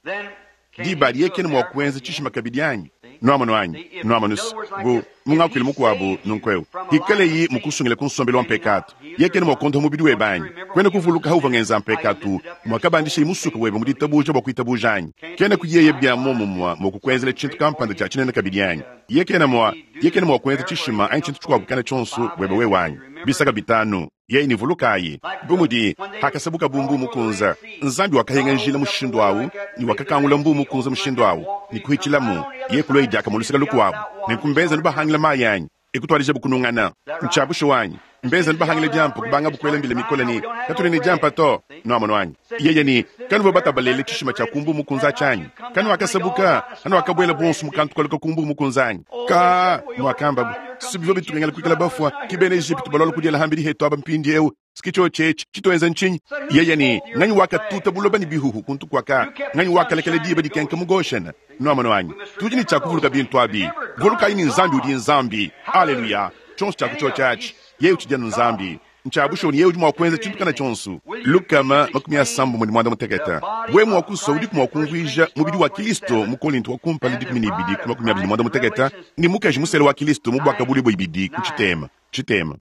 diba adi yeye kena mua kuenza tshishima kabidi anyi? Nuamonu anyi? Nuamonu se, bu mu ngakuilu mukuabu nunku eu, hikaleyi mukusungila ku nsombelu wa mpekatu, yeye kena mua kuondopa mubidi webe anyi? Kuena kuvuluka hauvua ngenza mpekatu, muakabandishaye musuke webe mu ditabuja bua kuitabuja anyi? Kenaku yeye bia muomumue mua kukuenzela tshintu kampanda tshia tshinene kabidi anyi? Yeye kena mua, yeye kena mua kuenza tshishima anyi tshintu tshikuabu kana tshionso buebe wewe anyi? Bisaka bitanu. Yeye ne vulukayi, bu mudi hakasabuka bu mbuu mukunza, Nzambi wakahenga njila mushindu au, ne wakakangula mbuu mukunza mushindu au, ne kuhitshilamu, yeye kulua diakamue luseke lukuabu. Nenku mbenza nubahangila mayi anyi? E kutuadijabu kunungana. Ntshia bushuwa anyi? Mbenza nubahangila diampa, kubangabu kuela mbila mikole ne, Katuena ne diampa to. Nuamonu anyi? Yeye ne, Kanuvua batabalele tshishima tshia ku mbuu mukunza atshi anyi? Kanuakasabuka, kanuakabuela bonso mu kantu kaluka ku mbuu mukunza anyi? Ka, nuakambabu, si bivua bitukengela kuikala bafua, ke bena Ejipitu balualua kudiela hambidi hetu aba mpindieu, si tshiotshi etshi, tshituenza ntshinyi? Yeye ne, Nganyi wakatuta buloba ne bihuhu kuntu kuaka? Nganyi wakalekela diba dikenka mu Goshene? Nuamonu anyi? Tudi ne tshia kuvuluka bintu abi. Vulukayi ne Nzambi udi Nzambi. Aleluya! Tshionso tshia ku tshiotshi atshi, yeye utshidi anu Nzambi. Ntshia bushuwa ne yeye udi mua kuenza tshintu kana tshionso. 361. Wewe mua kusua, udiku mua kumvuija mubidi wa Kilisto mu Kolinto wa kumpala 12 ku 26 ne mukaji musela wa Kilisto mu Buakabuluibua 2 ku tshitema tshitema.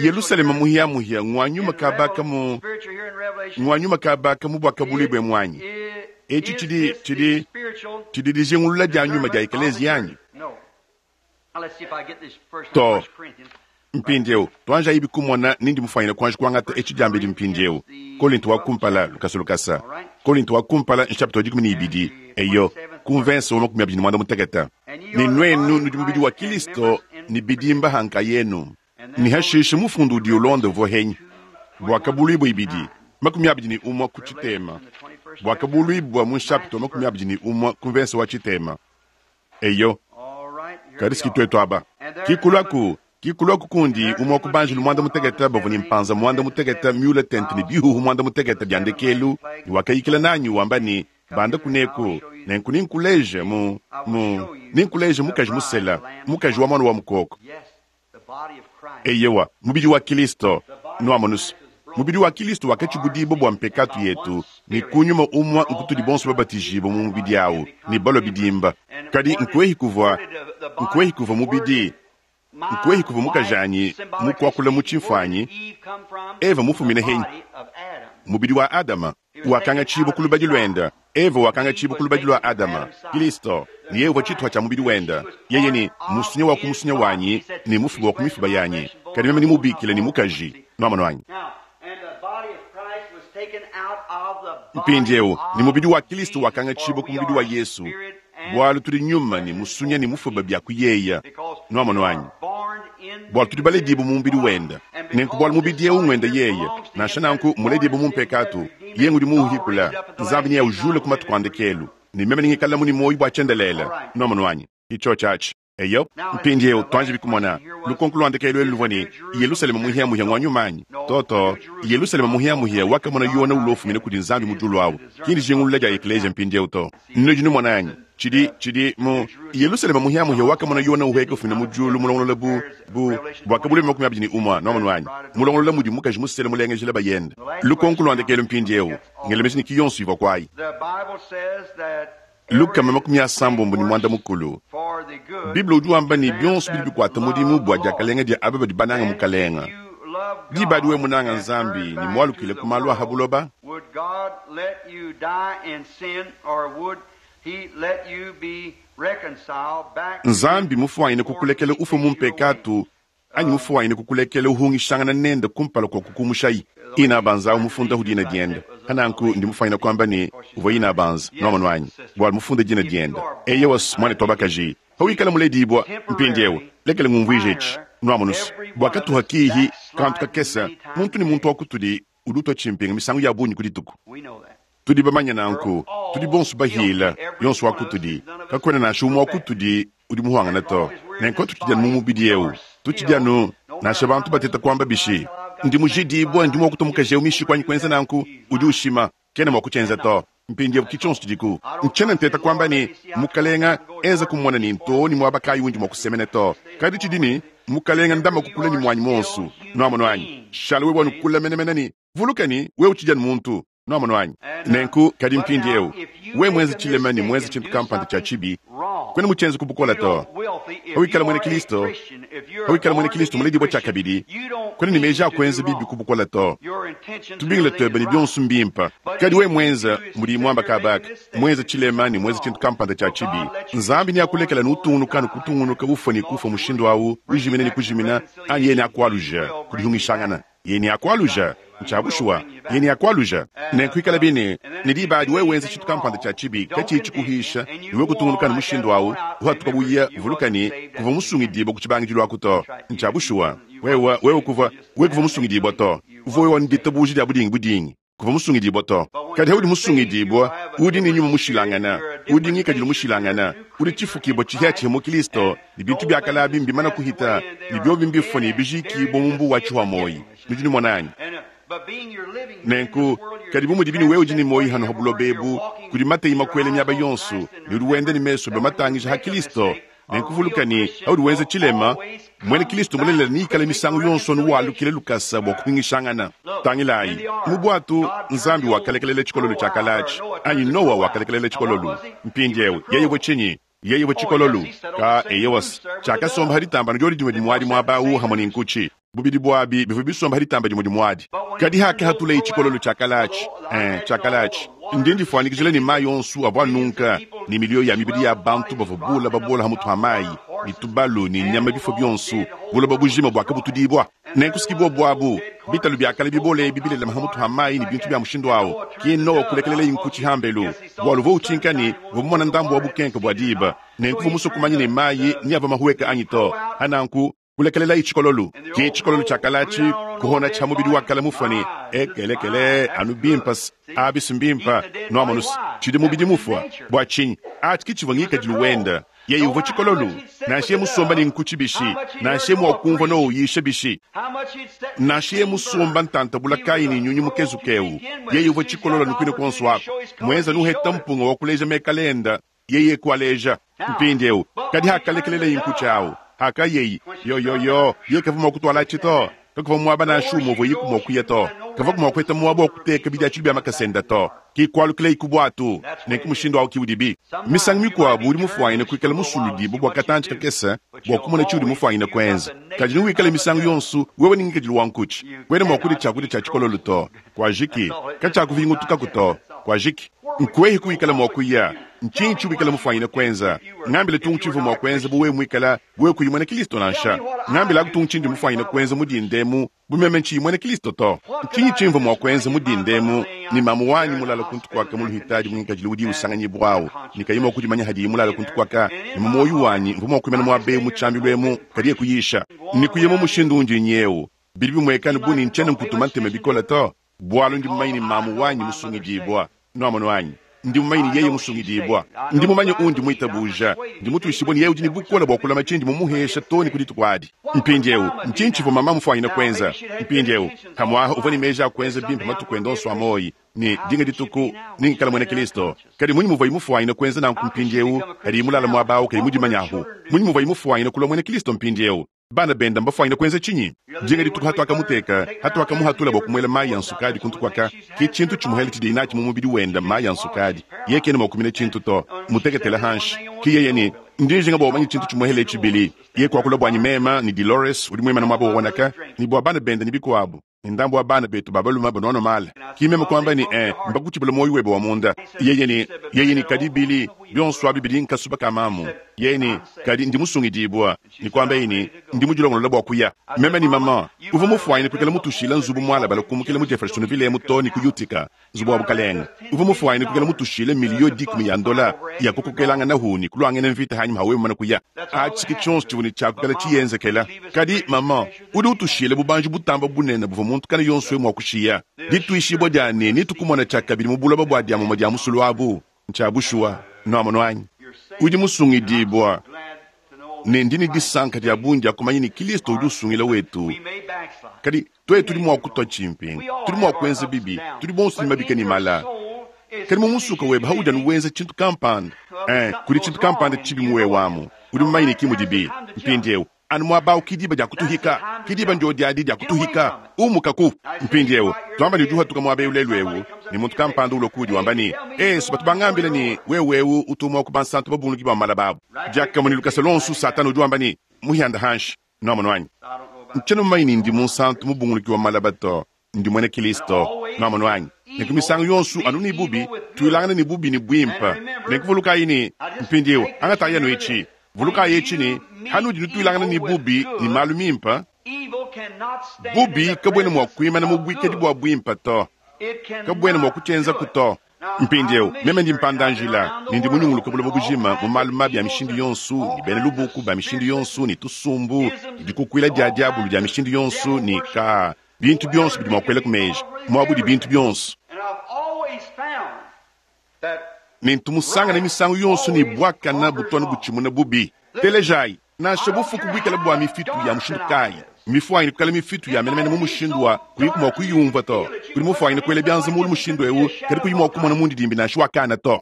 Yelusalema muhiamuhia ngua nyuma kabaka mu ngua nyuma kabaka mu Buakabuluibua emu anyi? Etshi tshidi tshidi tshidi dijingulula dia nyuma dia ekeleziya anyi? To. Mpindieu, tuanjayibi kumona ni ndi mufuanyine kuanji kuangata etshi diambedi mpindieu. Kolinto wa kumpala, lukasa lukasa. Kolinto wa kumpala, nshapita wa 12, eyo, ku mvense wa 25. Ne nuenu nudi mubidi wa Kilisto ne bidimba ha nkayenu. Ne hashishe mufundu udi ulonda uvua henyi? Buakabuluibua 2, 21 ku tshitema. Buakabuluibua mu nshapita wa 21 ku mvense wa tshitema. Eyo, kadi si tuetu aba. Kikuluaku, kikuluaku kundi umue wa ku banjelu muanda mutekete bavua ne mpanza muanda mutekete miule tente ne bihuhu muanda mutekete bia ndekelu, ne wakayikila nanyi wamba ne, Banda kuneku, nenku nenkuleje mu, mu, nenkuleje mukaji musela, mukaji wa Muana wa Mukoko. Eyowa, mubidi wa Kilisto. Nuamonus, mubidi wa Kilisto wakatshibudibua bua mpekatu yetu, ne ku nyuma umue nkutudi bonso babatijibue mu mubidi au ne balua bidimba. Kadi nkuehi kuvua, nkuehi kuvua mubidi, nkuehi kuvua mukajanyi mu kuakula mu tshimfuanyi, Eva mufumine henyi? Mubidi wa Adama wakangatshibua ku lubadi luende, Eva wakangatshibua ku lubadi lua Adama. Kilisto, ne yeye uvua tshituha tshia mubidi wende. Yeye ne, Musunya wa ku musunya wanyi ne mufuba wa ku mifuba yanyi, kadi meme nemubikile ne mukaji. Nuamonu anyi? Mpindieu, ne mubidi wa Kilisto wakangatshibua ku mubidi wa Yesu, bualu tudi nyuma ne musunya ne mufuba bia ku yeye. Nuamonu anyi? Bualu tudi baledibue mu mubidi wende. Nenku bualu mubidi eu nguende yeye, nansha nanku mmuledibue mu mpekatu, yeye ngudi muuhikula. Nzambi neaujule ku matuku a ndekelu, ne meme nengikalamu ne muoyo bua tshiendelele. Nuamonu anyi? Ke tshiotshi atshi. Eyo. Mpindieu tuanjibi kumona. Lukonko lua ndekelu elu luvua ne, Yelusalema muhiamuhia ngua nyuma anyi? Too, too. Yelusalema muhiamuhia wakamona Yona ulua ufumina kudi Nzambi mu diulu au, ki ndijingulula dia ekleziya mpindieu to. Nudi numona anyi? Tshidi, tshidi mu Yelusalema muhiamuhia wakamona Yona uhueka ufumina mu diulu mulongolola bu, bu, Buakabuluibua 21, nuamonu anyi? Mulongolola mudi mukaji musele mulengejila bayende. Lukonko lua ndekelu mpindieu, ngela meji ne ki yonso ivua kuayi. 350. Bible udi wamba ne, bionso bidi bikuata mudimu bua diakalenga dia aba badi banange Mukalenge. Diba adi wewe munange Nzambi ne mualukile ku malu a ha buloba, Nzambi mufuanyine kukulekela ufue mu mpekatu anyi mufuanyine kukulekela uhungishangana nende kumpala kua kukumushayi. Ina Banza au mufundahu dina diende. Pananku ndi mufuanyine kuamba ne uvua Ina Banza, nuamonu anyi, bualu mufunde dina diende. Eyowa, muanetu wa bakaji, pawikala muledibua mpindieu, lekela ngumvuije etshi, nuamonus, bua katuha kihi kantu kakese, muntu ne muntu wa kutudi udi utua tshimpinga misangu ya bungi ku dituku. Tudi bamanye nanku. Tudi bonso bahila, yonso wa kutudi. Kakuena nansha umue wa kutudi udi muhuangane to. Nenku tutshidi anu mu mubidi eu. Tutshidi anu, nansha bantu bateta kuamba bishi, Ndi mujidibue, ndi mua kutua mukaji eu mishiku anyi kuenza nanku, udi ushima. Kena mua kutshienza to. Mpindieu ki tshionso tshidiku. Ntshiena nteta kuamba ne, Mukalenga, enza kumona ne ntoo ne muaba kayi undi mua kusemena to. Kadi tshidi ne, Mukalenga, ndama kukula ne muanyi muonso. Nuamonu anyi? Shala wewe anu kule menemene ne, vuluka ne, wewe utshidi anu muntu. Nuamonu anyi? Nenku, kadi mpindieu, wewe muenze tshilema ne muenze tshintu kampanda tshia tshibi, kuena mutshienze ku bukole to. Pawikala muena Kristo, pawikala muena Kristo muledibue tshiakabidi, kuena ne meji a kuenza bibi ku bukole to. Tubingila tuebe ne bionso mbimpe. Kadi wewe muenze, mudi muamba kaba aka, muenze tshilema ne muenze tshintu kampanda tshia tshibi, Nzambi neakulekele anu utungunuka anu kutungunuka ufua ne kufua mushindu au, ujimina ne kujimina, anyi yeye neakualuje ku dihungishangana. Yeye neakwaluja. Ncya bushuwa. Yeye neakwaluja. Nenku ikalabi ne, ne diba adi wewe wenza cintu kampanda cya cibi kaciyi cikuhiisha, ne wewe kutungunuka ne mushindu awu, uhatuka uya, vuluka ne, kuvwa musungidiibwa ku cibangidilu aku to. Ncya bushuwa. Wewe, wewe kuvwa, wewe kuvwa musungidiibwa to. Uvwa wewe ne ditabuuja dya budingi-budingi. Kuvwa musungidibwa to. Kadi haudi musungidibwa, udi ne nyuma mushilangana, udi ngikadilu mushilangana, udi tshifukibwa tshihiatshihia mu Kilisto, ne bintu bia kale abi mbimana kuhita, ne biobi mbifua ne bijikibua mu mbuwa wa tshihua moyi. Nudi numona anyi? Nenku, kadi bu mudibi ne wewe udi ne moyi hano ha buloba ebu, kudi mateyi makuele miaba yonso, ne udi wenda ne mesu ebe matangija ha Kilisto, Nenku vuluka ne, paudi wenza tshilema, muena Kristo mulelela neikale misangu yonso anu walukila lukasa bua kupingishangana. Tangilayi, mu buatu, Nzambi wakalekelela tshikololo tshia kale atshi, anyi Nowa wakalekelela tshikololo. Mpindieu, yeye uvua tshinyi? Yeye uvua tshikololo. Ka, eyowa-s, tshiakasomba pa ditamba anu diodi dimue dimuadi muaba au hamue ne nkutshi. Bubidi buabi bivua bisomba ha ditamba dimue dimuadi. Kadi hakahatuleye tshikololo tshia kale atshi, eh, tshia kale atshi, ndi ndifuanyikijila ne mai onso avua anunka, ne miliyo ya mibidi ya bantu bavua bula babola ha mutu ha mai, ne tubalu ne nyama bifua bionso, buloba bujima buakabutudibua. Nenku siki buobu abu, bitalu bia kale bibole ebi bilelema ha mutu ha mai ne bintu bia mushindu au, ki Noa kulekeleleye nkutshi hambelu, bualu uvua utshinka ne uvua mumona ndambu wa bukenke bua diba, nenku uvua musue kumanya ne mai ni avua mahueke anyi to. Hananku Kulekelelayi tshikololu. Ke tshikololu tshia kale atshi kuhonatshi ha mubidi wa kale mufua ne ekelekele anu bimpa-s, abi-s mbimpa, nuamonu-s, tshidi mubidi mufua. Bua tshinyi? Atshi ke tshivua ngikadilu wenda. Yeye uvua tshikololu. Nansha yeye musomba ne nkutshi bishi, nansha yeye mua kumvua Noa uyisha bishi, nansha yeye musomba ntanta bula kayi ne nyunyu mukezuke eu, yeye uvua tshikololu anu kuine kuonso aku, muenza nuheta mpunga wa kuleja mekala enda. Yeye kualeja mpindieu. Kadi hakalekeleleye nkutshi au, hakayeyi, yoyoyo, yeye kavua mua kutualatshi to. Kakuvua muaba nansha umue uvuayiku mua kuya to. Kavuaku mua kupeta muaba wa kuteka bidiatshilu bia makasa ende to. Ke kualukilayi ku buatu. Nenku mushindu au ke udibi. Misangu mikuabu udi mufuanyine kuikala musuludibue bua katantshi kakese bua kumona tshiudi mufuanyine kuenza. Kadi newikale misangu yonso wewe ne ngikadilu wa nkutshi. Kuena mua kudia tshiakudia tshia tshikololo to. Kuajiki. Katshiakuvingutukaku to. Kuajiki. Nkuehi kuwikala mua kuya? Ntshinyi tshiwikala mufuanyine kuenza? Ngambila tungu tshivua mua kuenza bu wewe muikala wewe kuyi muena Kristo nansha. Ngambilaku tungu tshindi mufuanyine kuenza mu dinda emu bu meme ntshiyi muena Kristo to. Ntshinyi tshimvua mua kuenza mu dinda emu ne mamu wanyi mulale kuntu kuaka mu luhitadi mu ngikadilu udi usanganyibua au ne kayi mua kudimanya hadiye mulale kuntu kuaka ne mu muoyo wanyi mvua mua kuimana muaba eu mu tshiambilu emu kadi kuyisha ne kuya mu mushindu undi nyeu bidi bimueka anu bu ne ntshiena nkutuma ntema bikole to bualu ndi mumanye ne mamu wanyi musungidibua. Nuamonu anyi? Ndi mumanye ne yeye musungidibua. Ndi mumanye undi muitabuja. Ndi mutuishibue ne yeye udi ne bukole bua kulama tshindi mumuhesha too ne ku dituku adi. Mpindieu, ntshinyi tshivua mama mufuanyine kuenza? Mpindieu, pamu'apa uvua ne meji a kuenza bimpe matuku ende onso a muoyo, ne dinga dituku nengikale muena Kristo. Kadi mmunyi muvuaye mufuanyine kuenza nanku mpindieu padiye mulale muaba au kayi mudimanyahu? Mmunyi muvuaye mufuanyine kulua muena Kristo mpindieu? Bana benda mbafuanyine kuenza tshinyi? Dinga dituku hatuakamuteka, hatuakamuhatula bua kumuela mayi a nsukadi kuntu kuaka, ke tshintu tshimuhele tshidiye natshi mu mubidi wenda mayi a nsukadi. Yeye kena mua kumina tshintu to, muteketele hanshi. Ke yeye ne, Ndi njinga bua umanye tshintu tshimuhele etshi, Billy. Yeye kuakula buanyi mema ne Delores udi muimane muaba wonaka, ne bua bana benda ne bikuabu, ne ndambu wa bana betu ba balume banuanua mala. Ke meme kuamba ne, Eh, mbakutshibula muoyo webe wa munda. Yeye ne, yeye ne, Kadi, Billy, bionso abi bidi nkasuba ka mamu. Yeye ne, Kadi ndi musungidibua. Ne kuambaye ne, Ndi mudilongolola bua kuya. Meme ne maman uvua mufwanyine kwikala mutushiila nzubu mualabale kumukila mu Jeffersonville emu too ne ku Utica, nzubu wa bukalenge. Uvua mufwanyine kwikala mutushiile miliyo dikumi ya ndola ya kukokelanganahu ne kulwangena mvita hanyima ha wewe mumane kuya. Aci ke cyonso civua ne cya kwikala ciyenzekela. Kadi, maman, udi utushiila bubanji butamba bunene buvua muntu kana yonso mwa kushiya, ditwishibua dya ne netukumona cyakabidi mu buloba bwa dyamumwa dya musulu abu. Ncya bushuwa. Nwamonu anyi? Udi musungidibua. Ne ndi ne disanka dya bungi dya kumanya ne Kilisto udi usungila wetu. Kadi twetu tudi mwa kutwa cimpingu, tudi mwa kwenza bibi, tudi bonso ne mabika ne mala. Kadi mu musuka webe haudi anu wenza cintu kampanda, ee, kudi cintu kampanda cibi mu wewe amu. Udi mumanye ne ki mudibi. Mpindyewu, anu mwaba awu ki diba dya kutuhika. Ki diba ndyodi adi dya kutuhika. Umukaku. Mpindyewu, twamba ne udi uhatuka mwaba ewu lelu ewu, ne muntu kampanda ulua kuudi wamba ne, Ee, batu bangambila ne wewe ewu utu umwe wa ku bansantu babunguluki ba malaba abu. Dyakamue ne lukasa luonso Satana udi wamba ne, Muhyanda hanshi. Nwamonu anyi? Ncyena mumanye ne ndi munsantu mubunguluki wa malaba to. Ndi mwena Kilisto. Nwamonu anyi? Nenku misangu yonso anu ne bubi, twilangana ne bubi ne bwimpe. Nenku vulukayi ne, mpindyewu, angataayi anu eci, vulukayi eci ne, hanudi nutwilangana ne bubi ne maalu mimpe, bubi kabwena mwa kwimana mu bwikadi bwa bwimpe to. Kabwena mwa kucyenzaku to. Mpindyewu, meme ndi mpanda-njila, ne ndi munyunguluke buloba bujima mu maalu mabi a mishindu yonso, ne beena lubuku ba mishindu yonso, ne tusumbu, ne dikukwila dya dyabulu dya mishindu yonso, ne kaa, bintu byonso bidi mwa kwelaku meeji, mwaba udi bintu byonso. Ne ntu musangane misangu yonso ne bwakana butu anu bucimuna bubi. Telejayi, nansha bufuku bwikale bwa mifitu ya mushindu kaayi, mmifwanyine kwikala mifitu ya menemene mu mushindu wa kuyiku mwa kuyumvwa to. Udi mufwanyine kwela byanza muulu mushindu ewu, kadi kuyi mwa kumona mundidimbi nansha wa kana to.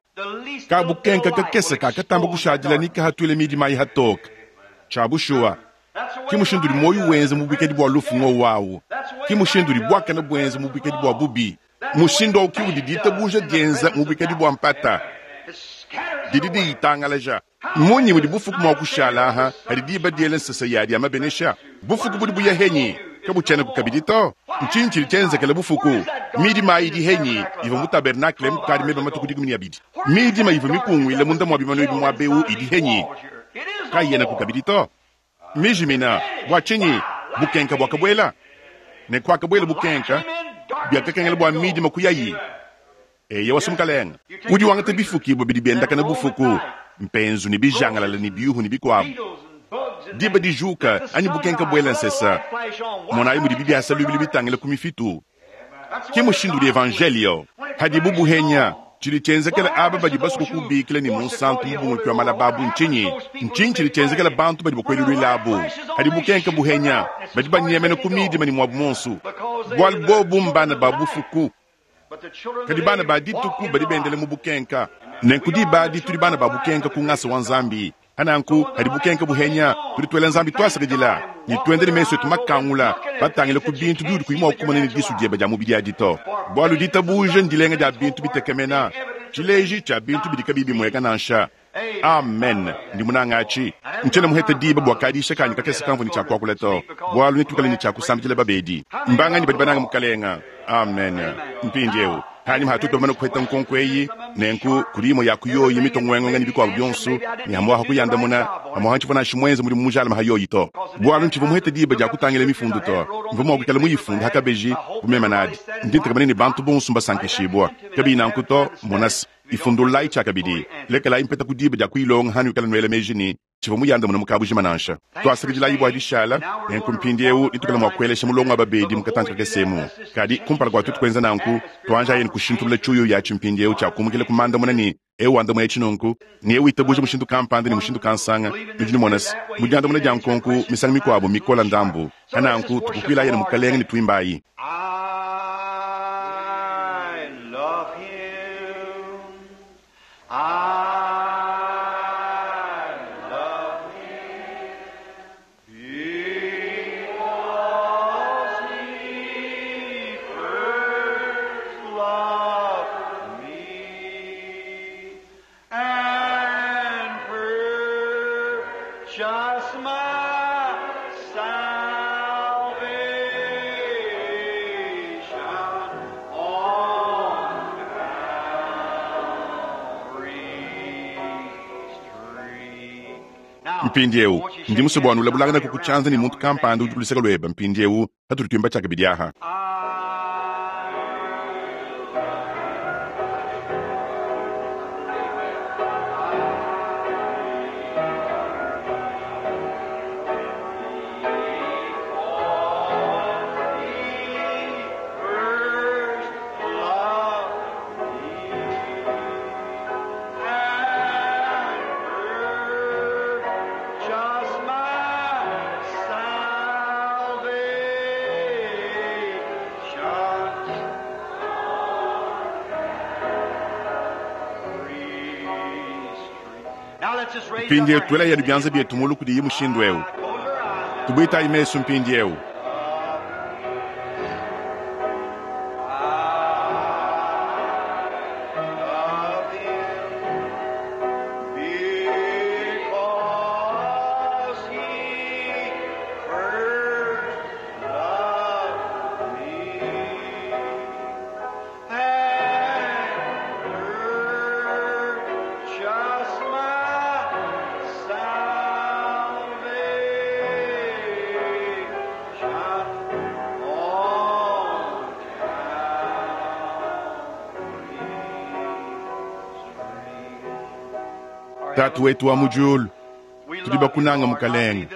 Kabukenka kakese kakatamba kushadila ni kahatwile midima ayi hatoka. Cya bushuwa, ki mushindu udi muoyo wenza mu bwikadi bwa lufu ngwowu awu. Ki mushindu udi bwakane bwenza mu bwikadi bwa bubi. Mushindu awu ki udi ditabuja dyenza mu bwikadi bwa mpata. Didi diyitangalaja. Mmunyi mudi bufuku mwa kushala aha hadi diba dyela nsesa yadi ya mabenesha? Bufuku budi buya henyi? Kabucyenaku kabidi to. Ncinyi cidi cyenzekela bufuku? Midima ayi idi henyi ivwa mu tabernakle mukadi meba matuku 12? Midima ivwa mikungwila munda mwa bimanu ebi mwaba ewu idi henyi? Kayiyenaku kabidi to. Mijimina. Bwa cinyi? Bukenka bwakabwela. Ne kwakabwela bukenka, byakakengela bwa midima kuyayi. Eyowa, Mukalenga. Udi wangata bifukibwa bidi byendakana bufuku, mpenzu ne bijangalala ne byuhu ne bikwabo. Diba dijuka anyi bukenka bwela nsesa, monayi mudibi byasa lubilu bitangila ku mifitu. Ke mushindu udi Evanjeliyo. Hadibu buhenya, cidi cyenzekela aba badi basue kukubikila ne munsantu mubunguluki wa malaba abu ncinyi? Ncinyi cidi cyenzekela bantu badi bakwelulwila abu? Hadi bukenka buhenya, badi banyemena ku midima ne mwabu monsu, bwalu bobu mbana ba bufuku. Kadi bana ba dituku badi bendela mu bukenka. Nenku diba adi tudi bana ba bukenka ku ngasa wa Nzambi. Pa nanku, padi bukenka buhenya, tudi tuela Nzambi tuasakidila ne tuenda ne mesu etu makangula batangile ku bintu biudi kuyi mua kumona ne disu diebe dia mubidi adi to. Bualu ditabuja ndilenga dia bintu bitekemena, tshileji tshia bintu bidi kabiyi bimueka nansha. Amen. Ndi munange aci. Ncyena muhete diba bwa kadiisha kaanyi kakese kamvwa ne cya kwakula to, bwalu netwikale ne cya kusambidila babeedi. Mbanganyi badi banange Mukalenga? Amen. Mpindyewu, hanyima ha twetu bamane kuheta nkonko eyi, nenku kudi yimwe ya ku yoyi mitwa ngwenga ne bikwabo byonso, ne hamwaha kuyandamuna, hamwaha ncivwa nansha mwenze mudimu mujalame ha yoyi to, bwalu ncivwa muhete diba dya kutangila mifundu to. Mvwa mwa kwikala muyifunda ha kabeji bu meme nadi. Ndi ntekemena ne bantu bonso mbasankishibwa. Kabiyi nanku to, mona's. Ifundululayi tshiakabidi. Lekelayi mpeta ku diba dia kuyilonga hanuikala nuela meji ne, tshivua muyandamune mu kabujima nansha. Tuasakidilayi bua dishala. Nenku mpindieu netuikale mua kuelesha mulongo wa babedi mu katantshi kakese emu. Kadi kumpala kua tuetu kuenza nanku, tuanjayi kushintulula tshiuyuya atshi mpindieu tshia kumukila ku mandamuna ne eu wandamuna etshi nunku ne eu witabuja mushindu kampanda ne mushindu kansanga. Nudi numona se, mu diandamuna dia nkonko misangu mikuabu mikola ndambu. Pa nanku tukukuilayi ne Mukalenge ne tuimbayi. I love him. I love him. Because he first loved me and purchased my salvation. Mpindieu ndi musue bua nulabulanganaku ku tshianza ne muntu kampanda udi ku luseke luebe mpindieu patudi tuimba tshiakabidi aha. First loved me and purchased my salvation. Now let's just raise up Mpindieu our tuelayi hands anu bianza bietu mulu kudiyi mushindu eu. Close our eyes. Tubuitayi mesu mpindieu. Love him because he first loved me and purchased my salvation on Tatu wetu wa mu diulu, tudi bakunanga mukalenge.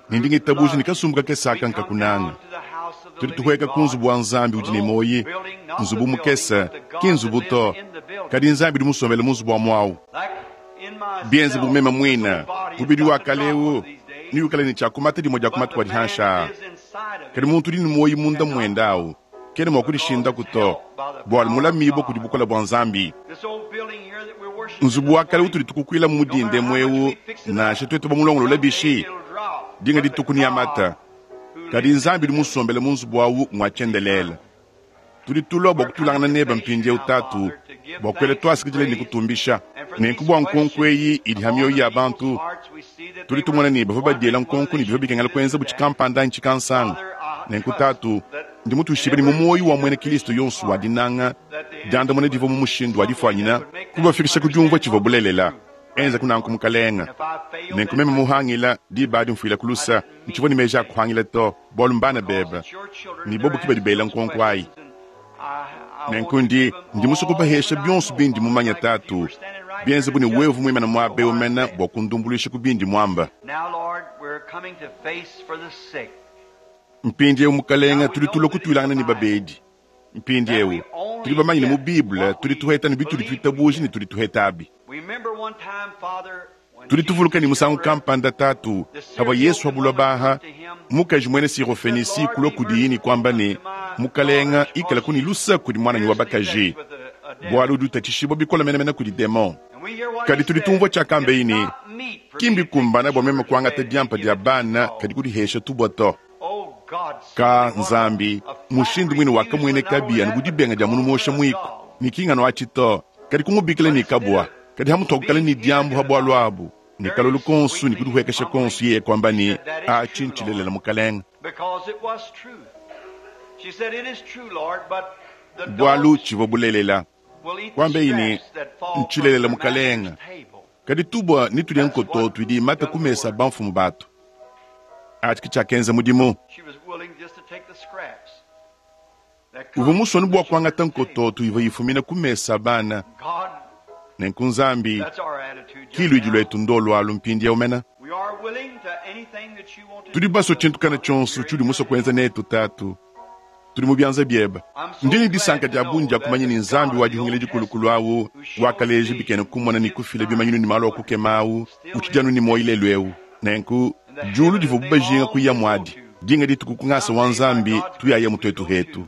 Ne ndi ngitabuja ne kasumbu kakese nkakunanga. Tudi tuhueka ku nzubu wa Nzambi udi ne moyi, nzubu mukese, ki nzubu to. Kadi Nzambi udi musombele mu nzubu wa muawu. Bienze bu meme muina, mubidi wa kale eu, niwikale ne tshiakumata dimue dia kumata kua dihansha. Kadi muntu udi ne moyi munda muende awu, kena mua kudishindaku to, bualu mulamibue kudi bukole bua Nzambi. Nzubu wa kale utudi tukukuila mu mudinde eu, nansha tuetu bamulongolola bishi, dinga dituku ni amata. Kadi Nzambi udi musombele mu nzubu awu ngua tshiendelele. Tudi tulua bua kutulangana nebe mpindieu tatu, bua kuela tuasikidile ne kutumbisha. Nenku bua nkonko eyi idi ha mioyo ya bantu, tudi tumona ne bavua badiela nkonko ne bivua bikengela kuenza bu tshikampanda anyi tshikansanga. Nenku tatu, ndi mutuishibe ne mu muoyo wa muena Kristo yonso wa dinanga, diandamuna divua mu mushindu wa difuanyina, kubafikisha ku diumvua tshivua bulelela. Enza kunanku mukalenga. Nenku meme muhangila diba adi mfuila ku lusa, ntshivua ne meji a kuhangila to, bualu mbana bebe ne bobu ki badi bela nkonko ayi. Nenku ndi ndi musue kubahesha bionso bindi mumanya tatu, bienze bu ne wevu muimana muaba eu mena bua kundumbuluisha ku bindi muamba. Now, Lord, we're coming to face for the sick. Mpindieu mukalenga tudi tulua kutuilangana ne babedi. Mpindieu tudi bamanye ne mu Bible tudi tuheta ne bitudi tuitabuja ne tudi tuheta abi. We remember one time, Father, when Tudi tuvuluka ne musangu Jesus kampanda tatu, pavua Yesu wa baha, mukaji muena Sirofenisi kulua kudiyi ne kuamba ne, mukalenga ikala kuni lusa kudi mwananyi wa bakaji, bualu udi utatshishibua bikole menemene kudi demon. Kadi tudi tumvua tshiakamba eyi ne, ki mbikumbana bua meme kuangata diampa dia bana kadi kudihesha tubua to. Ka Nzambi, mushindu muine wakamueneka bi anu bu dibenga dia munu muosha muiko, ne ki ngano atshi to, kadi kumubikila ne kabua, kadi hamutu wakukala ne diambu ha bualu abu, ne kalolu konsu ne kudihuekesha konsu yeye kuamba ne, atshi ntshilelela mukalenga. Because it was truth. She said, It is true, Lord, but the Bualu dogs tshivua bulelela. will eat the Kuamba eyi ne, scraps that fall from ntshilelela their mukalenga. master's table. Kadi tubua ne tudia nkoto tudi mata ku mesa bamfumu batu. Atshi ki tshiakenza mudimu. She was willing just to take the scraps. That Uvua come musue from bua the kuangata children's table. nkoto ivua ifumina ku mesa bana. God, Nenku Nzambi, that's our attitude just ki luidi now. luetu ndo lualu mpindieu mena. We are willing to anything that you want to Tudi do. basue tshintu kana tshionso tshidi musue kuenza netu tatu. Tudi mu bianza biebe. Ndi ne disanka dia bungi dia kumanya ne Nzambi wa dihungila dikulukulu awu, wakaleja bikena kumona ne kufila bimanyinu ne malu a kukema awu, utshidi anu ne muoyo lelu eu. Nenku, diulu divua bubajinga kuya muadi. Dinga dituku ku ngasa wa Nzambi tuyaya mu tuetu hetu.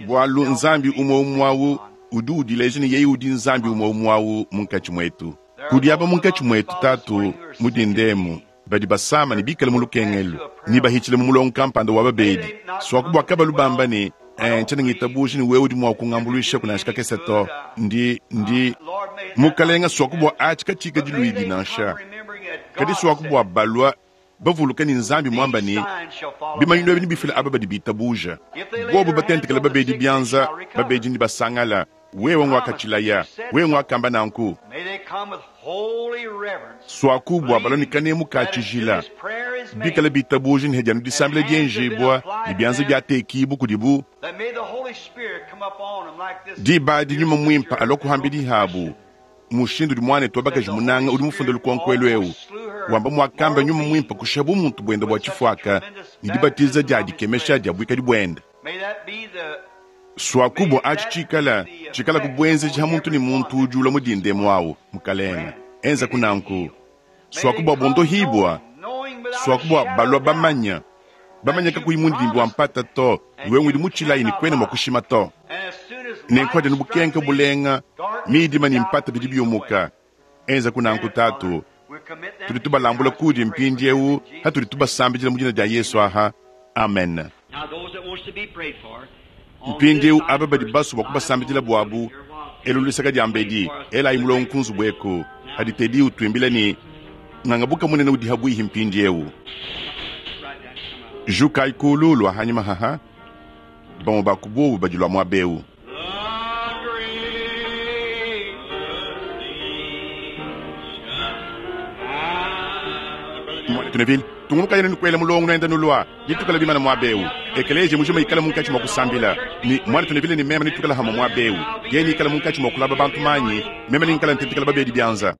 Bualu Nzambi umwe umwe awu udi udileja ne yeye udi Nzambi umwe umwe awu munkatshi muetu. Kudi aba munkatshi muetu tatu mudindemu badi basama ne bikale mu lukengelu ne bahitshile mu mulongo kampanda wa babedi swaku bua kabalu bamba ne eh, ntshiena ngitabuja ne wewe udi mua kungambuluisha kunansha kakese to ndi ndi mukalenga swaku bua atshi katshika diluidi nansha kadi swaku bua balua bavuluka ne Nzambi muamba ne bimanyinu ebi nibifila aba badi bitabuja bobo batentekela babedi bianza babedi ni basangala wewe ngwakatshilaya wewe ngwakamba nanku. Swaku bua balua ne kanemu ka tshijila, bikale bitabuja ne hadi anu disambila dienjibua ne bianza biatekibu kudibu. Diba adi Nyuma Muimpe alua kuhambidi habu mushindu udi muanetu wa bakaji munanga udi mufunde lukonko elu eu wamba muakamba Nyuma Muimpe kushiha bumuntu buende bua tshifuaka ne dibatiza dia dikemesha dia buikadi buende. Swaku bua atshi tshikala tshikala kubuenzeji ha muntu ne muntu udi ulua mu dindemu awu, Mukalenga, enza kunanku. Swaku bua bondohibua, swaku bua balua bamanya, bamanya kakuyi mundidimbi wa mpata to, iwe ngudi mutshilayi ne kuena mua kushima to. Nenku adi bukenka bulenga, midima ne mpata bidi biumuka. Enza kunanku Tatu, tudi tubalambula kudi mpindieu hatudi tubasambidila mu dina dia Yesu aha. Amen. Mpindieu aba badi basue bua kubasambidila buabu, elu luseka dia mbedi, elayi mulongo ku nzubu eku. Hadi Teddy utuimbila ne ngangabuka munene udi habuihi mpindieu. Jukayi kulu lua hanyima haha, bamue ba ku bobu badi lua muaba eu. Muanetu Neville, tungunukayi ne kuela mulongo nuenda nulua, nitukala bimana muaba eu. Ekeleziya mujima ikala munkatshi mua kusambila, ne muanetu Neville ne meme nitukala hamue muaba eu. Yeye nikala munkatshi mua kulaba bantu manyi, meme ninkala ntentekela babedi bianza.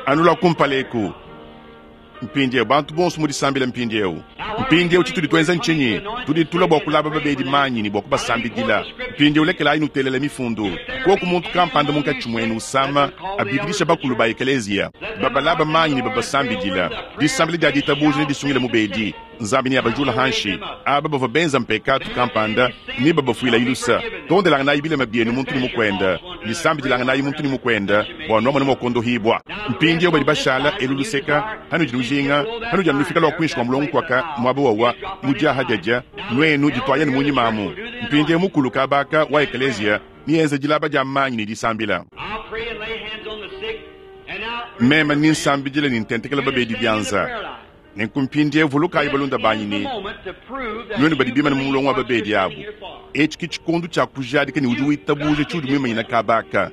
Anu lua kumpala eku. Mpindieu bantu bonso mu disambila mpindieu. Mpindieu tshitudi tuenza ntshinyi? Tudi tulua bua kulaba babedi manyi ne bua kubasambidila. Mpindieu lekelayi nutelela mifundu. Koku muntu kampanda munkatshi muenu usama, abikidisha bakulu ba ekeleziya, babalaba manyi ne babasambidila. Disambila dia ditabuja ne disungila mubedi. Nzambi neabajula hanshi aba bavua benza mpekatu kampanda ne babafuila ilusa. Tondelanganayi bilema bienu muntu ne mukuenda, ne sambidilanganayi muntu ne mukuenda bua nuamone mua kuondohibua. Mpindieu badi bashala elu luseka, hanudi nujinga, hanudi anu nufika lua kuinshi kua mulongo kuaka muaba wawa mudiaha diadia, nuenu dituayenu munyima amu. Mpindieu mukulu kabaka wa ekeleziya nienza dilaba dia manyi ne disambila. Meme ninsambidila ne ntentekela babedi bianza. Nenku mpindieu vulukayi balunda banyi ne nuenu badi bimane mu mulongo wa babedi abu, etshi ke tshikondo tshia kujadika ne udi witabuja tshiudi muimanyina kaba aka.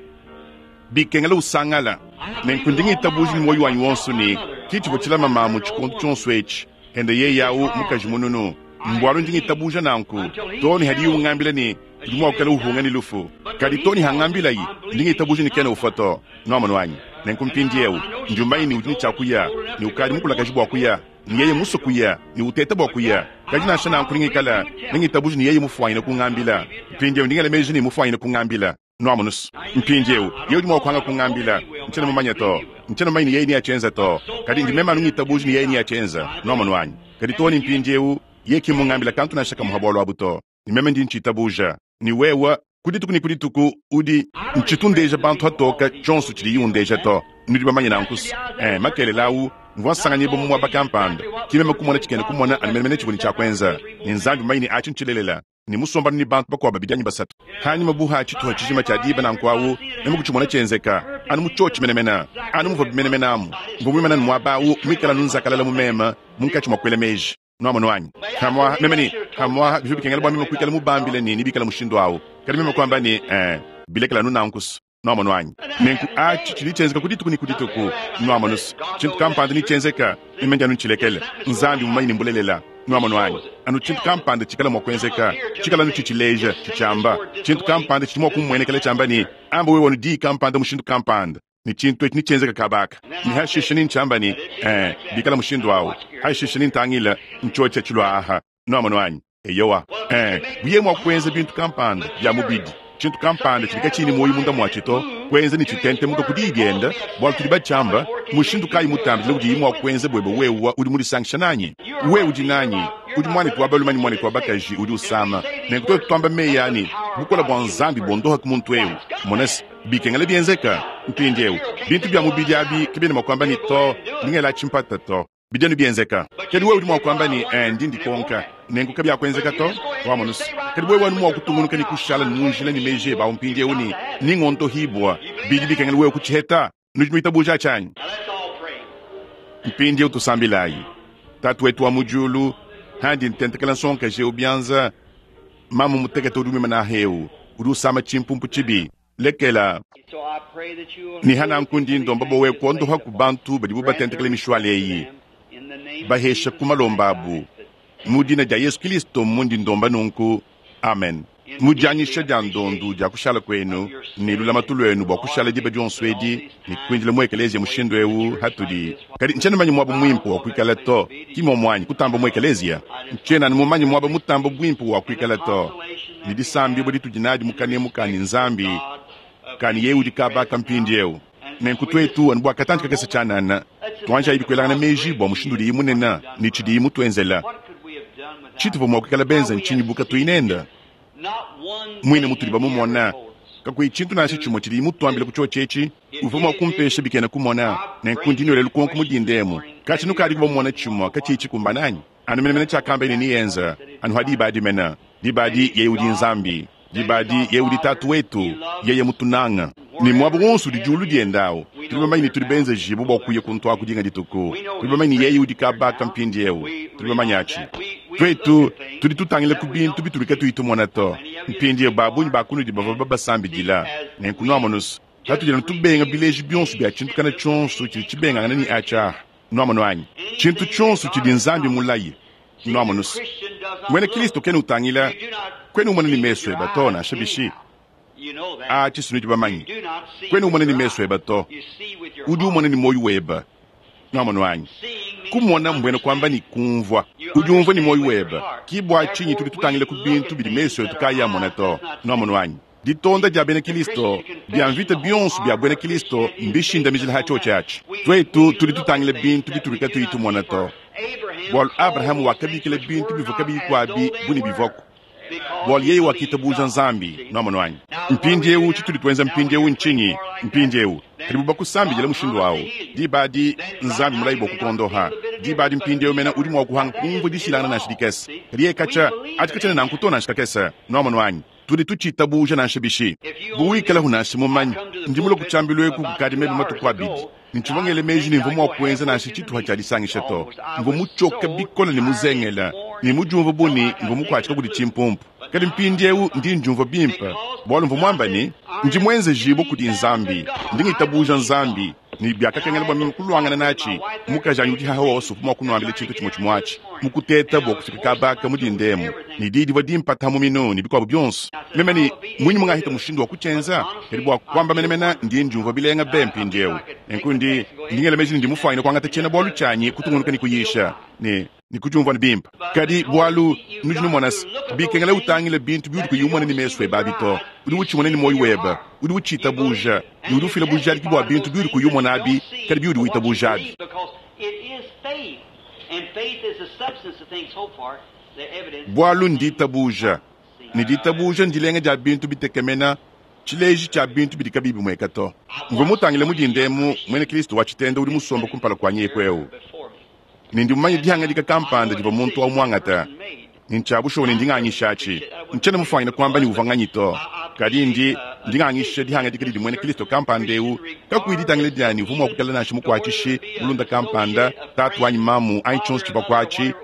Bikengela usangala. Nenku ndi ngitabuja ne muoyo wanyi wonso ne ke tshivua tshilama mamu tshikondo tshionso etshi, ende yeye au mukaji mununu. Mbualu ndi ngitabuja nanku too ne hadiye ungambila ne udi mua kuikala uhunga ne lufu. Kadi too ne hangambilayi, ndi ngitabuja ne kena ufua to. Nuamonu anyi? Nenku mpindieu ndi umanya ne udi ne tshia kuya, ne ukadi mukulakaje bua kuya, ne yeye musue kuya, ne uteta bua kuya. Kadi nansha nanku ningikala ne ngitabuja ne yeye mufuanyine kungambila. Mpindieu ndi ngela meji ne mufuanyine kungambila. Nuamonu? Mpindieu yeye udi mua kuhanga kungambila, ntshiena mumanye to. Ntshiena mumanye ne yeye neatshienza to. Kadi ndi meme anu ngitabuja ne yeye neatshienza. Nuamonu anyi? Kadi too ne mpindieu yeye ki mmungambila kantu nansha kamue ha bualu abu to. Ne meme ndi ntshitabuja ne wewe ku dituku ne ku dituku udi ntshitu ndeja bantu hatoka tshionso tshidiyi undeja to. Nudi bamanye nanku makelela au mvua nsanganyibua mu muaba kampanda, ki meme kumona tshikena kumona anu menemene tshivua ne tshia kuenza, ne Nzambi mumanye ne atshi ntshilelela, ne musombanu ne bantu bakuabu babidi anyi basatu. Hanyima bu ha tshituha tshijima tshia diba nanku au, meme kutshimona tshienzeka anu mu tshiotshi menemene, anu muvua bimenemene amu. Mvua muimane anu muaba au, muikale anu nzakalala mu meme munkatshi mua kuela meji. Nuamonu anyi? Pamuapa meme ne, pamuapa bivua bikengela bua meme kuikala mubambile ne nebikale mushindu au. Kadi meme kuamba ne, ee, bilekela anu nanku. Nuamonu anyi? Nenku atshi tshidi tshienzeka ku dituku ne ku dituku. Nuamonu, tshintu kampanda netshienzeka, meme ndi anu ntshilekele. Nzambi mumanye ne mbulelela. Nuamonu anyi? Anu tshintu kampanda tshikala mua kuenzeka, tshikala anu tshitshileja, tshitshiamba. Tshintu kampanda tshidi mua kumuenekela tshiamba ne, amba wewe anu diyi kampanda mushindu kampanda, ne tshintu etshi netshienzeka kaba aka. Ne hashishe nentshiamba ne, ee, bikala mushindu au. Hashishe nentangila, ntshiotshia tshilua aha. Nuamonu anyi? Eyowa. Buye mua kuenza bintu kampanda bia mubidi, tshintu kampanda tshidi katshiyi ne muoyo munda muatshi to, kuenza ne tshitentemuka ku diyi diende, bualu tudi batshiamba. Mushindu kayi mutambidile udiyi mua kuenza buebe wewe udi mudisangisha nanyi? Wewe udi nanyi, udi muanetu wa balume anyi muanetu wa bakaji udi usama. Nenku tuetu tuamba meyi a ne, bukole bua Nzambi buondoha ku muntu eu. Mona se, bikengela bienzeka. Mpindieu, bintu bia mubidi abi kabiena mua kuamba ne, to, ndi ngela tshimpata to. Bidi anu bienzeka. Kadi wewe udi mua kuamba ne, ee, ndi ndikonka. Nenku kabiakuenzeka to. Wamonu se, kadi wewe anu mua kutungunuka ne kushala mu njila ne meji ebe au mpindieu ne, ningondohibua. Bidi bikengela wewe kutshiheta. Nudi nuitabuja atshi anyi? Mpindieu tusambilayi. Tatu wetu wa mu diulu, handi ntentekela nsongakaji eu bianza, mamu mutekete udi muimane aha eu, udi usama tshimpumpu tshibi. Lekela. Ne hananku ndi ndomba bua wewe kuondoha ku bantu badibu batentekela mishuale eyi, bahesha ku malomba abu. Mu dina dia Yesu Kilisto mundi ndomba nunku. Amen. Mu dianyisha dia ndondu dia kushala kuenu ne lulamatu luenu bua kushala diba dionso edi ne kuindila mu ekeleziya mushindu eu hatudi. Kadi ntshiena mumanye muaba muimpe wa kuikala to, ki muomu anyi kutamba mu ekeleziya? Ntshiena anu mumanye muaba mutamba buimpe wa kuikala to, ne disambibua ditudi nadi mu kanemu ka ne Nzambi, ka ne yeye udi kaba aka mpindieu. Nenku tuetu anu bua katantshi kakese tshianana, tuanjayibi kuelangana meji bua mushindu udiye munene ne tshidiye mutuenzela. Tshituvua mua kuikala benza ntshinyi bu katuyi nende? Muine mutudi bamumona, kakuyi tshintu nansha tshimue tshidiye mutuambile ku tshiotshi etshi, uvua mua kumpesha bikena kumona. Nenku ndi nnuela lukonko mu dinda emu, katshia nukadiku bamona tshimue katshiyi tshikumbana anyi? Anu menemene tshiakambaye ne neyenze, anu ha diba adi mene. Diba adi yeye udi Nzambi. Diba adi yeye udi Tatu wetu, yeye mutunanga. Ne muaba wonso udi diulu dienda awu, tudi bamanye ne tudi benzejibue bua kuya kuntu aku dinga dituku. Tudi bamanye ne yeye udi kaba aka mpindieu. Tudi bamanye atshi. Tuetu tudi tutangila ku bintu bitudi katuyi tumona to. Mpindieu ba bungi ba kunudi bavua babasambidila. Nenku nuamonu's, patudi anu tubenga bileji bionso bia tshintu kana tshionso tshidi tshibengangana ne atshi aha. Nuamonu anyi? Tshintu tshionso tshidi Nzambi mulaye. Nuamonu's, muena Kilisto kena utangila, kuena umona ne mesu eba to, nansha bishi. Atshi sinudi bamanye. Kuena umona ne mesu eba to, udi umona ne muoyo weba. Nuamonu anyi? Kumona mbuena kuamba ne kumvua. Udi umvua ne muoyo weba. Ki bua tshinyi tudi tutangila ku bintu bidi mesu etu kaayi amona to. Nuamonu anyi? Ditonda dia bena Kilisto, bia mvita bionso bia buena Kilisto mbishindamijila ha tshiotshi atshi. Tuetu tudi tutangila bintu bitudi katuyi tumona to, bualu Abrahama wakabikila bintu bivua kabiyi kuabi bu ne bivuaku, bualu yeye wakitabuja Nzambi. Nuamonu anyi? Mpindieu tshitudi tuenza mpindieu ntshinyi? Mpindieu padibu bakusambidila mushindu au, diba adi Nzambi mulayi bua kukuondoha. Diba adi mpindieu mena udi mua kuhanga kumvua dishilangana nansha dikese, kadi yeye katshia atshi katshiena nanku to nansha kakese. Nuamonu anyi? Tudi tutshitabuja nansha bishi. Bu wikalaku nansha mumanye, ndi mulue ku tshiambilu eku kukadi mebe matuku abidi, ne ntshivua ngela meji ne mvua mua kuenza nansha tshituha tshia disangisha to. Mvua mutshioke bikole ne muzengele, ne mudiumvue bu ne mvua mukuatshika kudi tshimpumpu. Kadi mpindieu ndi ndiumvua bimpe, bualu mvua muambe ne, ndi muenzejibue kudi Nzambi, ndi ngitabuja Nzambi. Ne biakakengela bua meme kuluangana natshi. Mukajanyi udi haha wonso uvua mua kunuambila tshintu tshimue tshimue atshi, mu kuteta bua kufika kaba aka mu dinda emu, ne diyi divua dimpata mu minu ne bikuabu bionso. Meme ne, Mmunyi mungahita mushindu wa kutshienza? Kadi bua kuamba menemene, ndi ndiumvua bilenga be mpindieu. Nenku ndi, ndi ngela meji ne ndi mufuanyine kuangata tshiena-bualu tshianyi kutungunuka ne kuyisha, ne, ne kudiumvua ne bimpe. Kadi bualu nudi numona se, bikengela utangile bintu biudi kuyi umona ne mesu ebe abi to. Udi utshimona ne muoyo webe, udi utshitabuja, ne udi ufila bujadiki bua bintu biudi kuyi umona abi, kadi biudi witabuja abi. Bualu nditabuja, ne ditabuja ndilenga dia bintu bitekemena, tshileji tshia bintu bidi kabiyi bimueka to. Mvua mutangile mu dinda emu muena Kristo wa tshitenda udi musombe kumpala kuanyi eku eu. Ne ndi mumanye dihangadika kampanda divua muntu au muangate, ne ntshia bushuwa ne ndi nganyishatshi. Ntshiena mufuanyine kuamba ne uvua nganyi to, kadi ndi, ndi nganyisha dihangadika didi muena Kristo kampanda eu, kakuyi ditangila dia ne uvua mua kuikala nansha mukuatshishi, mulunda kampanda, tatu anyi mamu, anyi tshionso tshivua kuatshi,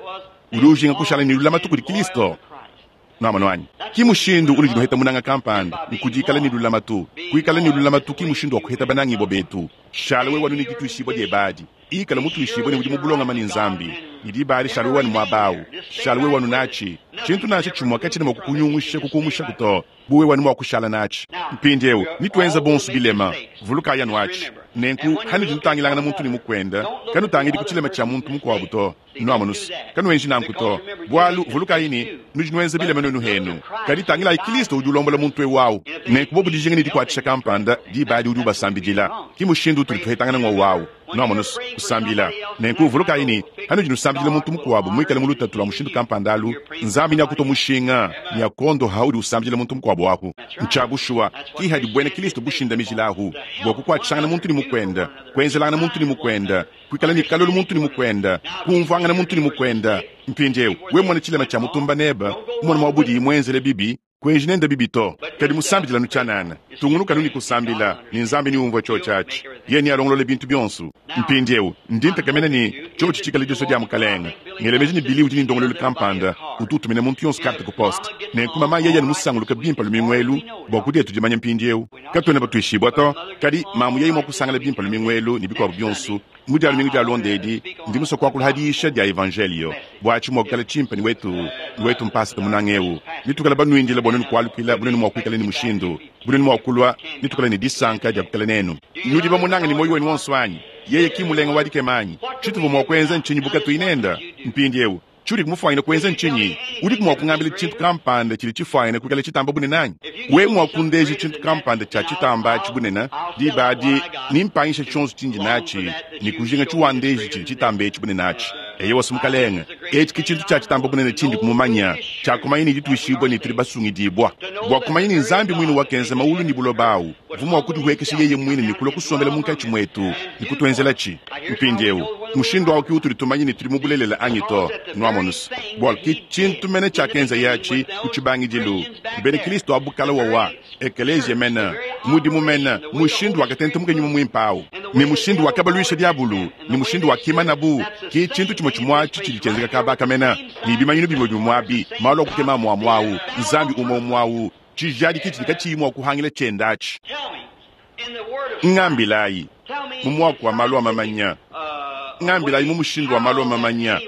udi ujinga kushala ne lulamatu kudi Kristo. Nuamonu anyi? Ki mushindu unudi nuheta munanga kampanda, nkudikala ne lulamatu. Kuikala ne lulamatu ki mushindu wa kuheta banangibua betu. Shala wewe anu ne dituishibua diebe adi. Ikala mutuishibue ne udi mu bulongame ne Nzambi, ne diba adi shala wewe anu muaba au. Shala wewe anu natshi. Tshintu nansha tshimue katshiena mua kukunyungusha kukumushaku to, bu wewe anu mua kushala natshi. Mpindieu, nituenza bonso bilema. Vulukayi anu atshi. Nenku, hanudi nutangilangana muntu ne mukuende, kanutangidi ku tshilema tshia muntu mukuabu to. Nuamonu's, kanuenji nanku to, bualu vulukayi ne, nudi nuenza bilema nuenu henu. Kadi tangilayi Kilisto udi ulombola muntu eu awu. Nenku bobu dijinga ne dikuatshisha kampanda, diba adi udi ubasambidila. Ki mushindu utudi tuhetangana ngowu awu. Nuamonu's, kusambila. Nenku vulukayi ne, panudi nusambidila muntu mukuabu muikale mu lutatu lua mushindu kampanda alu, Nzambi neakutua mushinga ne akuondoha haudi usambidila muntu mukuabu ahu. Ntshia bushuwa, ki hadi buena Kilisto bushindamijila ahu, bua kukuatshishangana muntu ne mukuende, kuenzelangana muntu ne mukuende, kuikala ne kalolu muntu ne mukuende, kumvuangana muntu ne mukuende. Mpindieu, wewe mona tshilema tshia mutumba nebe, umona mua budiyi muenzele bibi, kuenji nende bibi to, kadi musambidila anu tshianana. Tungunuka anu ne kusambila, ne Nzambi neumvue tshiotshi atshi. Yeye nealongolole bintu bionso. Mpindieu, ndi ntekemena ne, tshiotshi tshikale disua dia Mukalenge. Ngela meji ne Billy udi ne ndongoluelu kampanda utu utumina muntu yonso karte ku poste. Nenku mama yeye anu musanguluke bimpe lumingu elu bua ku dietu dimanya mpindieu. Katuena batuishibua to, kadi mamu yeye mua kusangala bimpe lumingu elu ne bikuabu bionso mu dia lumingu dialonda edi, ndi musue kuakula ha diyisha dia evanjelio bua atshi mua kuikala tshimpe ne wetu, ne wetu mpasata munanga eu. Netuikale banuindile bua nuenu kualukila bu nuenu mua kuikala ne mushindu, bu nuenu mua kulua, netuikale ne disanka dia kuikala nenu. Nudi bamunange ne muoyo wenu wonso anyi? Yeye ki mulenga wa dikema anyi? Tshituvua mua kuenza ntshinyi bu katuyi nende? Mpindieu, tshiudi mufuanyine kuenza ntshinyi? Udiku mua kungambila tshintu kampanda tshidi tshifuanyine kuikala tshitamba bunene anyi? Wewe mua kundeja tshintu kampanda tshia tshitamba atshi bunene, diba adi nempangishe tshionso tshindi natshi ne kujinga tshiwandeji tshidi tshitamba etshi bunene atshi. Eyowa, Mukalenge, etshi ke tshintu tshia tshitamba bunene tshindi kumumanya, tshia kumanya ne dituishibua ne tudi basungidibua, bua kumanya ne Nzambi muine wakenza mawulu ne buloba awu uvua mua kudihuekesha yeye muine ne kulua kusombela munkatshi muetu ne kutuenzelatshi. Mpindieu, mushindu au ke utudi tumanya ne tudi mu bulelela anyi to. Nuamonus? Bualu ke tshintu mene tshiakenzaye atshi ku tshibangidilu. Bena Kristo abu kale wawa, ekeleziya mene, mudimu mene, mushindu wakatentumuka nyuma muimpe au, ne mushindu wakabaluisha diabulu, ne mushindu wakimanabu, ke tshintu tshimue tshimue atshi tshidi tshienzeka kaba aka mene, ne bimanyinu bimue bimue abi, malu a kukema amue amue au, Nzambi umue umue au, tshijadiki tshidi katshiyi mua kuhangila tshienda atshi. Ngambilayi mu muaku wa malu a mamanya, ngambilayi mu mushindu wa malu a mamanya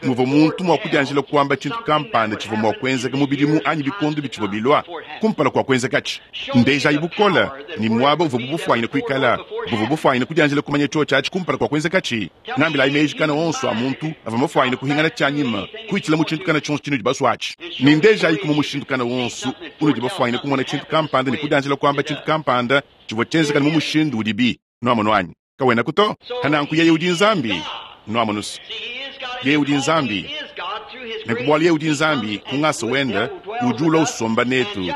muvua muntu mua kudianjila kuamba tshintu kampanda tshivua mua kuenzeka mu bidimu anyi bikondo bitshivua bilua kumpala kua kuenzekatshi. Ndejayi bukole ne muaba uvuabu bufuanyine kuikala, buvua bufuanyine kudianjila kumanya tshiotshi atshi kumpala kua kuenzekatshi. Ngambilayi meji kana onso a muntu avua mafuanyine kuhingana tshianyima, kuitshila mu tshintu kana tshionso tshinudi basue atshi. Ne ndejayiku mu mushindu kana wonso unudi bafuanyine kumona tshintu kampanda ne kudianjila kuamba tshintu kampanda tshivua tshienzeka mu mushindu udibi. Nuamonu anyi? Kawenaku to. Pananku yeye udi Nzambi. Nuamonus? Yeye udi Nzambi. Nenku bualu yeye udi Nzambi, ku ngasa wende, udi ulua usomba netu.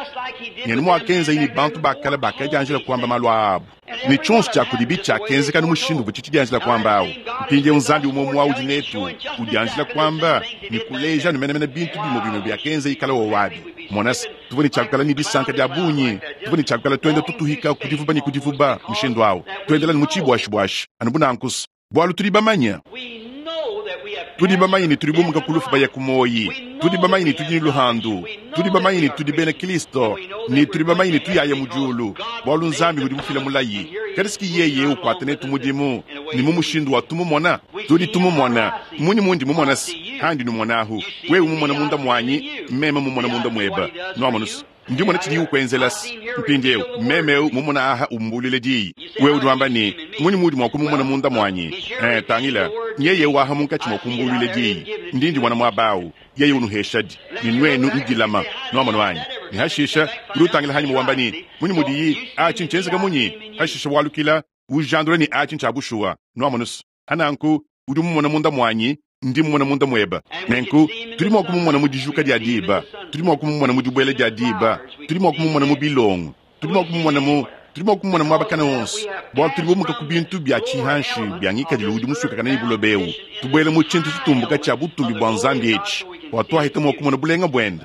Ngenu muakenzaye ne bantu ba kale bakadianjila kuamba malu aa abu. Ne tshionso tshia kudibi tshiakenzeka anu mushindu uvua tshidianjila kuamba au. Mpindieu Nzambi umue umue udi netu, udianjila kuamba ne kuleja anu menemene bintu bimue bimue biakenza ikala wowabi. Mona se, tuvua ne tshia kuikala ne disanka dia bungi, tuvua ne tshia kuikala tuenda tutuhika ku divuba ne ku divuba mushindu au, tuendela ne mu tshibuashibuashi anu bu nanku, bualu tudi bamanye. Tudi bamanye ne tudi bumuka ku lufu baya ku muoyi. Tudi bamanye ne tudi ne luhandu. Tudi bamanye ne tudi bena Kristo, ne tudi bamanye ne tuyaya mu diulu, bualu Nzambi udi mufila mulayi. Kadi siki yeye ukuata netu mudimu ne mu mushindu wa tumumona. Tudi tumumona. Munyi mundi mumona se handi numuonahu? Wewe mumona munda muanyi, meme mumona munda mueba. Nuamonu se ndi mona tshidiyi ukuenzelas. Mpindieu meme eu mumona aha umbuluile diyi. Wewe udi wamba ne, munyi muudi mua kumumona munda muanyi? Eh, tangila, nyeye waha munkatshi mua kumbuluile diyi. Ndi ndimona muaba au. Yeye unuheshadi, ne nuenu nudilama. Nuamonu anyi? Ne hashisha udi utangila hanyima wamba ne, munyi mudiyi atshi ntshienzeka munyi? Hashisha walukila ujandula ne atshi ntshia bushuwa. Nuamonu se hananku udi mumona munda muanyi, ndi mumona munda mueba. Nenku tudi mua kumumona mu dijuka dia diba, tudi mua kumumona mu dibuela dia diba, tudi mua kumumona mu bilongo, tudi mua kumumona mu tudi mua kumumona muaba kana wonso, bualu tudi bumuka ku bintu bia tshihanshi bia ngikadilu udi musuikakane ne buloba eu, tubuela mu tshintu tshitumbuka tshia butumbi bua Nzambi etshi, bua tuahita mua kumona bulenga buende.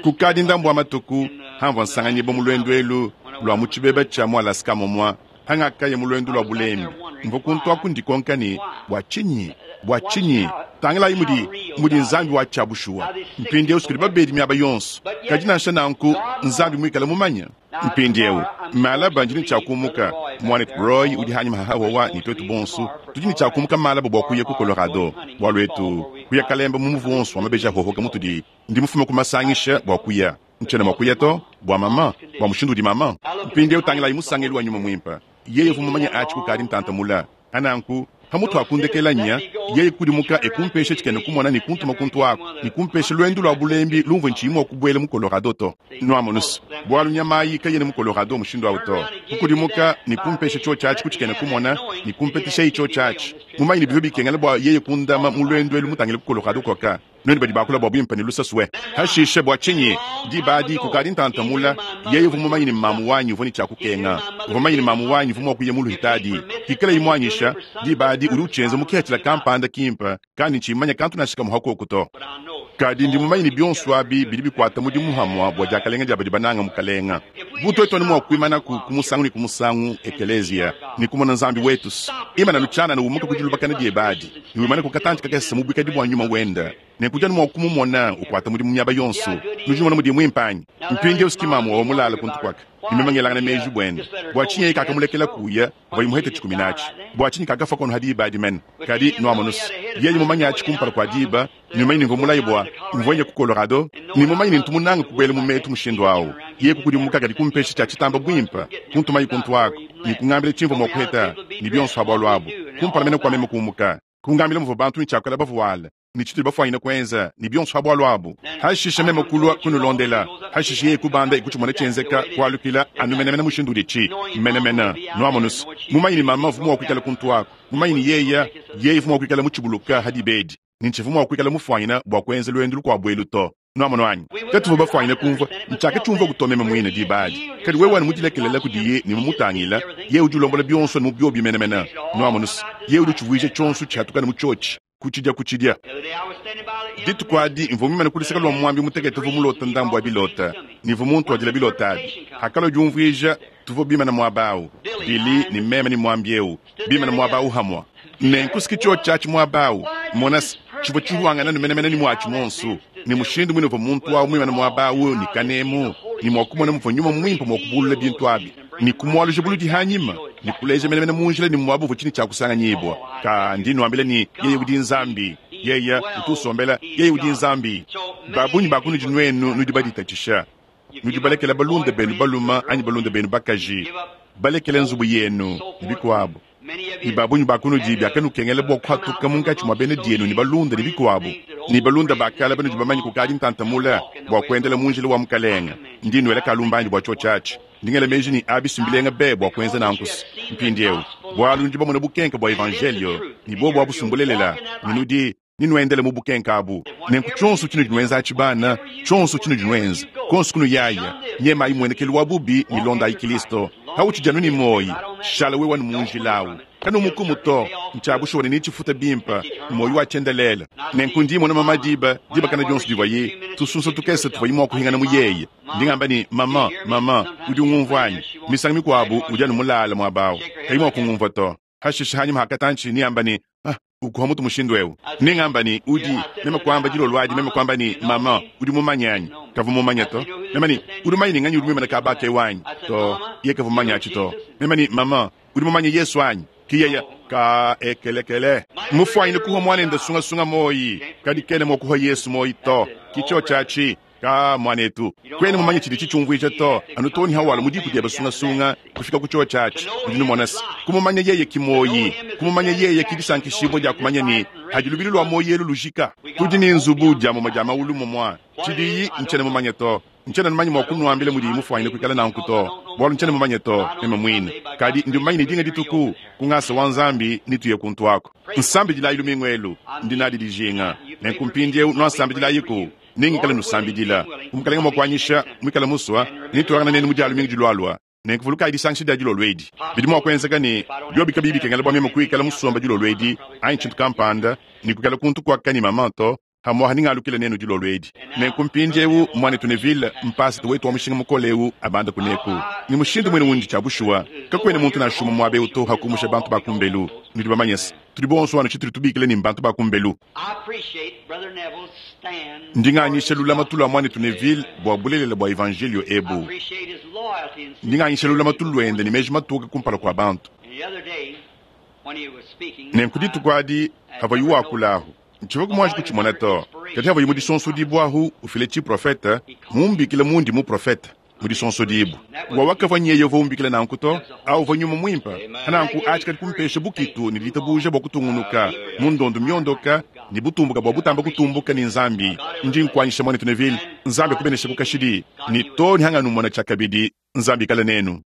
Kukadi ndambu wa matuku hamvua nsanganyibua mu luendu elu lua mu tshibeba tshia mu Alaska momua hangakaya mu luendu lua bulembi, mvua kuntu aku ndikonka ne, bua tshinyi? Bua tshinyi? Tangilayi mudi mudi Nzambi wa tshia bushuwa. Mpindieu kudi babedi miaba yonso, kadi nansha nanku Nzambi muikale mumanye. Mpindieu malaba ndi ne tshia kumuka. Muanetu Roy udi hanyima hahawawa ne tuetu bonso tudi ne tshia kumuka malaba bua kuya ku Colorado. Bualu etu kuya kalemba mu muvu wonso wa mabeji ahohoka mutudi ndi mufume ku masangisha bua kuya. Ntshiena mua kuya to bua mama, bua mushindu udi mama. Mpindieu tangilayi musangelu wa nyuma muimpe. Yeye uvua mumanye atshi kukadi ntanta mula. Ananku pamutu ha kundekela nya, yeye kudimuka ekumpesha tshikena kumona ne kuntuma kuntu aku ne kumpesha luendu lua bulembi lumvue ntshiyi mua kubuela mu Colorado to. Nuamonus, bualu nyama ayi kayena mu Colorado mushindu au to. Kukudimuka ne kumpesha tshiotshi atshi ku tshikena kumona ne kumpeteshayi tshiotshi atshi. Mumanye ne bivua bikengela bua yeye kundama mu luendu elu mutangile ku Colorado koka. Nuenu badi bakula bua buimpe ne lusasue. Hashishe bua tshinyi diba adi kukadi ntanta mula, yeye uvua mumanye ne mamu wanyi uvua ne tshia kukenga, uvua mumanye ne mamu wanyi uvua mua kuya mu luhitadi. Hikalayi muanyisha, diba adi udi utshienza mu kihatshila kampanda kimpe, kandi ntshimanya kantu nansha kamue hakoku to. Kadi ndi mumanye ne bionso abi bidi bikuata mudimu hamua bua diakalenga dia badi bananga Mukalenga. Bu twetu anu mwa kwimanaku ku musangu ne ku musangu, ekeleeziya, ne kumona Nzambi wetu's imana anu tshianana umuka ku dilubakana dyebe adi, ne wimanaku katanci kakese mu bwikadi bwa Nyuma wende, nenku udi anu mwa kumumona ukwata mudimu myaba yonso. Nudi numona mudiye mwimpe anyi? Mpindyewu's ki maamu wawa mulaale kuntu kwaka, ne meme ngelangana meeji bwende. Bwa cinyi yeye kaakamulekela kuya pavuaye muhete tshikumina aci? Bwa cinyi kaakafwa kono ha diba adi mene? Kadi, nwamonu's, yeye mumanye aci kumpala kwa diba, ne mumanye ne mvwa mulaye bwa mvwa nya ku Colorado, ne mumanye ne ntu munange kubwela mu metu mushindu awu, yeye kukudimuka kadi kumpesha cya citamba bwimpe, kuntumaye kuntu aku, ne kungambila cimvwa mwa kuheta, ne byonso ha bwalu abu, kumpala mene kwa meme kuumuka, kungambila muvwa bantu ne cya kwela bavwale, ne citudi bafwanyine kwenza, ne byonso ha bwalu abu. Hashishe meme kulwa kunulondela. Hashishe yeye kubanda e kucimona cyenzeka, kwalukila anu menemene mushindu udici menemene. Nwamonu's, mumanye ne mama uvwa mwa kwikala kuntu aku, mumanye ne yeye, yeye uvwa mwa kwikala mucibuluka ha diba edi. Ne ntshivua mua kuikala mufuanyine bua kuenza luendu lukuabu elu to. Nuamonu anyi? Katuvua bafuanyine kumvua ntshiakatshiumvua to meme muine diba adi. Kadi wewe anu mudilekelela kudiye ne mumutangila, yeye udi ulombola bionso anu mu biobi menemene. Nuamonu's, yeye udi utshivuija tshionso tshiatuka anu mu tshiotshi, kutshidia kutshidia. Dituku adi mvua muimane ku luseke lua muambi mutekete uvua mulote ndambu wa bilota, ne mvua muntuadile bilota abi. Hakalua diumvuija, tuvua bimane muaba au, Billy ne meme ne muambi eu, bimane muaba au hamua. Nenku s'ki cyoci aci mwaba awu, mona's, civwa cihwangana anu menemene ne mwaci mwonso, ne mushindu mwine uvwa muntu awu mwimane mwaba awu ne kaneemu, ne mwa kumona muvwa Nyuma Mwimpe mwa kubuulula bintu abi, ne kumwaluja buludi hanyima, ne kuleeja menemene mu njila ne mwaba uvwa cine cya kusanganyiibwa. Kaa, ndi nwambila ne, Yeye udi Nzambi. Yeye utu usombela, Yeye udi Nzambi. Babunyi ba kunudi nwenu nudi baditacisha, nudi balekela balunda beenu balume anyi balunda beenu bakaji, balekela nzubu yenu, ne bikwabo. Ne ba bungi ba kunudi biakanukengela bua kuhatuka munkatshi mua bena dienu ne balunda ne bikuabo, ne balunda ba kale banudi bamanye kukadi ntanta mule, bua kuendela mu njila wa Mukelenge. Ndi nuela kalumbandi bua tshiotshi atshi. Ndi ngela meji ne abi si mbilenga be bua kuenza nanku's mpindieu, bualu nudi bamone bukenke bua evanjelio, ne buobu abu si mbulelela, ne nudi ne nuendele mu bukenke abu. Nenku tshionso tshinudi nuenza atshi, bana, tshionso tshinudi nuenza, konso kunuyaya, nyemayi muenekelu wa bubi ne londayi Kilisto. Pautshidi anu ne muoyi, shala wewe anu mu njila awu. Kanumukumu to. Ntshia bushuwa ne netshifute bimpe, muoyi wa tshiendelele. Nenku ndi mmona mama diba, diba kana dionso divuaye, tusunsa tukese tuvuaye mua kuhingana mu yeye. Ndi ngamba ne, Mama, mama, udi ungumvua anyi? Misangu mikuabu udi anu mulale muaba awu, kayi mua kungumvua to. Hashishe hanyima ha katantshi neamba ne, Ah, ukuha mutu mushindu eu. Nengamba ne, Udi, meme kuamba dilolo adi, meme kuamba ne, Mama, udi mumanye anyi? Kavua mumanye to. Meme ne, Udi mumanye ne nganyi udi muimane kaba aka eu anyi? To, yeye kavua mumanye atshi to. Meme ne, Mama, udi mumanye Yesu anyi? Ki yeye, Ka ekelekele. Mufuanyine kuhua muanende sungasunga moyi, kadi kena mua kuhua Yesu moyi to. Ki tshiotshi atshi. Kaa, muanetu, kuena mumanye tshidi tshitshiumvuija to, anu too ne hawalua mu diku diebe sungasunga kufika ku tshiotshi atshi. Udi numona se, kumumanya yeye ki muoyi, kumumanya yeye ki disankishibua dia kumanya ne, hadi lubilu lua muoyi elu lujika, tudi ne nzubu dia mumue dia mawulu mumua. Tshidiyi, ntshiena mumanye to. Ntshiena mumanye mua kunuambila mudiyi mufuanyine kuikala nanku to, bualu ntshiena mumanye to, meme muine. Kadi ndi mumanye ne dinga dituku, ku ngasa wa Nzambi, netuye kuntu aku. Nsambidilayi lumingu elu, ndi nadi dijinga. Nenku mpindieu nuansambidilayiku. Nengikale nusambidila. Bu Mukalenge mua kuanyisha, muikale musua, netuangane nenu mu Dia lumingu dilualua. Nenku vulukayi disangisha dia dilolo edi. Bidi mua kuenzeka ne, biobi kabiyi bikengela bua meme kuikala musombe dilolo edi, anyi tshintu kampanda, ne kuikala kuntu kuaka ne maman to, pamu'apa nengalukile nenu dilolo edi. Nenku mpindiewu, Muanetu Neville, mpasata wetu wa mushinga mukole eu, abande kuneku. Ne mushindu muine undi tshia bushuwa, kakuena muntu nansha umue muaba eu to ha kumusha bantu ba kumbelu. Nudi bamanye se, tudi bonso anu tshitudi tubikila ne mbantu ba kumbelu. Ndi nganyisha lulamatu lua muanetu Neville bua bulelela bua evanjeliyo ebu. Ndi nganyisha lulamatu luende ne meji matoke kumpala kua bantu. Nenku dituku adi pavuaye wakula ahu, ntshivua muanji kutshimona to, kadi pavuaye mu disonsodibua ahu ufila tshiprofete, mumbikile mundi muprofete. Mu disonsodibua. Wawa kavua nyeye uvua umbikila nanku to, au uvua Nyuma Muimpe. Pa nanku atshi kadi kumpesha bukitu ne ditabuja bua kutungunuka mu ndondu miondoka ne butumbuka bua butamba kutumbuka ne Nzambi. Ndi nkuanyisha, Muanetu Neville. Nzambi akubeneshaku kashidi, ne too ne hanganumona tshiakabidi. Nzambi ikale nenu.